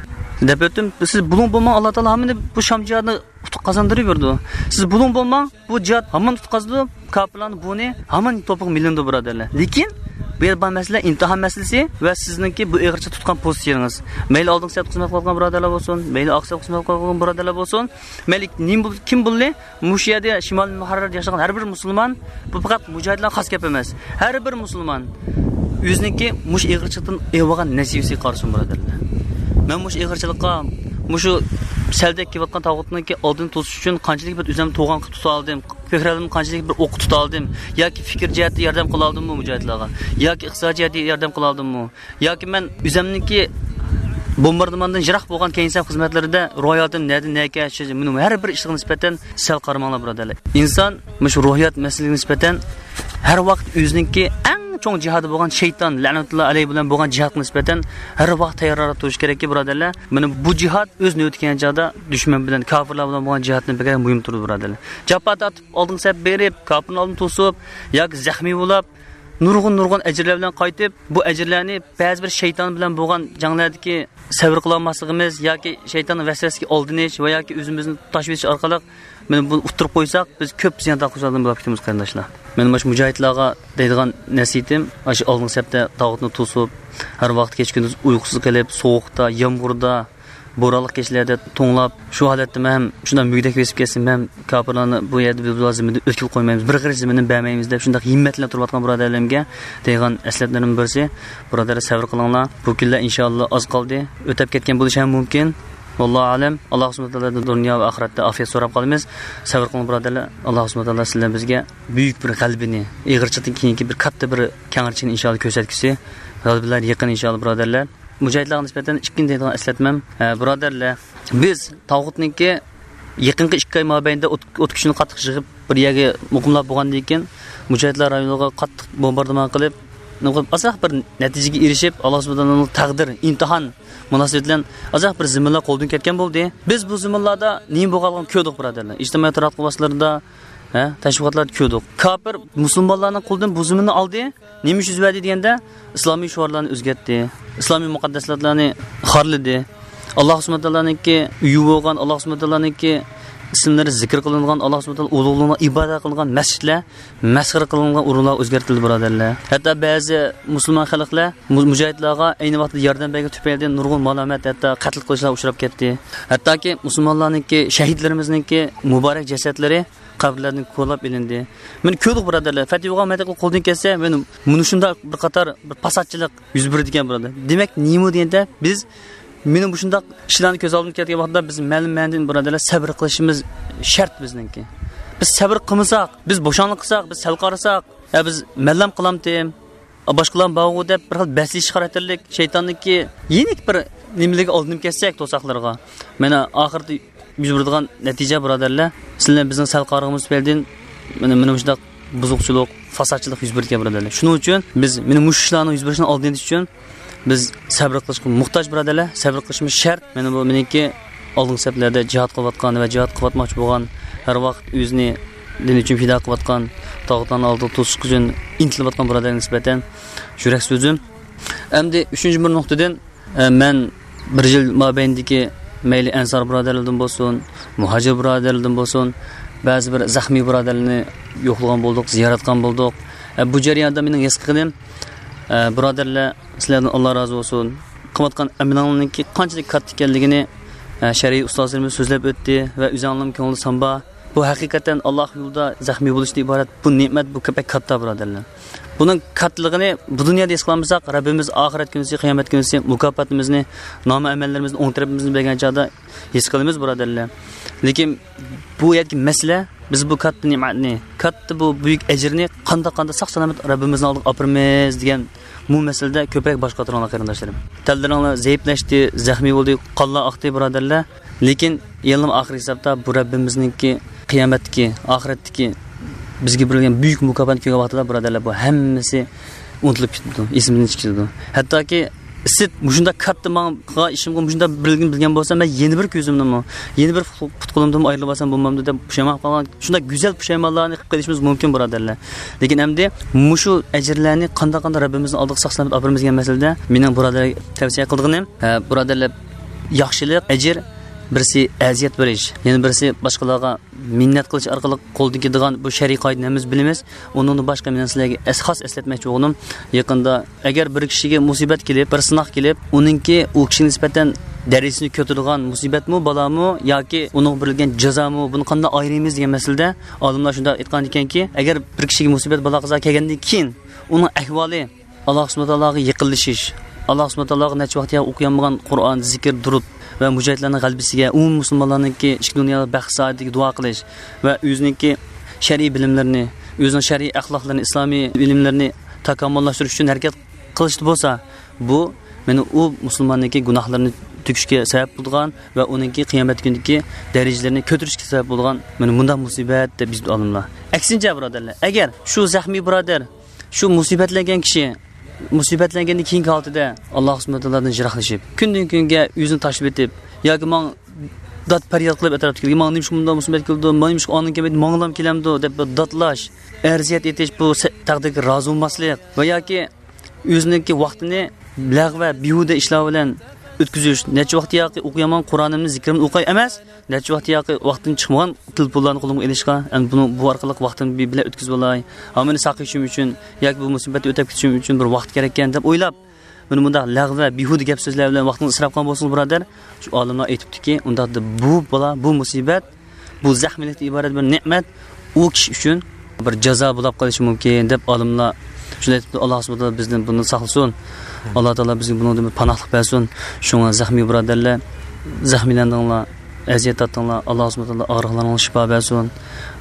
دەپ ئۆتتۈم. سىز بۇلۇڭ بولماڭ، ئاللاھ تائالا ھامان بۇ شام جىھادىنى ئۇتۇق قازاندۇرۇۋېرىدۇ. سىز بۇلۇڭ بولماڭ، بۇ جىھاد ھامان ئۇتقازىدۇ، كاپىرلارنىڭ بۇنى ھامان توپىغا مىلىنىدۇ، بۇرادەرلەر. لېكىن بۇ يەردە بار مەسىلە ئىمتىھان مەسىلىسى ۋە سىزنىڭكى بۇ ئېغىرچە تۇتقان پوزىتسىيىڭىز. مەيلى ئالدىنقى سەپتە خىزمەت قىلىۋاتقان بۇرادەرلەر بولسۇن، مەيلى ئارقا سەپتە خىزمەت قىلىۋاتقان بۇرادەرلەر بولسۇن، مەيلى نېمە بول-، كىم بولدى، مۇشۇ يەردە شىمالىي مۇھەررەردە ياشىغان ھەر بىر مۇسۇلمان، بۇ پەقەت مۇجاھىدلارغا خاس گەپ ئەمەس. ھەر بىر مۇسۇلمان ئۆزىنىڭكى مۇشۇ ئېغىرچىلىقتىن ئېلىۋالغان نەسىۋىسىگە قارىسۇن، بۇرادەرلەر. مەن مۇشۇ ئېغىرچىلىققا، مۇشۇ سەلدەك كېلىۋاتقان تاغۇتنىڭكى ئالدىنى توسۇش ئۈچۈن قانچىلىك بىر ئۆزۈمنى تۇغان قىلىپ تۇتالدىم، كۆكرەكلىرىمنى قانچىلىك بىر ئوققا تۇتالدىم، ياكى پىكىر جەھەتتە ياردەم قىلالدىممۇ مۇجاھىدلارغا، ياكى ئىقتىساد جەھەتتە ياردەم قىلالدىممۇ، ياكى مەن ئۆزۈمنىڭكى بومباردىماندىن يىراق بولغان كەينىسەم خىزمەتلىرىدە روھىياتىم نەدە نەگە، مۇنۇ ھەر بىر ئىشقا نىسبەتەن سەل قارىماڭلار، بۇرادەرلەر. ئىنسان مۇشۇ روھىيات مەسىلىسىگە نىسبەتەن ھەر ۋاقىت ئۆزىنىڭكى ئەڭ چوڭ جىھادى بولغان شەيتان، لەنەتۇللا ئەلەيھى، بىلەن بولغان جىھادقا نىسبەتەن ھەر ۋاقىت تەييارلىق تۇرۇشى كېرەككى، بۇرادەرلەر. مانا بۇ جىھاد ئۆز نۆۋىتى كەلگەن چاغدا دۈشمەن بىلەن، كاپىرلار بىلەن بولغان جىھادتىن بەكرەك مۇھىمدۇر، بۇرادەرلەر. جاپا تارتىپ، ئالدىنقى سەپ بېرىپ، كاپىرنىڭ ئالدىنى توسۇپ ياكى زەخمىي بولاپ، نۇرغۇن، نۇرغۇن ئەجىرلەر بىلەن قايتىپ، بۇ ئەجىرلەرنى بەزى بىر شەيتان بىلەن بولغان جەڭلەردىكى سەۋر قىلالماسلىقىمىز ياكى شەيتاننىڭ ۋەسۋەسىسىگە ئالدىنىش ۋە ياكى ئۆزىمىزنى تاشلىۋېتىش ئارقىلىق، مانا بۇنى ئۇتتۇرۇپ قويساق، بىز كۆپ زىيان تارتقۇچىلاردىن بولۇپ كېتىمىز، قېرىنداشلار. مانا مۇشۇ مۇجاھىدلارغا دەيدىغان نەسىھىتىم، ئاشۇ ئالدىنقى سەپتە تاغۇتنى توسۇپ، ھەر ۋاقىت كېچە-كۈندۈز ئۇيقۇسىز قېلىپ، سوغۇقتا، يامغۇردا، بورانلىق كېچىلەردە توڭلاپ، شۇ ھالەتتىمۇ ھەم شۇنداق مۈگدەك بېسىپ كەتسىمۇ ھەم، كاپىرلارنى بۇ يەردە بىز بۇلار زېمىندا ئۆتكىلى قويمايمىز، بىر غېرىچ زېمىننى بەرمەيمىز دەپ شۇنداق ھىممەت بىلەن تۇرۇۋاتقان بۇرادەرلىرىمگە دەيدىغان ئەسلىھەلىرىمنىڭ بىرسى، بۇرادەرلەر، سەۋر قىلىڭلار، بۇ كۈنلەر ئىنشائاللا ئاز قالدى، ئۆتەپ كەتكەن بولۇشى ھەم مۇمكىن. ۋاللاھۇ ئەلەم، ئاللاھ سۇبھانەھۇ ۋە تائالادىن دۇنيا ۋە ئاخىرەتتە ئافىيەت سوراپ قالىمىز. سەۋر قىلىڭ، بۇرادەرلەر، ئاللاھ سۇبھانەھۇ ۋە تائالا سىلەر بىزگە بۈيۈك بىر غەلىبىنى، ئېغىرچىلىقتىن كېيىنكى بىر كاتتا بىر كەڭرىچىنى ئىنشائاللا كۆرسەتكۈسى. غەلىبىلەر يېقىن ئىنشائاللا، بۇرادەرلەر. مۇجاھىدلارغا نىسبەتەن ئىككىنچى دەيدىغان ئەسلەتمەم، ھە، بۇرادەرلەر، بىز تاغۇتنىڭكى يېقىنقى ئىككى ئاي مابەينىدە ئوت، ئوت كۈچىنى قاتتىق يىغىپ، بىر يەرگە مۇقىملاپ بولغاندىن كېيىن، مۇجاھىدلار رايونىغا قاتتىق بومباردىمان قىلىپ، ئازراق بىر نەتىجىگە ئېرىشىپ، ئاللا سۇبھانەھۇ ۋە تائالانىڭ تەقدىر، ئىمتىھان مۇناسىۋىتى بىلەن ئازراق بىر زېمىنلار قولدىن كەتكەن بولدى. بىز بۇ زېمىنلاردا نېمە بولغانلىقىنى كۆردۇق، بۇرادەرلەر. ئىجتىمائىي تاراتقۇ ۋاسىتىلىرىدا، ھە، تەشۋىقاتلاردا كۆردۇق. كاپىر مۇسۇلمانلارنىڭ قولىدىن بۇ زېمىننى ئالدى. نېمە ئۈچۈن يۈز بەردى دېگەندە، ئىسلامىي شوئارلارنى ئۆزگەرتتى. ئىسلامىي مۇقەددەساتلارنى خارلىدى. ئاللا سۇبھانەھۇ ۋە تائالانىڭكى ئۆيى بولغان، ئاللا سۇبھانەھۇ ۋە تائالانىڭكى ئىسىملىرى زىكىر قىلىنغان، ئاللا سۇبھانەھۇ ۋە تائالا ئۇلۇغلىنغان، ئىبادەت قىلىنغان مەسچىتلەر مەسخىرە قىلىنغان ئورۇنلارغا ئۆزگەرتىلدى، بۇرادەرلەر. ھەتتا بەزى مۇسۇلمان خەلقلەر مۇ-، مۇجاھىدلارغا ئەينى ۋاقىتتا ياردەم بەرگەن تۈپەيلىدىن نۇرغۇن مالامەت، ھەتتا قەتل قىلىشلار ئۇچراپ كەتتى. ھەتتاكى مۇسۇلمانلارنىڭكى، شەھىدلىرىمىزنىڭكى مۇبارەك جەسەتلىرى قەبرىلەردىن كولاپ ئېلىندى. مانا كۆردۇق، بۇرادەرلەر، فەتھى بولغان مەدەنىيەتلەر قولدىن كەتسە، مانا مۇنۇ شۇنداق بىر قاتار بىر پاساتچىلىق يۈز بېرىدىكەن، بۇرادەر. دېمەك، نېمە دېگەندە، بىز مانا مۇشۇنداق ئىشلارنى كۆز ئالدىمىزغا كەلتۈرگەن ۋاقىتتا، بىز مەلۇم مەنىدىن، بۇرادەرلەر، سەبرى قىلىشىمىز شەرت بىزنىڭكى. بىز سەبرى قىلمىساق، بىز بوشاڭلىق قىلساق، بىز سەل قارىساق، ھە، بىز مەنلەم قىلامتىم، باشقىلارمۇ بارغۇ دەپ بىر خىل بەسلىشىش خاراكتېرلىك شەيتاننىڭكى يېنىك بىر نېمىلىرىگە ئالدىنىپ كەتسەك، توساقلىرىغا، مانا ئاخىرىدا يۈز بېرىدىغان نەتىجە، بۇرادەرلەر، سىلەر بىزنىڭ سەل قارىغىنىمىز تۈپەيلىدىن مانا، مانا مۇشۇنداق بۇزۇقچىلىق، فاسادچىلىق يۈز بېرىدىكەن، بۇرادەرلەر. شۇنىڭ ئۈچۈن بىز مانا مۇشۇ ئىشلارنىڭ يۈز بېرىشىنى ئالدىنى ئېلىش ئۈچۈن بىز سەبرى قىلىشقا موھتاج، بۇرادەرلەر. سەبرى قىلىشىمىز شەرت. مانا بۇ مېنىڭكى ئالدىنقى سەپلەردە جىھاد قىلىۋاتقان ۋە جىھاد قىلىۋاتماقچى بولغان، ھەر ۋاقىت ئۆزىنى دىن ئۈچۈن پىدا قىلىۋاتقان، تاغۇتلارنىڭ ئالدىدا توسۇش ئۈچۈن ئىنتىلىۋاتقان بۇرادەرلەرگە نىسبەتەن يۈرەك سۆزۈم. ئەمدى ئۈچىنچى بىر نۇقتىدىن، ئە، مەن بىر يىل مابەينىدىكى مەيلى ئەنسار بۇرادەرلىرىدىن بولسۇن، مۇھاجىر بۇرادەرلىرىدىن بولسۇن، بەزى بىر زەخمىي بۇرادەرلەرنى يوقلىغان بولدۇق، زىيارەت قىلغان بولدۇق. ئە، بۇ جەرياندا مېنىڭ ھېس قىلغىنىم، ئە، بۇرادەرلەر، سىلەردىن ئاللا رازى بولسۇن. قىلىۋاتقان ئەمىلىڭلارنىڭكى قانچىلىك كاتتا ئىكەنلىكىنى، ئە، شەرئىي ئۇستازلىرىمىز سۆزلەپ ئۆتتى ۋە ئۆزۈڭلارنىڭ كۆڭلىدە سان بار. بۇ ھەقىقەتەن ئاللا يولىدا زەخمىي بولۇشتىن ئىبارەت. بۇ نېمەت، بۇ بەك كاتتا، بۇرادەرلەر. بۇنىڭ كاتتىلىقىنى بۇ دۇنيادا ھېس قىلالمىساق، رەببىمىز ئاخىرەت كۈنىسى، قىيامەت كۈنىسى مۇكاپاتىمىزنى، نامە ئەمەللىرىمىزنى، ئوڭ تەرىپىمىزنى بەرگەن چاغدا ھېس قىلىمىز، بۇرادەرلەر. لېكىن بۇ يەردىكى مەسىلە، بىز بۇ كاتتا نېمەتنى، كاتتا بۇ بۈيۈك ئەجىرنى قانداق، قانداق ساق-سالامەت رەببىمىزنىڭ ئالدىغا ئاپىرىمىز دېگەن بۇ مەسىلىدە كۆپرەك باش قاتۇرۇڭلار، قېرىنداشلىرىم. تەنلىرىڭلار زەئىپلەشتى، زەخمىي بولدى، قانلار ئاقتى، بۇرادەرلەر. لېكىن يەنىلا ئاخىر ھېسابتا بۇ رەببىمىزنىڭكى قىيامەتتىكى، ئاخىرەتتىكى بىزگە بېرىلگەن بۈيۈك مۇكاپاتنى كۆرگەن ۋاقتىدا، بۇرادەرلەر، بۇ ھەممىسى ئۇنتۇلۇپ كېتىدۇ، ئېسىمىزدىن چىقىپ كېتىدۇ. ھەتتاكى سىت مۇشۇنداق كاتتا ماڭا قىلغان ئىشىمغا مۇشۇنداق بىرلىكنى بىلگەن بولسام، مەن يەنە بىر كۆزۈمنىمۇ، يەنە بىر پۇت-، پۇت-قولۇمدىنمۇ ئايرىلىپ ئالسام بولمامدۇ دەپ پۇشايمان قىلغان، شۇنداق گۈزەل پۇشايمانلارنى قىلىپ قېلىشىمىز مۇمكىن، بۇرادەرلەر. لېكىن ئەمدى مۇشۇ ئەجىرلەرنى قانداق، قانداق رەببىمىزنىڭ ئالدىغا ساق-سالامەت ئاپىرىمىز دېگەن مەسىلىدە مېنىڭ بۇرادەرلەرگە تەۋسىيە قىلىدىغىنىم، ھە، بۇرادەرلەر، ياخشىلىق، ئەجىر، بىرسى ئەزىيەت بېرىش، يەنە بىرسى باشقىلارغا مىننەت قىلىش ئارقىلىق قولدىن كېلىدىغان بۇ شەرئىي قائىدىنى ھەممىمىز بىلىمىز. ئۇنىڭدىن باشقا مېنىڭ سىلەرگە ئەس-، خاس ئەسلەتمەكچى بولغىنىم، يېقىندا ئەگەر بىر كىشىگە مۇسىبەت كېلىپ، بىر سىناق كېلىپ، ئۇنىڭكى ئۇ كىشىگە نىسبەتەن دەرىجىسىنى كۆتۈرىدىغان مۇسىبەتمۇ، بالامۇ ياكى ئۇنىڭغا بېرىلگەن جازامۇ، بۇنى قانداق ئايرىيمىز دېگەن مەسىلىدە ئالىملار شۇنداق ئېيتقان ئىكەنكى، ئەگەر بىر كىشىگە مۇسىبەت، بالا-قازا كەلگەندىن كېيىن ئۇنىڭ ئەھۋالى، ئاللا سۇبھانەھۇ ۋە تائالاغا يېقىنلىشىش، ئاللا سۇبھانەھۇ ۋە تائالاغا نەچچە ۋاقىت يا ئوقۇيالمىغان قۇرئان، زىكىر، دۇرۇت ۋە مۇجاھىدلارنىڭ غەلىبىسىگە، ئومۇمىي مۇسۇلمانلارنىڭكى ئىچكى دۇنيادا بەخت سائادىتىگە دۇئا قىلىش ۋە ئۆزىنىڭكى شەرئىي بىلىملىرىنى، ئۆزىنىڭ شەرئىي ئەخلاقلىرىنى، ئىسلامىي ئىلىملىرىنى تاكامۇللاشتۇرۇش ئۈچۈن ھەرىكەت قىلىشتا بولسا، بۇ مانا ئۇ مۇسۇلماننىڭكى گۇناھلىرىنى تۆكۈشكە سەۋەب بولىدىغان ۋە ئۇنىڭكى قىيامەت كۈنىدىكى دەرىجىلىرىنى كۆتۈرۈشكە سەۋەب بولىدىغان مانا مۇنداق مۇسىبەت دەپ يېزىپتۇ ئالىملار. ئەكسىنچە، بۇرادەرلەر، ئەگەر شۇ زەخمىي بۇرادەر، شۇ مۇسىبەتلەنگەن كىشى مۇسىبەتلەنگەندىن كېيىنكى ھالىتىدە ئاللا سۇبھانەھۇ ۋە تائالادىن يىراقلىشىپ، كۈندىن-كۈنگە ئۆزىنى تاشلىۋېتىپ ياكى ماڭا داد پەرياد قىلىپ ئەتراپتىكىلەرگە، ماڭا نېمىشقا مۇنداق مۇسىبەت كېلىدۇ، مانا نېمىشقا ئاندىن كەلمەيدۇ، ماڭىلام كېلەمدۇ دەپ بىر دادلاش، ئەرزىيەت ئېيتىش، بۇ سە-، تەقدىرگە رازى بولماسلىق ۋە ياكى ئۆزىنىڭكى ۋاقتىنى لەغۋە، بىھۇدە ئىشلار بىلەن ئۆتكۈزۈش، نەچچە ۋاقىت ياقى ئوقۇيالمىغان قۇرئانىمنى، زىكرىمنى ئوقۇي ئەمەس، نەچچە ۋاقىت ياقى ۋاقتىدىن چىقمىغان تېلېفونلارنى قولۇمغا ئېلىشقا، ئەمدى بۇنىڭ، بۇ ئارقىلىق ۋاقتىمنى بىر بىلەن ئۆتكۈزۈۋالاي، ھامان ساقىيىشىم ئۈچۈن ياكى بۇ مۇسىبەتنى ئۆتەپ كېتىشىم ئۈچۈن بىر ۋاقىت كېرەككەن دەپ ئويلاپ، مانا مۇنداق لەغۋە، بىھۇدە گەپ سۆزلەر بىلەن ۋاقتىڭىزنى ئىسراپ قىلغان بولسىڭىز، بۇرادەر، شۇ ئالىملار ئېيتىپتىكى، ئۇنداقتا بۇ بالا، بۇ مۇسىبەت، بۇ زەخمىيلىكتىن ئىبارەت بىر نېمەت، ئۇ كىشى ئۈچۈن بىر جازا بولاپ قېلىشى مۇمكىن دەپ ئالىملار شۇنداق ئېيتىپتۇ. ئاللا سۇبھانەھۇ ۋە تائالا بىزدىن بۇنى ساقلىسۇن. ئاللا تائالا بىزگە بۇنىڭدىن بىر پاناھلىق بەرسۇن. شۇڭا زەخمىي بۇرادەرلەر، زەخمىيلەندىڭلار، ئەزىيەت تارتتىڭلار. ئاللا سۇبھانەھۇ ۋە تائالا ئاغرىقلارغا شىپا بەرسۇن.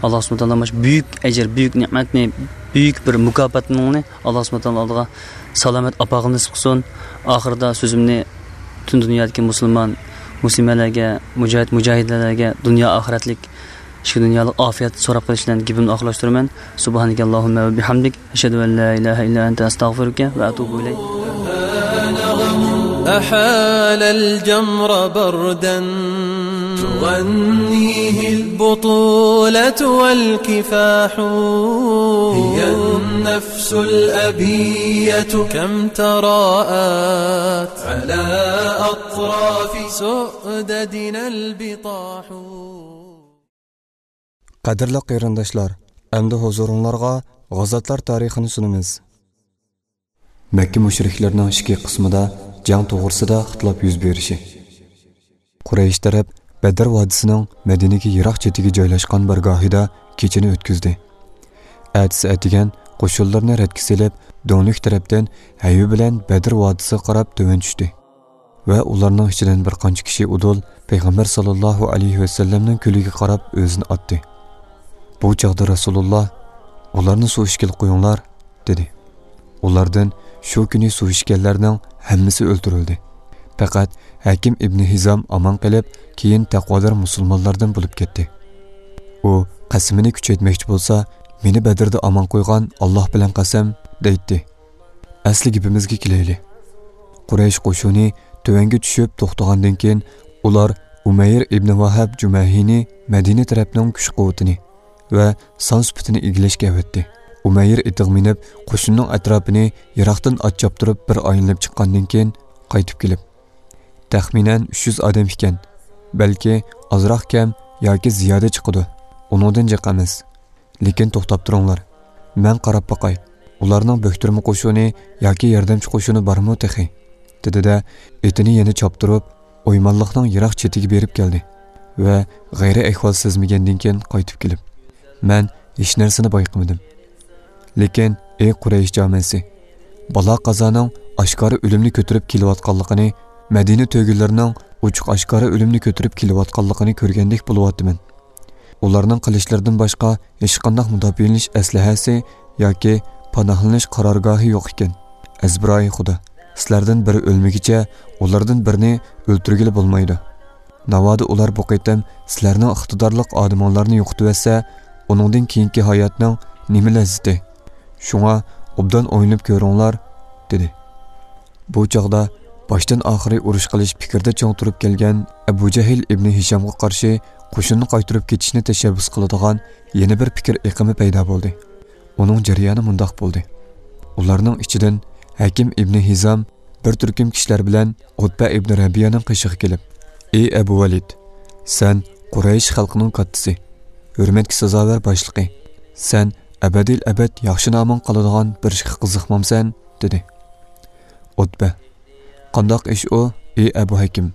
ئاللا سۇبھانەھۇ ۋە تائالا مانا شۇ بۈيۈك ئەجىر، بۈيۈك نېمەتنى، بۈيۈك بىر مۇكاپاتنى ئاللا سۇبھانەھۇ ۋە تائالا ئالدىغا سالامەت ئاپارغىلى نېسىپ قىلسۇن. ئاخىرىدا سۆزۈمنى پۈتۈن دۇنيادىكى مۇسۇلمان مۇسلىمەلەرگە، مۇجاھىد مۇجاھىدەلەرگە دۇنيا ئاخىرەتلىك، ئىچكى دۇنيالىق ئافىيەت سوراپ قېلىش بىلەن گېپىمنى ئاخىرلاشتۇرىمەن. سۇبھانەكەللاھۇممە ۋە بىھەمدىك، ئەشھەدۇ ئەن لا ئىلاھە ئىللا ئەنتە، ئەستەغفىرۇكە ۋە ئەتۇبۇ ئىلەيك. أحال الجمر بردا تغنيه البطولة والكفاح. هي النفس الأبية كم تراءت على أطراف سؤددنا البطاح. قەدىرلىك قېرىنداشلار، ئەمدى ھۇزۇرۇڭلارغا غازاتلار تارىخىنى سۇنىمىز. مەككە مۇشرىكلىرىنىڭ ئىچكى قىسمىدا جەڭ توغرىسىدا ئىختىلاپ يۈز بېرىشى. قۇرەيش تەرەپ بەدر ۋادىسىنىڭ مەدىنىگە يىراق چېتىگە جايلاشقان بىر گاھىدا كېچىنى ئۆتكۈزدى. ئەتىسى ئەتىگەن قوشۇنلىرىنى رەتكە سېلىپ، دۆڭلۈك تەرەپتىن ھەيۋە بىلەن بەدر ۋادىسىغا قاراپ تۆۋەن چۈشتى ۋە ئۇلارنىڭ ئىچىدىن بىر قانچە كىشى ئۇدۇل پەيغەمبەر ساللاللاھۇ ئەلەيھى ۋەسەللەمنىڭ كۆلىگە قاراپ ئۆزىنى ئاتتى. بۇ چاغدا رەسۇلۇللا، «ئۇلارنى سۇ ئىچكىلى قويۇڭلار» دېدى. ئۇلاردىن شۇ كۈنى سۇ ئىچكەنلەرنىڭ ھەممىسى ئۆلتۈرۈلدى. پەقەت ھەكىم ئىبنى ھىزام ئامان قېلىپ، كېيىن تەقۋادار مۇسۇلمانلاردىن بولۇپ كەتتى. ئۇ قەسىمىنى كۈچەيتمەكچى بولسا، «مېنى بەدىردە ئامان قويغان ئاللاھ بىلەن قەسەم» دەيتتى. ئەسلى گېپىمىزگە كېلەيلى. قۇرەيش قوشۇنى تۆۋەنگە چۈشۈپ توختىغاندىن كېيىن، ئۇلار ئۇمەير ئىبنى ۋاھاب جۇمەھىنى مەدىنە تەرەپنىڭ كۈچ-قۇۋۋىتىنى ۋە سان سۈپىتىنى ئىگىلەشكە ئەۋەتتى. ئۇمەير ئېتىغا مىنىپ، قوشۇننىڭ ئەتراپىنى يىراقتىن ئات چاپتۇرۇپ بىر ئايلىنىپ چىققاندىن كېيىن قايتىپ كېلىپ، «تەخمىنەن ئۈچ يۈز ئادەم ئىكەن، بەلكى ئازراق كەم ياكى زىيادە چىقىدۇ، ئۇنىڭدىن جىق ئەمەس. لېكىن توختاپ تۇرۇڭلار، مەن قاراپ باقاي، ئۇلارنىڭ بۆكتۈرمە قوشۇنى ياكى ياردەمچى قوشۇنى بارمۇ تېخى؟» دېدى-دە، ئېتىنى يەنە چاپتۇرۇپ، ئويمانلىقنىڭ يىراق چېتىگە بېرىپ كەلدى ۋە غەيرىي ئەھۋال سەزمىگەندىن كېيىن قايتىپ كېلىپ، «مەن ھېچ نەرسىنى بايقىمىدىم. لېكىن، ئەي قۇرەيش جامەسى، بالا-قازانىڭ ئاشكارا ئۆلۈمنى كۆتۈرۈپ كېلىۋاتقانلىقىنى، مەدىنە تۆگىلىرىنىڭ ئوچۇق-ئاشكارا ئۆلۈمنى كۆتۈرۈپ كېلىۋاتقانلىقىنى كۆرگەندەك بولۇۋاتىمەن. ئۇلارنىڭ قىلىچلىرىدىن باشقا ھېچقانداق مۇداپىئەلىنىش ئەسلىھەسى ياكى پاناھلىنىش قارارگاھى يوق ئىكەن. ئەزبىرايى خۇدا، سىلەردىن بىرى ئۆلمىگۈچە ئۇلاردىن بىرىنى ئۆلتۈرگىلى بولمايدۇ. ناۋادا ئۇلار بۇ قېتىم سىلەرنىڭ ئىقتىدارلىق ئادىمىڭلارنى يوقىتىۋەتسە، ئۇنىڭدىن كېيىنكى ھاياتنىڭ نېمە لەززىتى؟ شۇڭا ئوبدان ئويلىنىپ كۆرۈڭلار» دېدى. بۇ چاغدا باشتىن ئاخىرى ئۇرۇش قىلىش پىكرىدە چىڭ تۇرۇپ كەلگەن ئەبۇ جەھىل ئىبنى ھىشامغا قارشى قوشۇننى قايتۇرۇپ كېتىشنى تەشەببۇس قىلىدىغان يەنە بىر پىكىر ئېقىمى پەيدا بولدى. ئۇنىڭ جەريانى مۇنداق بولدى. ئۇلارنىڭ ئىچىدىن ھەكىم ئىبنى ھىزام بىر تۈركۈم كىشىلەر بىلەن ئۇتبە ئىبنى رەبىيەنىڭ قېشىغا كېلىپ، «ئەي ئەبۇ ۋەلىد، سەن قۇرەيش خەلقىنىڭ كاتتىسى، ھۆرمەتكە سازاۋەر باشلىقى، سەن ئەبەدىل ئەبەد ياخشى نامىڭ قالىدىغان بىر ئىشقا قىزىقمامسەن؟» دېدى. ئۇتبە، «قانداق ئىش ئۇ، ئەي ئەبۇ ھەكىم؟»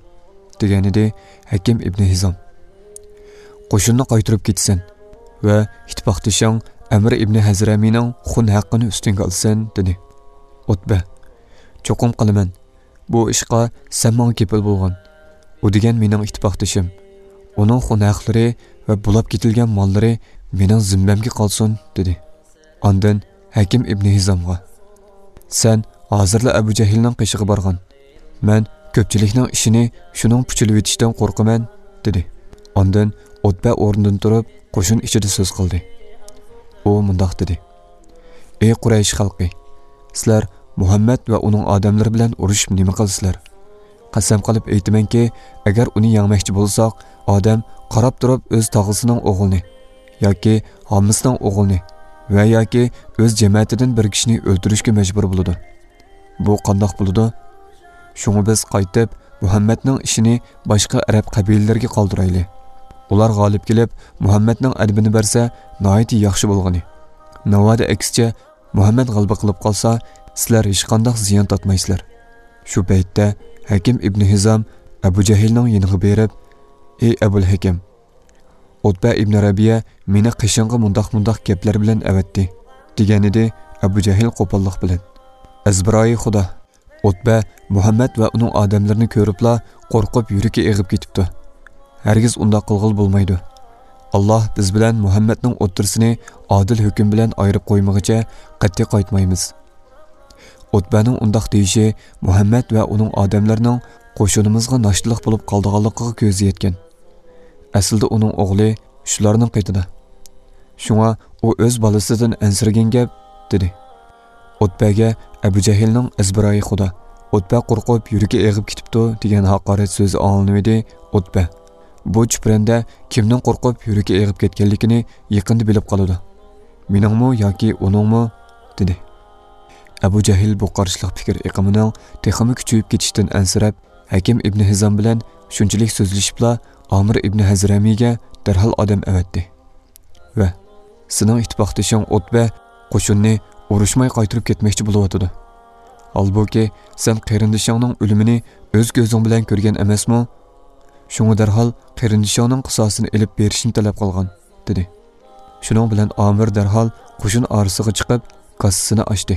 دېگەنىدى ھەكىم ئىبنى ھىزام. «قوشۇننى قايتۇرۇپ كېتىسەن ۋە ئىتتىپاقدىشىڭ ئەمر ئىبنى ھەزرەمىنىڭ خۇن ھەققىنى ئۈستۈڭگە ئالىسەن» دېدى. ئۇتبە، «چوقۇم قىلىمەن. بۇ ئىشقا سەن ماڭا كېپىل بولغىن. ئۇ دېگەن مېنىڭ ئىتتىپاقدىشىم. ئۇنىڭ خۇن ھەقلىرى ۋە بۇلاپ كېتىلگەن ماللىرى مېنىڭ زىممەمگە قالسۇن» دېدى. ئاندىن ھەكىم ئىبنى ھىزامغا، «سەن ھازىرلا ئەبۇ جەھىلنىڭ قېشىغا بارغىن. مەن كۆپچىلىكنىڭ ئىشىنى شۇنىڭ پۇچىلىۋېتىشىدىن قورقىمەن» دېدى. ئاندىن ئۇتبە ئورنىدىن تۇرۇپ، قوشۇن ئىچىدە سۆز قىلدى. ئۇ مۇنداق دېدى: «ئەي قۇرەيش خەلقى! سىلەر مۇھەممەد ۋە ئۇنىڭ ئادەملىرى بىلەن ئۇرۇشۇپ نېمە قىلىسىلەر؟ قەسەم قىلىپ ئېيتىمەنكى، ئەگەر ئۇنى يەڭمەكچى بولساق، ئادەم قاراپ تۇرۇپ ئۆز تاغىسىنىڭ ئوغلىنى ياكى ھاممىسىنىڭ ئوغلىنى ۋە ياكى ئۆز جەمەتىدىن بىر كىشىنى ئۆلتۈرۈشكە مەجبۇر بولىدۇ. بۇ قانداق بولىدۇ؟ شۇڭا بىز قايتىپ مۇھەممەدنىڭ ئىشىنى باشقا ئەرەب قەبىلىلىرىگە قالدۇرايلى. ئۇلار غالىب كېلىپ، مۇھەممەدنىڭ ئەدىپىنى بەرسە، ناھايىتى ياخشى بولغىنى. ناۋادا ئەكسىچە، مۇھەممەد غەلىبە قىلىپ قالسا، سىلەر ھېچقانداق زىيان تارتمايسىلەر.» شۇ پەيتتە ھەكىم ئىبنى ھىزام ئەبۇ جەھىلنىڭ يېنىغا بېرىپ، «ئەي ئەبۇل ھەكەم، ئۇتبە ئىبنى رەبىيە مېنى قېشىڭغا مۇنداق-مۇنداق گەپلەر بىلەن ئەۋەتتى» دېگەنىدى ئەبۇ جەھىل قوپاللىق بىلەن. «ئەزبىرايى خۇدا، ئۇتبە مۇھەممەد ۋە ئۇنىڭ ئادەملىرىنى كۆرۈپلا قورقۇپ يۈرىكى ئېغىپ كېتىپتۇ. ھەرگىز ئۇنداق قىلغىلى بولمايدۇ. ئاللاھ بىز بىلەن مۇھەممەدنىڭ ئوتتۇرىسىنى ئادىل ھۆكۈم بىلەن ئايرىپ قويمىغىچە قەتئىي قايتمايمىز. ئۇتبەنىڭ ئۇنداق دېيىشى مۇھەممەد ۋە ئۇنىڭ ئادەملىرىنىڭ قوشۇنىمىزغا ناشتىلىق بولۇپ قالىدىغانلىقىغا كۆزى يەتكەن. ئەسلىدە ئۇنىڭ ئوغلى شۇلارنىڭ قېتىدا. شۇڭا ئۇ ئۆز بالىسىدىن ئەنسىرىگەن گەپ، دېدى. ئۇتبەگە ئەبۇ جەھىلنىڭ ئەزبىرايى خۇدا، ئۇتبە قورقۇپ يۈرىكى ئېغىپ كېتىپتۇ، دېگەن ھاقارەت سۆزى ئاڭلىنىۋىدى. ئۇتبە، بۇ چۈپرەندە كىمنىڭ قورقۇپ يۈرىكى ئېغىپ كەتكەنلىكىنى يېقىندا بىلىپ قالىدۇ. مېنىڭمۇ ياكى ئۇنىڭمۇ؟ دېدى. ئەبۇ جەھىل بۇ قارشىلىق پىكىر ئېقىمىنىڭ تېخىمۇ كۈچىيىپ كېتىشىدىن ئەنسىرەپ، ھەكىم ئىبنى ھىزام بىلەن شۇنچىلىك سۆزلىشىپلا، ئامىر ئىبنى ھەزرەمىگە دەرھال ئادەم ئەۋەتتى ۋە، سېنىڭ ئىتتىپاقدىشىڭ ئۇتبە قوشۇننى ئۇرۇشماي قايتۇرۇپ كەتمەكچى بولۇۋاتىدۇ. ھالبۇكى، سەن قېرىندىشىڭنىڭ ئۆلۈمىنى ئۆز كۆزۈڭ بىلەن كۆرگەن ئەمەسمۇ؟ شۇڭا دەرھال قېرىندىشىڭنىڭ قىساسىنى ئېلىپ بېرىشنى تەلەپ قىلغان، دېدى. شۇنىڭ بىلەن ئامىر دەرھال قوشۇن ئارىسىغا چىقىپ، كاسىسىنى ئاچتى.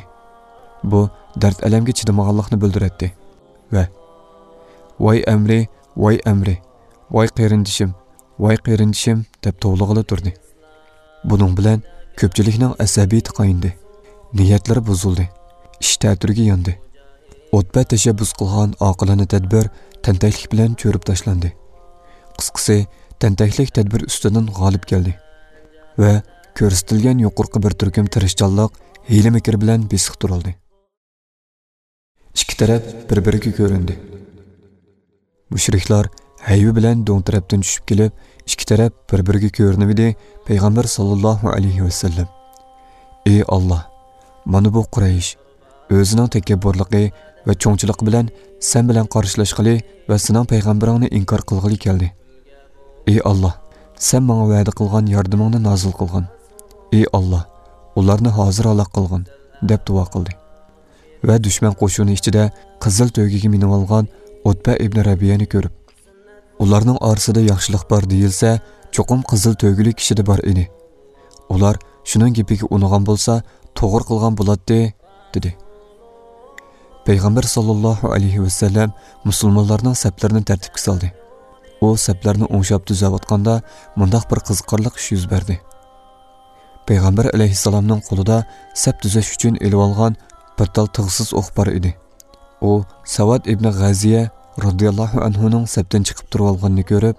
بۇ دەرد-ئەلەمگە چىدىمىغانلىقنى بىلدۈرەتتى ۋە، ۋاي ئەمرى، ۋاي ئەمرى، ۋاي قېرىندىشىم، ۋاي قېرىندىشىم، دەپ توۋلىغىلى تۇردى. بۇنىڭ بىلەن كۆپچىلىكنىڭ ئەسەبىيىتى قاينىدى، نىيەتلىرى بۇزۇلدى، ئىش تەتۈرىگە ياندى. ئۇتبە تەشەببۇس قىلغان ئاقىلانە تەدبىر تەنتەكلىك بىلەن چۆرۈپ تاشلاندى. قىسقىسى، تەنتەكلىك تەدبىر ئۈستىدىن غالىب كەلدى ۋە كۆرسىتىلگەن يۇقىرىقى بىر تۈركۈم تىرىشچانلىق، ھىيلە-مىكىر بىلەن بېسىق تۇرۇلدى. ئىككى تەرەپ بىر-بىرىگە كۆرۈندى. مۇشرىكلار ھەيۋە بىلەن دۆڭ تەرەپتىن چۈشۈپ كېلىپ، ئىككى تەرەپ بىر-بىرىگە كۆرۈنۈۋىدى. پەيغەمبەر ساللاللاھۇ ئەلەيھى ۋەسەللەم، ئى ئاللا، مانا بۇ قۇرەيش ئۆزىنىڭ تەكەببۇرلۇقى ۋە چوڭچىلىقى بىلەن سەن بىلەن قارشىلاشقىلى ۋە سېنىڭ پەيغەمبىرىڭنى ئىنكار قىلغىلى كەلدى. ئى ئاللا، سەن ماڭا ۋەدە قىلغان ياردىمىڭنى نازىل قىلغىن. ئى ئاللا، ئۇلارنى ھازىر ھالاك قىلغىن، دەپ دۇئا قىلدى. ۋە دۈشمەن قوشۇنى ئىچىدە قىزىل تۆگىگە مىنىۋالغان ئۇتبە ئىبنى رەبىيەنى كۆرۈپ، ئۇلارنىڭ ئارىسىدا ياخشىلىق بار دېيىلسە، چوقۇم قىزىل تۆگىلىك كىشىدە بار ئىدى. ئۇلار شۇنىڭ گېپىگە ئۇنىغان بولسا، توغرا قىلغان بولاتتى، دېدى. پەيغەمبەر ساللاللاھۇ ئەلەيھى ۋەسەللەم مۇسۇلمانلارنىڭ سەپلىرىنى تەرتىپكە سالدى. ئۇ سەپلەرنى ئوڭشاپ تۈزەۋاتقاندا، مۇنداق بىر قىزىقارلىق ئىش يۈز بەردى. پەيغەمبەر ئەلەيھىسسالامنىڭ قولىدا سەپ تۈزەش ئۈچۈن ئېلىۋالغان بىر تال تىغسىز ئوق بار ئىدى. ئۇ سەۋەد ئىبنى غەزىيە رازىياللاھۇ ئەنھۇنىڭ سەپتىن چىقىپ تۇرۇۋالغىنىنى كۆرۈپ،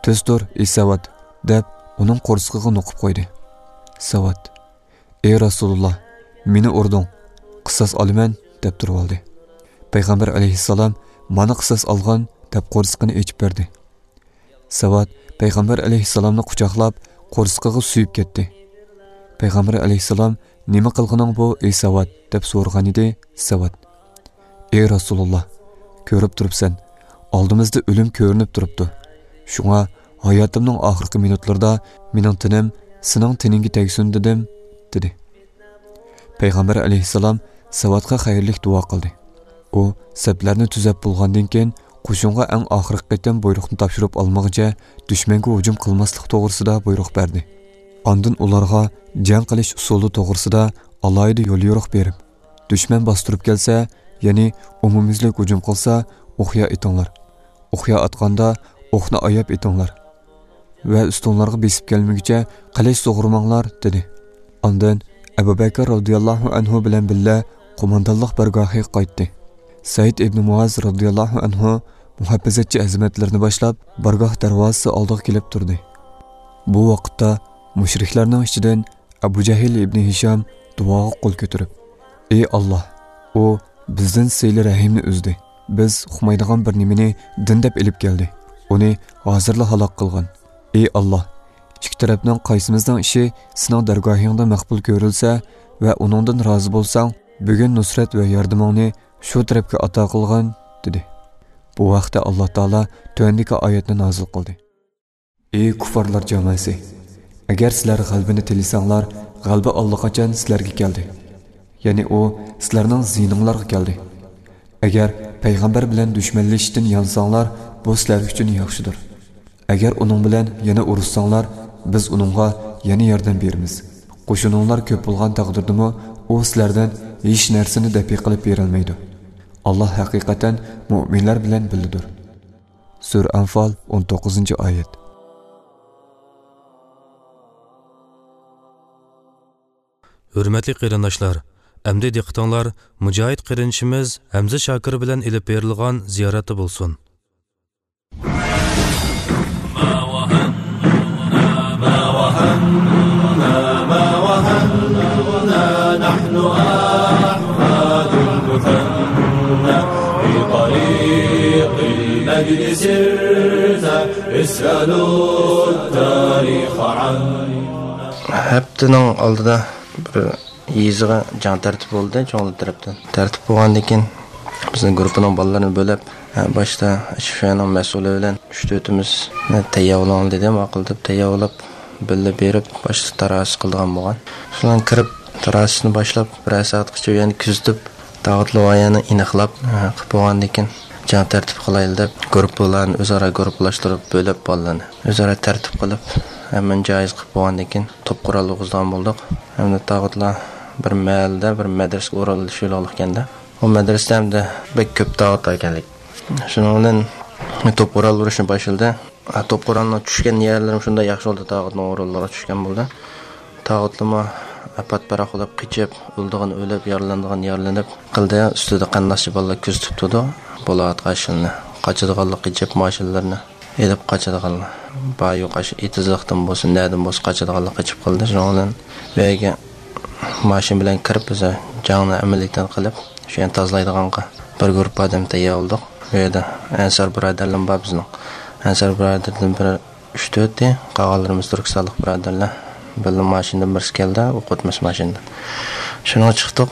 تۈز تۇر، ئى سەۋەد، دەپ ئۇنىڭ قورسىقىغا نوقۇپ قويدى. سەۋەد، ئى رەسۇلۇللا، مېنى ئۇردۇڭ، قىساس ئالىمەن، دەپ تۇرۇۋالدى. پەيغەمبەر ئەلەيھىسسالام، مانا قىساس ئالغىن، دەپ قورسىقىنى ئېچىپ بەردى. سەۋەد پەيغەمبەر ئەلەيھىسسالامنى قۇچاقلاپ، قورسىقىغا سۆيۈپ كەتتى. پەيغەمبەر ئەلەيھىسسالام، نېمە قىلغىنىڭ بۇ، ئى سەۋەد؟ دەپ سورىغانىدى. سەۋەد، ئى رەسۇلۇللا، كۆرۈپ تۇرۇپسەن، ئالدىمىزدا ئۆلۈم كۆرۈنۈپ تۇرۇپتۇ. شۇڭا ھاياتىمنىڭ ئاخىرقى مىنۇتلىرىدا مېنىڭ تېنىم سېنىڭ تېنىڭگە تەگسۇن دېدىم، دېدى. پەيغەمبەر ئەلەيھىسسالام سەۋەدقە خەيرلىك دۇئا قىلدى. ئۇ سەپلەرنى تۈزەپ بولغاندىن كېيىن، قوشۇنغا ئەڭ ئاخىرقى قېتىم بۇيرۇقنى تاپشۇرۇپ ئالمىغىچە، دۈشمەنگە ھۇجۇم قىلماسلىق توغرىسىدا بۇيرۇق بەردى. ئاندىن ئۇلارغا جەڭ قىلىش ئۇسۇلى توغرىسىدا ئالاھىدە يوليورۇق بېرىپ، دۈشمەن باستۇرۇپ كەلسە، يەنى ئومۇميۈزلۈك ھۇجۇم قىلسا، ئوقيا ئېتىڭلار. ئوقيا ئاتقاندا، ئوقنى ئاياپ ئېتىڭلار ۋە ئۈستۈنلارغا بېسىپ كەلمىگۈچە قىلىچ سۇغۇرماڭلار، دېدى. ئاندىن ئەبۇ بەكىر رازىياللاھۇ ئەنھۇ بىلەن بىللە قوماندانلىق بارگاھىغا قايتتى. سەئىد ئىبنى مۇئاز رازىياللاھۇ ئەنھۇ مۇھاپىزەتچى خىزمەتلىرىنى باشلاپ، بارگاھ دەرۋازىسى ئالدىغا كېلىپ تۇردى. بۇ ۋاقىتتا مۇشرىكلارنىڭ ئىچىدىن ئەبۇ جەھىل ئىبنى ھىشام دۇئاغا قول كۆتۈرۈپ، ئى ئاللا، ئۇ بىزدىن سىلە رەھىمنى ئۈزدى. بىز ئۇقمايدىغان بىر نېمىنى دىن دەپ ئېلىپ كەلدى. ئۇنى ھازىرلا ھالاك قىلغىن. ئى ئاللا، ئىككى تەرەپنىڭ قايسىمىزنىڭ ئىشى سېنىڭ دەرگاھىڭدا مەقبۇل كۆرۈلسە ۋە ئۇنىڭدىن رازى بولساڭ، بۈگۈن نۇسرەت ۋە ياردىمىڭنى شۇ تەرەپكە ئاتا قىلغىن، دېدى. بۇ ھەقتە ئاللا تائالا تۆۋەندىكى ئايەتنى نازىل قىلدى. ئى كۇففارلار جامائىسى! ئەگەر سىلەر غەلىبىنى تىلىسەڭلار، غەلىبە ئاللىقاچان سىلەرگە كەلدى. يەنى ئۇ سىلەرنىڭ زىيىنىڭلارغا كەلدى. ئەگەر پەيغەمبەر بىلەن دۈشمەنلىشىشتىن يانساڭلار، بۇ سىلەر ئۈچۈن ياخشىدۇر. ئەگەر ئۇنىڭ بىلەن يەنە ئۇرۇشساڭلار، بىز ئۇنىڭغا يەنە ياردەم بېرىمىز. قوشۇنۇڭلار كۆپ بولغان تەقدىردىمۇ، ئۇ سىلەردىن ھېچ نەرسىنى دەپئى قىلىپ بېرەلمەيدۇ. ئاللا ھەقىقەتەن مۆمىنلەر بىلەن بىللىدۇر. سۈرە ئەنفال، ئون توققۇزىنچى ئايەت. ھۆرمەتلىك قېرىنداشلار، ئەمدى دىققىتىڭلار مۇجاھىد قېرىندىشىمىز ھەمزە شاكىر بىلەن ئېلىپ بېرىلغان زىيارەتتە بولسۇن. ھەپتىنىڭ ئالدىدا بىر يېزىغا جەڭ تەرتىپ بولدى، چوڭلار تەرەپتىن. تەرتىپ بولغاندىن كېيىن، بىزنىڭ گۇرۇپپىنىڭ بالىلىرىنى بۆلۈپ، ھە، باشتا شىفەنىڭ مەسئۇلى بىلەن ئۈچ تۆتىمىزنى تەييارلاڭ دېدى، ماقۇل دەپ تەييارلاپ، بىللە بېرىپ، باشتا تاراسى قىلىدىغان بولغان. شۇلارنى كىرىپ، تاراسىنى باشلاپ، بىرەر سائەتقىچە يەنە كۈزىتىپ، تاغۇتلۇق ئايەننى ئېنىقلاپ، ھە، قىلىپ بولغاندىن كېيىن، جەڭ تەرتىپ قىلايلى دەپ، گۇرۇپپىلارنى ئۆزئارا گۇرۇپپىلاشتۇرۇپ، بۆلۈپ بالىلارنى. ئۆزئارا تەرتىپ قىلىپ، ھەممىنى جايىز قىلىپ بولغاندىن كېيىن، توپ قورال ئۇرغۇزىدىغان بولدۇق. ھەمدە تاغۇتلار بىر مەھەللىدە، بىر مەدرىسىگە ئورۇنلىشىۋېلىقلىق ئىكەن-دە. ئۇ مەدرىسىدە ھەمدە بەك كۆپ تاغۇت ئىكەنلىك. شۇنىڭ بىلەن توپ قورال ئۇرۇشنى باشلىدى. ھە، توپ قورالنىڭ چۈشكەن يەرلىرىمۇ شۇنداق ياخشى بولدى، تاغۇتنىڭ ئورۇنلىرىغا چۈشكەن بولدى. تاغۇتلىرىمۇ پات-پاراق بولۇپ قېچىپ، ئۆلىدىغان ئۆلۈپ، يارىلانىدىغان يارىلىنىپ قىلدى. ئۈستىدە قېرىنداش بالىلار كۆزىتىپ تۇرىدۇ. بولۇۋاتقان ئىشلىرىنى، قاچىدىغانلار قېچىپ، ماشىنىلىرىنى ئېلىپ قاچىدىغانلار. بار يوق، ئاشۇ ئېتىزلىقتىن بولسۇن، نەدىن بولسۇن قاچىدىغانلار قېچىپ قالدى. شۇنىڭ بىلەن بۇ يەرگە ماشىنا بىلەن كىرىپ، بىز جەڭنى ئەمەلىيەتتىن قىلىپ، شۇ يەرنى تازىلايدىغانغا بىر گۇرۇپپا ئادەم تەييار بولدۇق. ئۇ يەردە ئەنسار بۇرادەرلىرىم بار بىزنىڭ. ئەنسار بۇرادەردىن بىر ئۈچ تۆتى، قالغانلىرىمىز تۈركىستانلىق بۇرادەرلەر. بىللە ماشىنىدىن بىرسى كەلدى، ئوقۇتمىسى ماشىنىدىن. شۇنىڭغا چىقتۇق.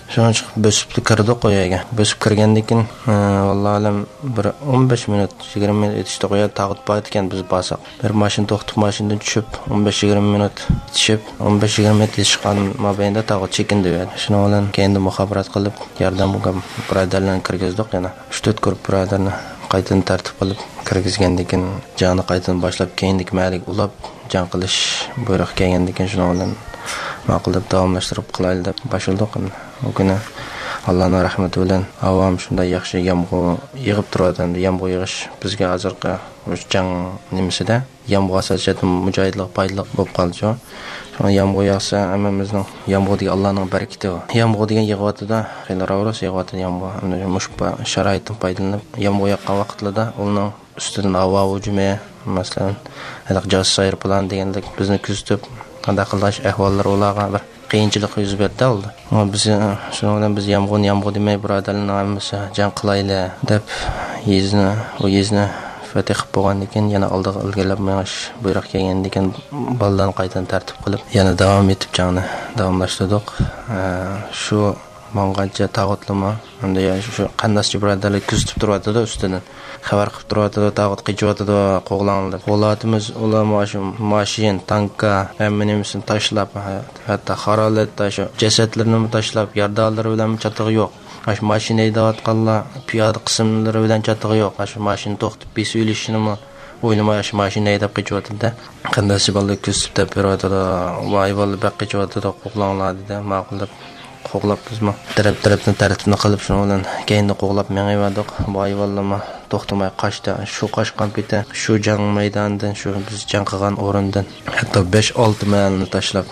شۇنىڭغا چىقىپ بۆسۈپلا كىردۇق ئۇ يەرگە. بۆسۈپ كىرگەندىن كېيىن، ئى، ۋاللاھۇ ئەلەم، بىر ئون بەش مىنۇت، يىگىرمە مىنۇت ئېتىشتۇق. ئۇ يەردە تاغۇت بار ئىكەن، بىز بارساق. بىر ماشىنا توختىتىپ، ماشىنىدىن چۈشۈپ، ئون بەش يىگىرمە مىنۇت ئېتىشىپ، ئون بەش يىگىرمە مىنۇت ئېتىشقان مابەينىدە تاغۇت چېكىندى ئۇ يەردە. شۇنىڭ بىلەن كەينىدىن مۇخابىرات قىلىپ، ياردەمگە بۇرادەرلەرنى كىرگۈزدۇق يەنە. ئۈچ تۆت گۇرۇپپا بۇرادەرنى قايتىدىن تەرتىپ قىلىپ كىرگۈزگەندىن كېيىن، جەڭنى قايتىدىن باشلاپ، كەينىدىكى مەھەللىگە ئۇلاپ، جەڭ قىلىش بۇيرۇق كەلگەندىن كېيىن، شۇنىڭ بىلەن ماقۇل دەپ داۋاملاشتۇرۇپ قىلايلى دەپ باشلىدۇق. ئۇ كۈنى ئاللانىڭ رەھمىتى بىلەن ھاۋام شۇنداق ياخشى يامغۇر يېغىپ تۇرۇۋاتىدۇ. يامغۇر يېغىش بىزگە ھازىرقى مۇشۇ جەڭ نېمىسىدە يامغۇر ئاساسىي جەھەتتىن مۇجاھىدلارغا پايدىلىق بولۇپ قالدى شۇ. شۇڭا يامغۇر ياغسا ھەممىمىزنىڭ، يامغۇر دېگەن ئاللانىڭ بەرىكىتى ئۇ. يامغۇر دېگەن يېغىۋاتىدۇ، خېلى راۋرۇس يېغىۋاتىدۇ يامغۇر. ئەمدى مۇشۇ شارائىتتىن پايدىلىنىپ يامغۇر ياغقان ۋاقىتلىردا ئۇنىڭ ئۈستىدىن ھاۋا ھۇجۇمى، مەسىلەن، ھېلىقى جاسۇس ئايروپىلان دېگەندەك بىزنى كۆزىتىپ، قانداق قىلىش ئەھۋاللىرى ئۇلارغا بىر قىيىنچىلىق يۈز بەردى ئالدى. ئەمما بىز، شۇنىڭ بىلەن بىز يامغۇرنى يامغۇر دېمەي، بۇرادەرلەرنىڭ ھەممىسى جەڭ قىلايلى دەپ، يېزىنى، ئۇ يېزىنى فەتھ قىلىپ بولغاندىن كېيىن، يەنە ئالدىغا ئىلگىرىلەپ مېڭىش بۇيرۇق كەلگەندىن كېيىن، بالىلارنى قايتىدىن تەرتىپ قىلىپ، يەنە داۋام ئېتىپ جەڭنى داۋاملاشتۇردۇق. ئە، شۇ ماڭغانچە تاغۇتلىمۇ، ئەمدى شۇ قېرىنداشچە بۇرادەرلەر كۆزىتىپ تۇرۇۋاتىدۇ ئۈستىدىن. خەۋەر قىلىپ تۇرۇۋاتىدۇ، تاغۇت قېچىۋاتىدۇ، قوغلاڭلار دەپ. قوغلاۋاتىمىز، ئۇلار مانا شۇ ماشىنا، تانكا، ھەممە نېمىسىنى تاشلاپ، ھەتتا خارالەتتە شۇ جەسەتلىرىنىمۇ تاشلاپ، يارىدارلىرى بىلەنمۇ چاتىقى يوق. مانا شۇ ماشىنا ھەيدەۋاتقانلار پىيادە قىسىملىرى بىلەن چاتىقى يوق. مانا شۇ ماشىنا توختىتىپ بېسىۋېلىشنىمۇ ئويلىماي، شۇ ماشىنا ھەيدەپ قېچىۋاتىدۇ. قېرىنداشچە بالىلار كۆزىتىپ دەپ بېرىۋاتىدۇ. ۋاي بالىلار بەك قېچىۋاتىدۇ، قوغلاڭلار دېدى. ماقۇل دەپ قوغلاپ بىزمۇ تەرەپ-تەرەپتىن تەرتىپنى قىلىپ، شۇنىڭ بىلەن كەينىدە قوغلاپ مېڭىۋەردۇق. بۇ ھايۋانلارمۇ توختىماي قاچتى. شۇ قاچقان پېتى شۇ جەڭ مەيدانىدىن، شۇ بىز جەڭ قىلغان ئورۇندىن ھەتتا بەش-ئالتە مەھەللىنى تاشلاپ،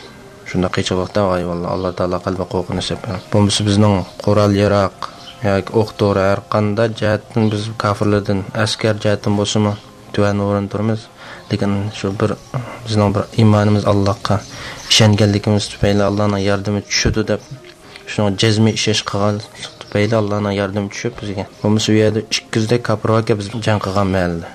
شۇنداق قېچىۋاقتا ھايۋانلار. ئاللا تائالا قەلبىگە قورقۇنچ سېلىپ، بۇمۇسى بىزنىڭ قورال-ياراغ ياكى ئوق-دورا ھەر قانداق جەھەتتىن بىز كاپىرلاردىن، ئەسكەر جەھەتتىن بولسىمۇ، تۆۋەن ئورۇندا تۇرىمىز. لېكىن شۇ بىر، بىزنىڭ بىر ئىمانىمىز، ئاللاغا ئىشەنگەنلىكىمىز تۈپەيلى، ئاللانىڭ ياردىمى چۈشىدۇ دەپ، شۇنىڭغا جەزمىي ئىشەنچ قىلغانلىق تۈپەيلى، ئاللانىڭ ياردىمى چۈشۈپ بىزگە. بولمىسا ئۇ يەردە ئىككى يۈزدەك كاپىر باركەن، بىز جەڭ قىلغان مەھەلدە.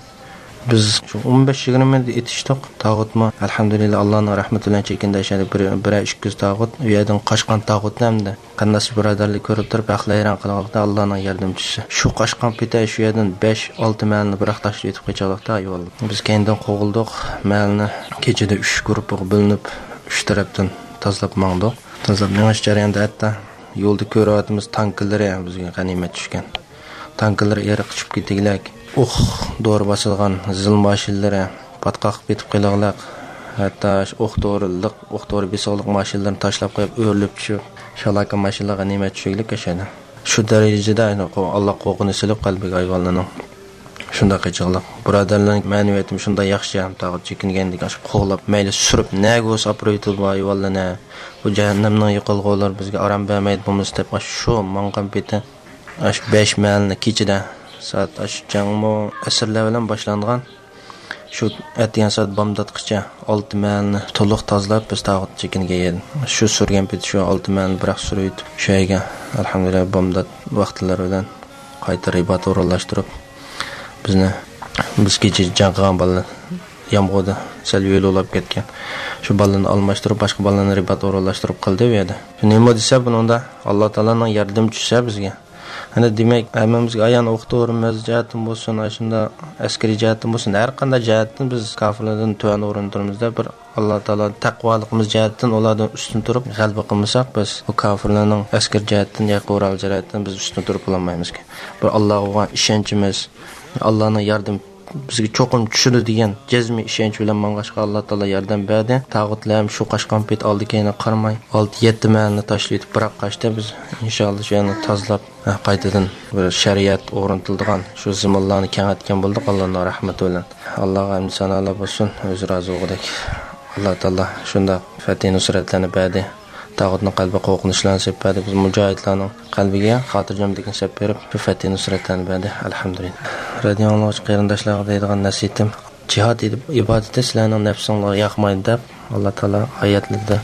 بىز شۇ ئون بەش يىگىرمە مىنۇت ئېتىشتۇق. تاغۇتمۇ، ئەلھەمدۇلىللا، ئاللانىڭ رەھمىتى بىلەن چېكىندى. ئەشەدە بىر، بىرەر ئىككى يۈز تاغۇت، ئۇ يەردىن قاچقان تاغۇتنى ھەمدە قېرىنداش بۇرادەرلەر كۆرۈپ تۇرۇپ، ھەقلا ھەيران قالغانلىقتا، ئاللانىڭ ياردىمى چۈشسە. شۇ قاچقان پېتى شۇ يەردىن بەش-ئالتە مەھەللىنى بىراق تاشلاپ ئۆتۈپ قېچىۋالدۇق، ھايۋانلار. بىز كەينىدىن قوغلىدۇق. مەھەللىنى كېچىدە ئۈچ گۇرۇپپىغا بۆلۈنۈپ، ئۈچ تەرەپتىن تازىلاپ ماڭدۇق. تازىلاپ مېڭىش جەريانىدا ھەتتا يولدا كۆرۈۋاتىمىز، تانكىلىرى بىزگە غەنىيمەت چۈشكەن. تانكىلىرى ئېرىققا چۈشۈپ كېتىگلەك، ئوق دورا باسىدىغان زىل ماشىنىلىرى پاتقاقلىپ كېتىپ قېلىغلىق، ھەتتا شۇ ئوق دورىلىق، ئوق دورا بېسىغلىق ماشىنىلىرىنى تاشلاپ قويۇپ، ئۆرۈلۈپ چۈشۈپ، شالاكا ماشىنىلار غەنىيمەت چۈشۈگلىك ئەشەدە. شۇ دەرىجىدە، يەنى، قو-، ئاللا قورقۇنى سېلىپ قەلبىگە ھايۋانلارنىڭ. شۇنداق قىلچىلىق. بۇرادەرلەرنىڭ مەنىۋىيىتىمۇ شۇنداق ياخشى، تاغۇت چېكىنگەندىكىن ئاشۇ قوغلاپ، مەيلى سۈرۈپ، نەگە بولسا ئاپىرىۋېتىدۇ بۇ ھايۋانلارنى. بۇ جەھەننەمنىڭ يېقىلغۇلىرى بىزگە ئارام بەرمەيدۇ بولمىسا دەپ، ئاشۇ ماڭغان پېتى، ئاشۇ بەش مەھەللىنى كېچىدە، سائەت ئاشۇ جەڭمۇ ئەسىرلەر بىلەن باشلانغان. شۇ ئەتىگەن سائەت بامداتقىچە ئالتە مەھەللىنى تولۇق تازىلاپ، بىز تاغۇت چېكىنگەن يەردىن. شۇ سۈرگەن پېتى شۇ ئالتە مەھەللىنى بىراق سۈرۈۋېتىپ، شۇ يەرگە، ئەلھەمدۇلىللا، بامدات ۋاقىتلىرى بىلەن قايتا رىبات ئورۇنلاشتۇرۇپ، بىزنى، بىز كېچە جەڭ قىلغان بالىلار يامغۇردا سەل يۆلە ئۇلاپ كەتكەن. شۇ بالىلارنى ئالماشتۇرۇپ، باشقا بالىلارنى رىبات ئورۇنلاشتۇرۇپ قىلدى بۇ يەردە. شۇ نېمە دېسە، بۇنىڭدا ئاللا تائالانىڭ ياردىمى چۈشسە بىزگە، ئەنە دېمەك، ھەممىمىزگە ئايان، ئوقۇتۇۋۇرمىز جەھەتتىن بولسۇن، ئاشۇنداق ئەسكىرىي جەھەتتىن بولسۇن، ھەر قانداق جەھەتتىن بىز كاپىرلاردىن تۆۋەن ئورۇندا تۇرىمىز دەپ، بىر ئاللا تائالا تەقۋالىقىمىز جەھەتتىن ئۇلاردىن ئۈستۈن تۇرۇپ غەلىبە قىلمىساق، بىز بۇ كاپىرلارنىڭ ئەسكىرىي جەھەتتىن ياكى قورال جەھەتتىن بىز ئۈستۈن تۇرۇپ بولالمايمىزكەن. بىر ئاللاغا بولغان ئىشەنچىمىز، ئاللانىڭ ياردىمى بىزگە چوقۇم چۈشىدۇ دېگەن جەزمىي ئىشەنچ بىلەن ماڭغاچقا، ئاللا تائالا ياردەم بەردى. تاغۇتلار ھەم شۇ قاچقان پېتى ئالدى كەينىگە قارىماي، ئالتە يەتتە مەھەللىنى تاشلىۋېتىپ بىراق قاچتى. بىز ئىنشائاللا شۇ يەرنى تازىلاپ، قايتىدىن بىر شەرىئەت ئورنىتىلىدىغان شۇ زېمىنلارنى كېڭەيتكەن بولدۇق، ئاللانىڭ رەھمىتى بىلەن. ئاللاغا ھەمدۇ سانالار بولسۇن، ئۆزى رازى بولغۇدەك. ئاللا تائالا شۇنداق پەتھى نۇسرەتلەرنى بەردى. تاغۇتنىڭ قەلبىگە قورقۇنچلارنى سېلىپ بەردى. بىز مۇجاھىدلارنىڭ قەلبىگە خاتىرجەملىكنى سېلىپ بېرىپ، شۇ پەتھى نۇسرەتلەرنى بەردى. ئەلھەمدۇلىللا. رادىيو ئاڭلىغۇچى قېرىنداشلارغا دەيدىغان نەسىھىتىم، جىھاد ئىبادىتى سىلەرنىڭ نەپسىڭلارغا ياقمايدۇ دەپ، ئاللا تائالا ئايەتلىرىدە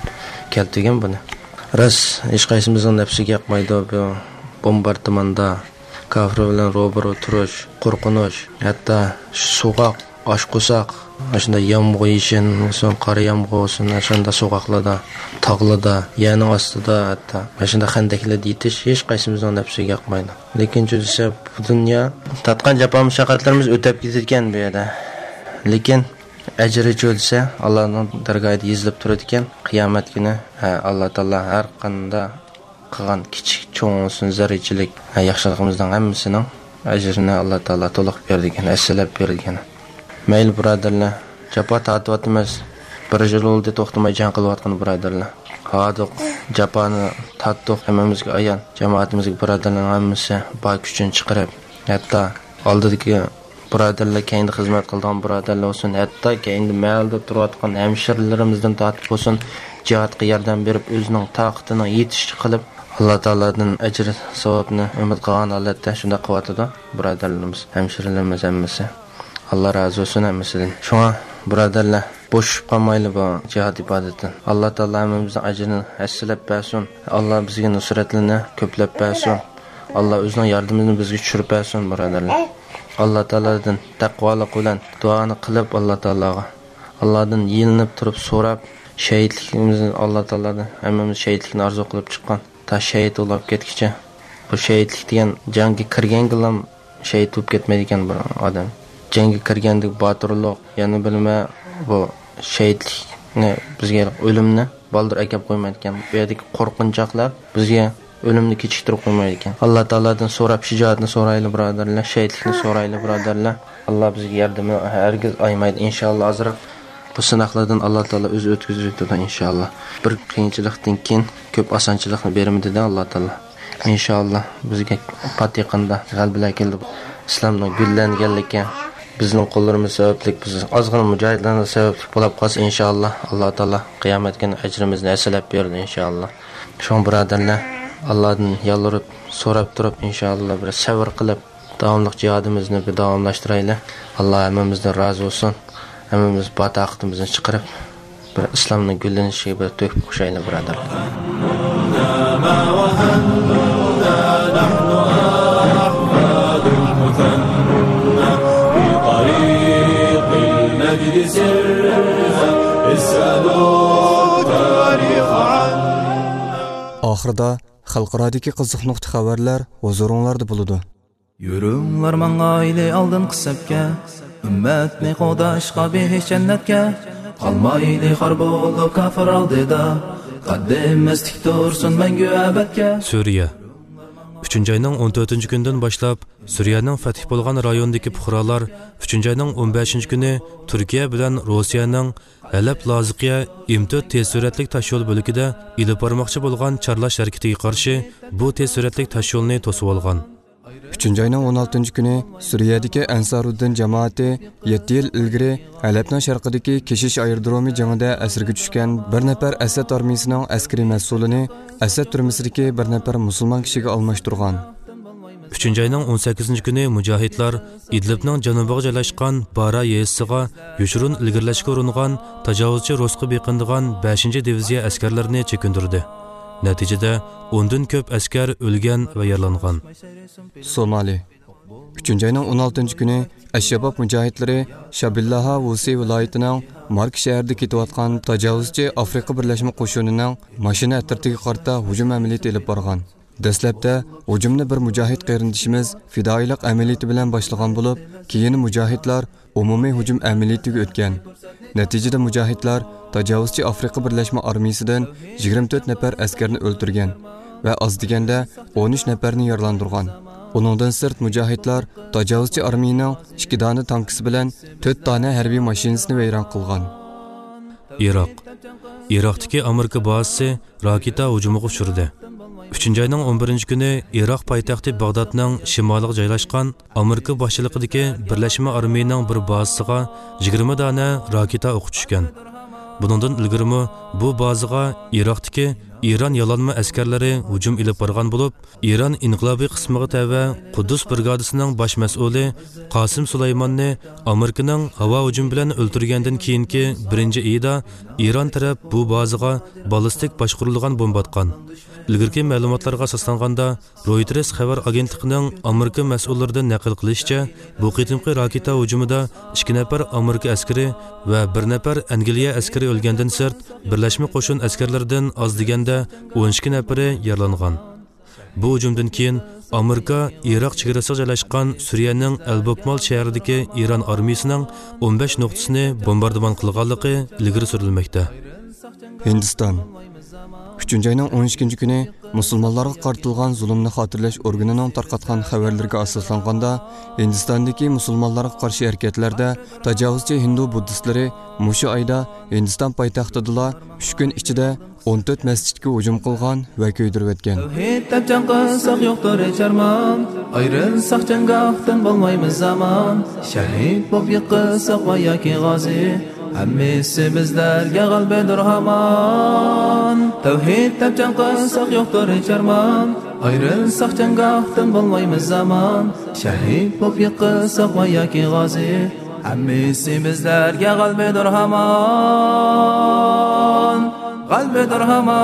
كەلتۈرگەن بۇنى. راست، ھېچقايسىمىزنىڭ نەپسىگە ياقمايدۇ بۇ بومباردىماندا كاپىر بىلەن روبىرو تۇرۇش، قورقۇنچ، ھەتتا سوغۇق، ئاچ قورساق، ئاشۇنداق يامغۇر يېشىن بولسۇن، قارا يامغۇر بولسۇن، ئاشۇنداق سوغۇقلاردا، تاغلاردا، يەرنىڭ ئاستىدا، ھەتتا ئاشۇنداق خەندەكلەردە يېتىش ھېچقايسىمىزنىڭ نەپسىگە ياقمايدۇ. لېكىن چۈ دېسە، بۇ دۇنيا تارتقان جاپا مۇشەققەتلىرىمىز ئۆتەپ كېتىدىكەن بۇ يەردە. لېكىن ئەجرى چۈ دېسە، ئاللانىڭ دەرگاھىدا يېزىلىپ تۇرىدىكەن. قىيامەت كۈنى، ھە، ئاللا تائالا ھەر قانداق قىلغان كىچىك، چوڭ بولسۇن، زەررىچىلىك، ھە، ياخشىلىقىمىزنىڭ ھەممىسىنىڭ ئەجرىنى ئاللا تائالا تولۇق بېرىدىكەن، ھەسسىلەپ بېرىدىكەن. مەيلى، بۇرادەرلەر، جاپا تارتىۋاتىمىز. بىر يىل بولدى توختىماي جەڭ قىلىۋاتقىنى، بۇرادەرلەر. ھاردۇق، جاپانى تارتتۇق، ھەممىمىزگە ئايان. جامائىتىمىزگە بۇرادەرلەرنىڭ ھەممىسى بار كۈچىنى چىقىرىپ، ھەتتا ئالدىدىكى بۇرادەرلەر، كەينىدە خىزمەت قىلىدىغان بۇرادەرلەر بولسۇن، ھەتتا كەينىدە مەھەللىدە تۇرۇۋاتقان ھەمشىرىلىرىمىزدىن تارتىپ بولسۇن، جىھادقا ياردەم بېرىپ، ئۆزىنىڭ تاقىتىنىڭ يېتىشىچە قىلىپ، ئاللا تائالادىن ئەجىر، ساۋابنى ئۈمىد قىلغان ھالەتتە شۇنداق قىلىۋاتىدۇ بۇرادەرلىرىمىز، ھەمشىرىلىرىمىز ھەممىسى. ئاللا رازى بولسۇن ھەممىسىدىن. شۇڭا بۇرادەرلەر، بوشىشىپ قالمايلى بۇ جىھاد ئىبادىتىدىن. ئاللا تائالا ھەممىمىزنىڭ ئەجرىنى ھەسسىلەپ بەرسۇن. ئاللا بىزگە نۇسرەتلىرىنى كۆپلەپ بەرسۇن. ئاللا ئۆزىنىڭ ياردىمىنى بىزگە چۈشۈرۈپ بەرسۇن، بۇرادەرلەر. ئاللا تائالادىن تەقۋالىق بىلەن دۇئانى قىلىپ، ئاللا تائالاغا، ئاللادىن يېلىنىپ تۇرۇپ سوراپ، شەھىتلىكىمىزنى، ئاللا تائالادىن ھەممىمىز شەھىتلىكنى ئارزۇ قىلىپ چىققان، تا شەھىت بولۇپ كەتكۈچە. بۇ شەھىتلىك دېگەن جەڭگە كىرگەنگىلا شەھىت بولۇپ كەتمەيدىكەن بىر ئادەم. جەڭگە كىرگەندىكى باتۇرلۇق، يەنە بىلمە، بۇ شەھىتلىكنى بىزگە، ئۆلۈمنى بالدۇر ئەكەپ قويمايدىكەن. بۇ يەردىكى قورقۇنچاقلار بىزگە ئۆلۈمنى كېچىكتۈرۈپ قويمايدىكەن. ئاللا تائالادىن سوراپ، شىجائەتنى سورايلى، بۇرادەرلەر. شەھىتلىكنى سورايلى، بۇرادەرلەر. ئاللا بىزگە ياردىمىنى ھەرگىز ئايىمايدۇ، ئىنشائاللا. ئازراق بۇ سىناقلاردىن ئاللا تائالا ئۆزى ئۆتكۈزۈۋېتىدۇ، ئىنشائاللا. بىر قىيىنچىلىقتىن كېيىن كۆپ ئاسانچىلىقنى بېرىمىز دېدى ئاللا تائالا. ئىنشائاللا، بىزگە پات يېقىندا غەلىبىلەر كېلىدۇ. ئىسلامنىڭ گۈللەنگەنلىكى بىزنىڭ قوللىرىمىز سەۋەبلىك، بىز ئازغىنا مۇجاھىدلارنىڭ سەۋەبلىك بولاپ قالسا، ئىنشائاللا، ئاللا تائالا قىيامەت كۈنى ئەجرىمىزنى ھەسسىلەپ بېرىدۇ، ئىنشائاللا. شۇڭا بۇرادەرلەر، ئاللادىن يالۋۇرۇپ، سوراپ تۇرۇپ، ئىنشائاللا، بىر سەۋر قىلىپ، داۋاملىق جىھادىمىزنى بىر داۋاملاشتۇرايلى. ئاللا ھەممىمىزدىن رازى بولسۇن. ھەممىمىز بار تاقىتىمىزنى چىقىرىپ، بىر ئىسلامنىڭ گۈللىنىشىگە بىر تۆھپە قوشايلى، بۇرادەرلەر. ئاخىرىدا خەلقئارادىكى قىزىق نۇقتا خەۋەرلەر ھۇزۇرۇڭلاردا بولىدۇ. يۈرۈڭلار ماڭايلى ئالدىنقى سەپكە، ئۈممەتنى قوغداشقا بېھىش جەننەتكە. قالمايلى خار بولۇپ كاپىر ئالدىدا، قەددىمىز تىك تۇرسۇن مەڭگۈ ئەبەدكە. سۈرىيە. ئۈچىنچى ئاينىڭ ئون تۆتىنچى كۈنىدىن باشلاپ، سۈرىيەنىڭ پەتھى بولغان رايوندىكى پۇقرالار ئۈچىنچى ئاينىڭ ئون بەشىنچى كۈنى تۈركىيە بىلەن روسىيەنىڭ ھەلەپ لازقىيە ئىم تۆت تېز سۈرئەتلىك تاشيول بۆلىكىدە ئېلىپ بارماقچى بولغان چارلاش ھەرىكىتىگە قارشى بۇ تېز سۈرئەتلىك تاشيولنى توسۇۋالغان. ئۈچىنچى ئاينىڭ ئون ئالتىنچى كۈنى سۈرىيەدىكى ئەنسارۇددىن جامائىتى يەتتە يىل ئىلگىرى ھەلەبنىڭ شەرقىدىكى كېشىش ئايرودرومى جېڭىدا ئەسىرگە چۈشكەن بىر نەپەر ئەسەد ئارمىيىسىنىڭ ئەسكىرىي مەسئۇلىنى ئەسەد تۈرمىسىدىكى بىر نەپەر مۇسۇلمان كىشىگە ئالماشتۇرغان. ئۈچىنچى ئاينىڭ ئون سەككىزىنچى كۈنى مۇجاھىدلار ئىدلىبنىڭ جەنۇبىغا جايلاشقان بارا يېزىسىغا يوشۇرۇن ئىلگىرىلەشكە ئۇرۇنغان تاجاۋۇزچى روسقا بېقىنىدىغان بەشىنچى دىۋىزىيە ئەسكەرلىرىنى چېكىندۈردى. نەتىجىدە، ئوندىن كۆپ ئەسكەر ئۆلگەن ۋە يارىلانغان. سومالى. ئۈچىنچى ئاينىڭ ئون ئالتىنچى كۈنى ئەششەباب مۇجاھىدلىرى شابىللاھا ۋۇسى ۋىلايىتىنىڭ مارك شەھىرىدە كېتىۋاتقان تاجاۋۇزچى ئافرىقا بىرلەشمە قوشۇنىنىڭ ماشىنا ئەترىتىگە قارىتا ھۇجۇم ئەمەلىيىتى ئېلىپ بارغان. دەسلەپتە ھۇجۇمنى بىر مۇجاھىد قېرىندىشىمىز پىدائىيلىق ئەمەلىيىتى بىلەن باشلىغان بولۇپ، كېيىن مۇجاھىدلار ئومۇمىي ھۇجۇم ئەمەلىيىتىگە ئۆتكەن. نەتىجىدە مۇجاھىدلار تاجاۋۇزچى ئافرىقا بىرلەشمە ئارمىيىسىدىن يىگىرمە تۆت نەپەر ئەسكەرنى ئۆلتۈرگەن ۋە ئاز دېگەندە ئون ئۈچ نەپەرنى يارىلاندۇرغان. ئۇنىڭدىن سىرت مۇجاھىدلار تاجاۋۇزچى ئارمىيىنىڭ ئىككى دانە تانكىسى بىلەن تۆت دانە ھەربىي ماشىنىسىنى ۋەيران قىلغان. ئىراق. ئىراقتىكى ئامېرىكا بازىسى راكېتا ھۇجۇمىغا ئۇچرىدى. ئۈچىنچى ئاينىڭ ئون بىرىنچى كۈنى ئىراق پايتەختى باغدادنىڭ شىمالىغا جايلاشقان ئامېرىكا باشچىلىقىدىكى بىرلەشمە ئارمىيىنىڭ بىر بازىسىغا يىگىرمە دانە راكېتا ئوقى چۈشكەن. بۇنىڭدىن ئىلگىرىمۇ بۇ بازىغا ئىراقتىكى ئىران يالانما ئەسكەرلىرى ھۇجۇم ئېلىپ بارغان بولۇپ، ئىران ئىنقىلابىي قىسمىغا تەۋە قۇددۇس برىگادىسىنىڭ باش مەسئۇلى قاسىم سۇلايماننى ئامېرىكىنىڭ ھاۋا ھۇجۇمى بىلەن ئۆلتۈرگەندىن كېيىنكى بىرىنچى ئېيىدا ئىران تەرەپ بۇ بازىغا بالىستىك باشقۇرۇلغان بومبا ئاتقان. ئىلگىرىكى مەلۇماتلارغا ئاساسلانغاندا، رويتېرس خەۋەر ئاگېنتلىقىنىڭ ئامېرىكا مەسئۇللىرىدىن نەقىل قىلىشىچە، بۇ قېتىمقى راكېتا ھۇجۇمىدا ئىككى نەپەر ئامېرىكا ئەسكىرى ۋە بىر نەپەر ئەنگلىيە ئەسكىرى ئۆلگەندىن سىرت، بىرلەشمە قوشۇن ئەسكەرلىرىدىن ئاز دېگەندە ئون ئىككى نەپىرى يارىلانغان. بۇ ھۇجۇمدىن كېيىن ئامېرىكا ئىراق چېگرىسىغا جايلاشقان سۈرىيەنىڭ ئەلبوكمال شەھىرىدىكى ئىران ئارمىيىسىنىڭ ئون بەش نۇقتىسىنى بومباردىمان قىلغانلىقى ئىلگىرى سۈرۈلمەكتە. ھىندىستان. ئۈچىنچى ئاينىڭ ئون ئىككىنچى كۈنى مۇسۇلمانلارغا قارىتىلغان زۇلۇمنى خاتىرىلەش ئورگىنىنىڭ تارقاتقان خەۋەرلىرىگە ئاساسلانغاندا، ھىندىستاندىكى مۇسۇلمانلارغا قارشى ھەرىكەتلەردە تاجاۋۇزچى ھىندۇ بۇددىستلىرى مۇشۇ ئايدا ھىندىستان پايتەختىدىلا ئۈچ كۈن ئىچىدە ئون تۆت مەسچىتكە ھۇجۇم قىلغان ۋە كۆيدۈرۈۋەتكەن. تەۋھىد دەپ جەڭ قىلساق يوقتۇر ھېچ ئارمان، ئايرىلساق جەڭگاھتىن بولمايمىز ئامان، شەھىد بولۇپ يىقىلساق ۋە ياكى غازى، ھەممىسى بىزلەرگە غەلىبىدۇر ھامان. تەۋھىد دەپ جەڭ قىلساق يوقتۇر ھېچ ئارمان، ئايرىلساق جەڭگاھتىن بولمايمىز ئامان، شەھىد بولۇپ يىقىلساق ۋە ياكى غازى، ھەممىسى بىزلەرگە غەلىبىدۇر ھامان، غەلىبىدۇر ھامان.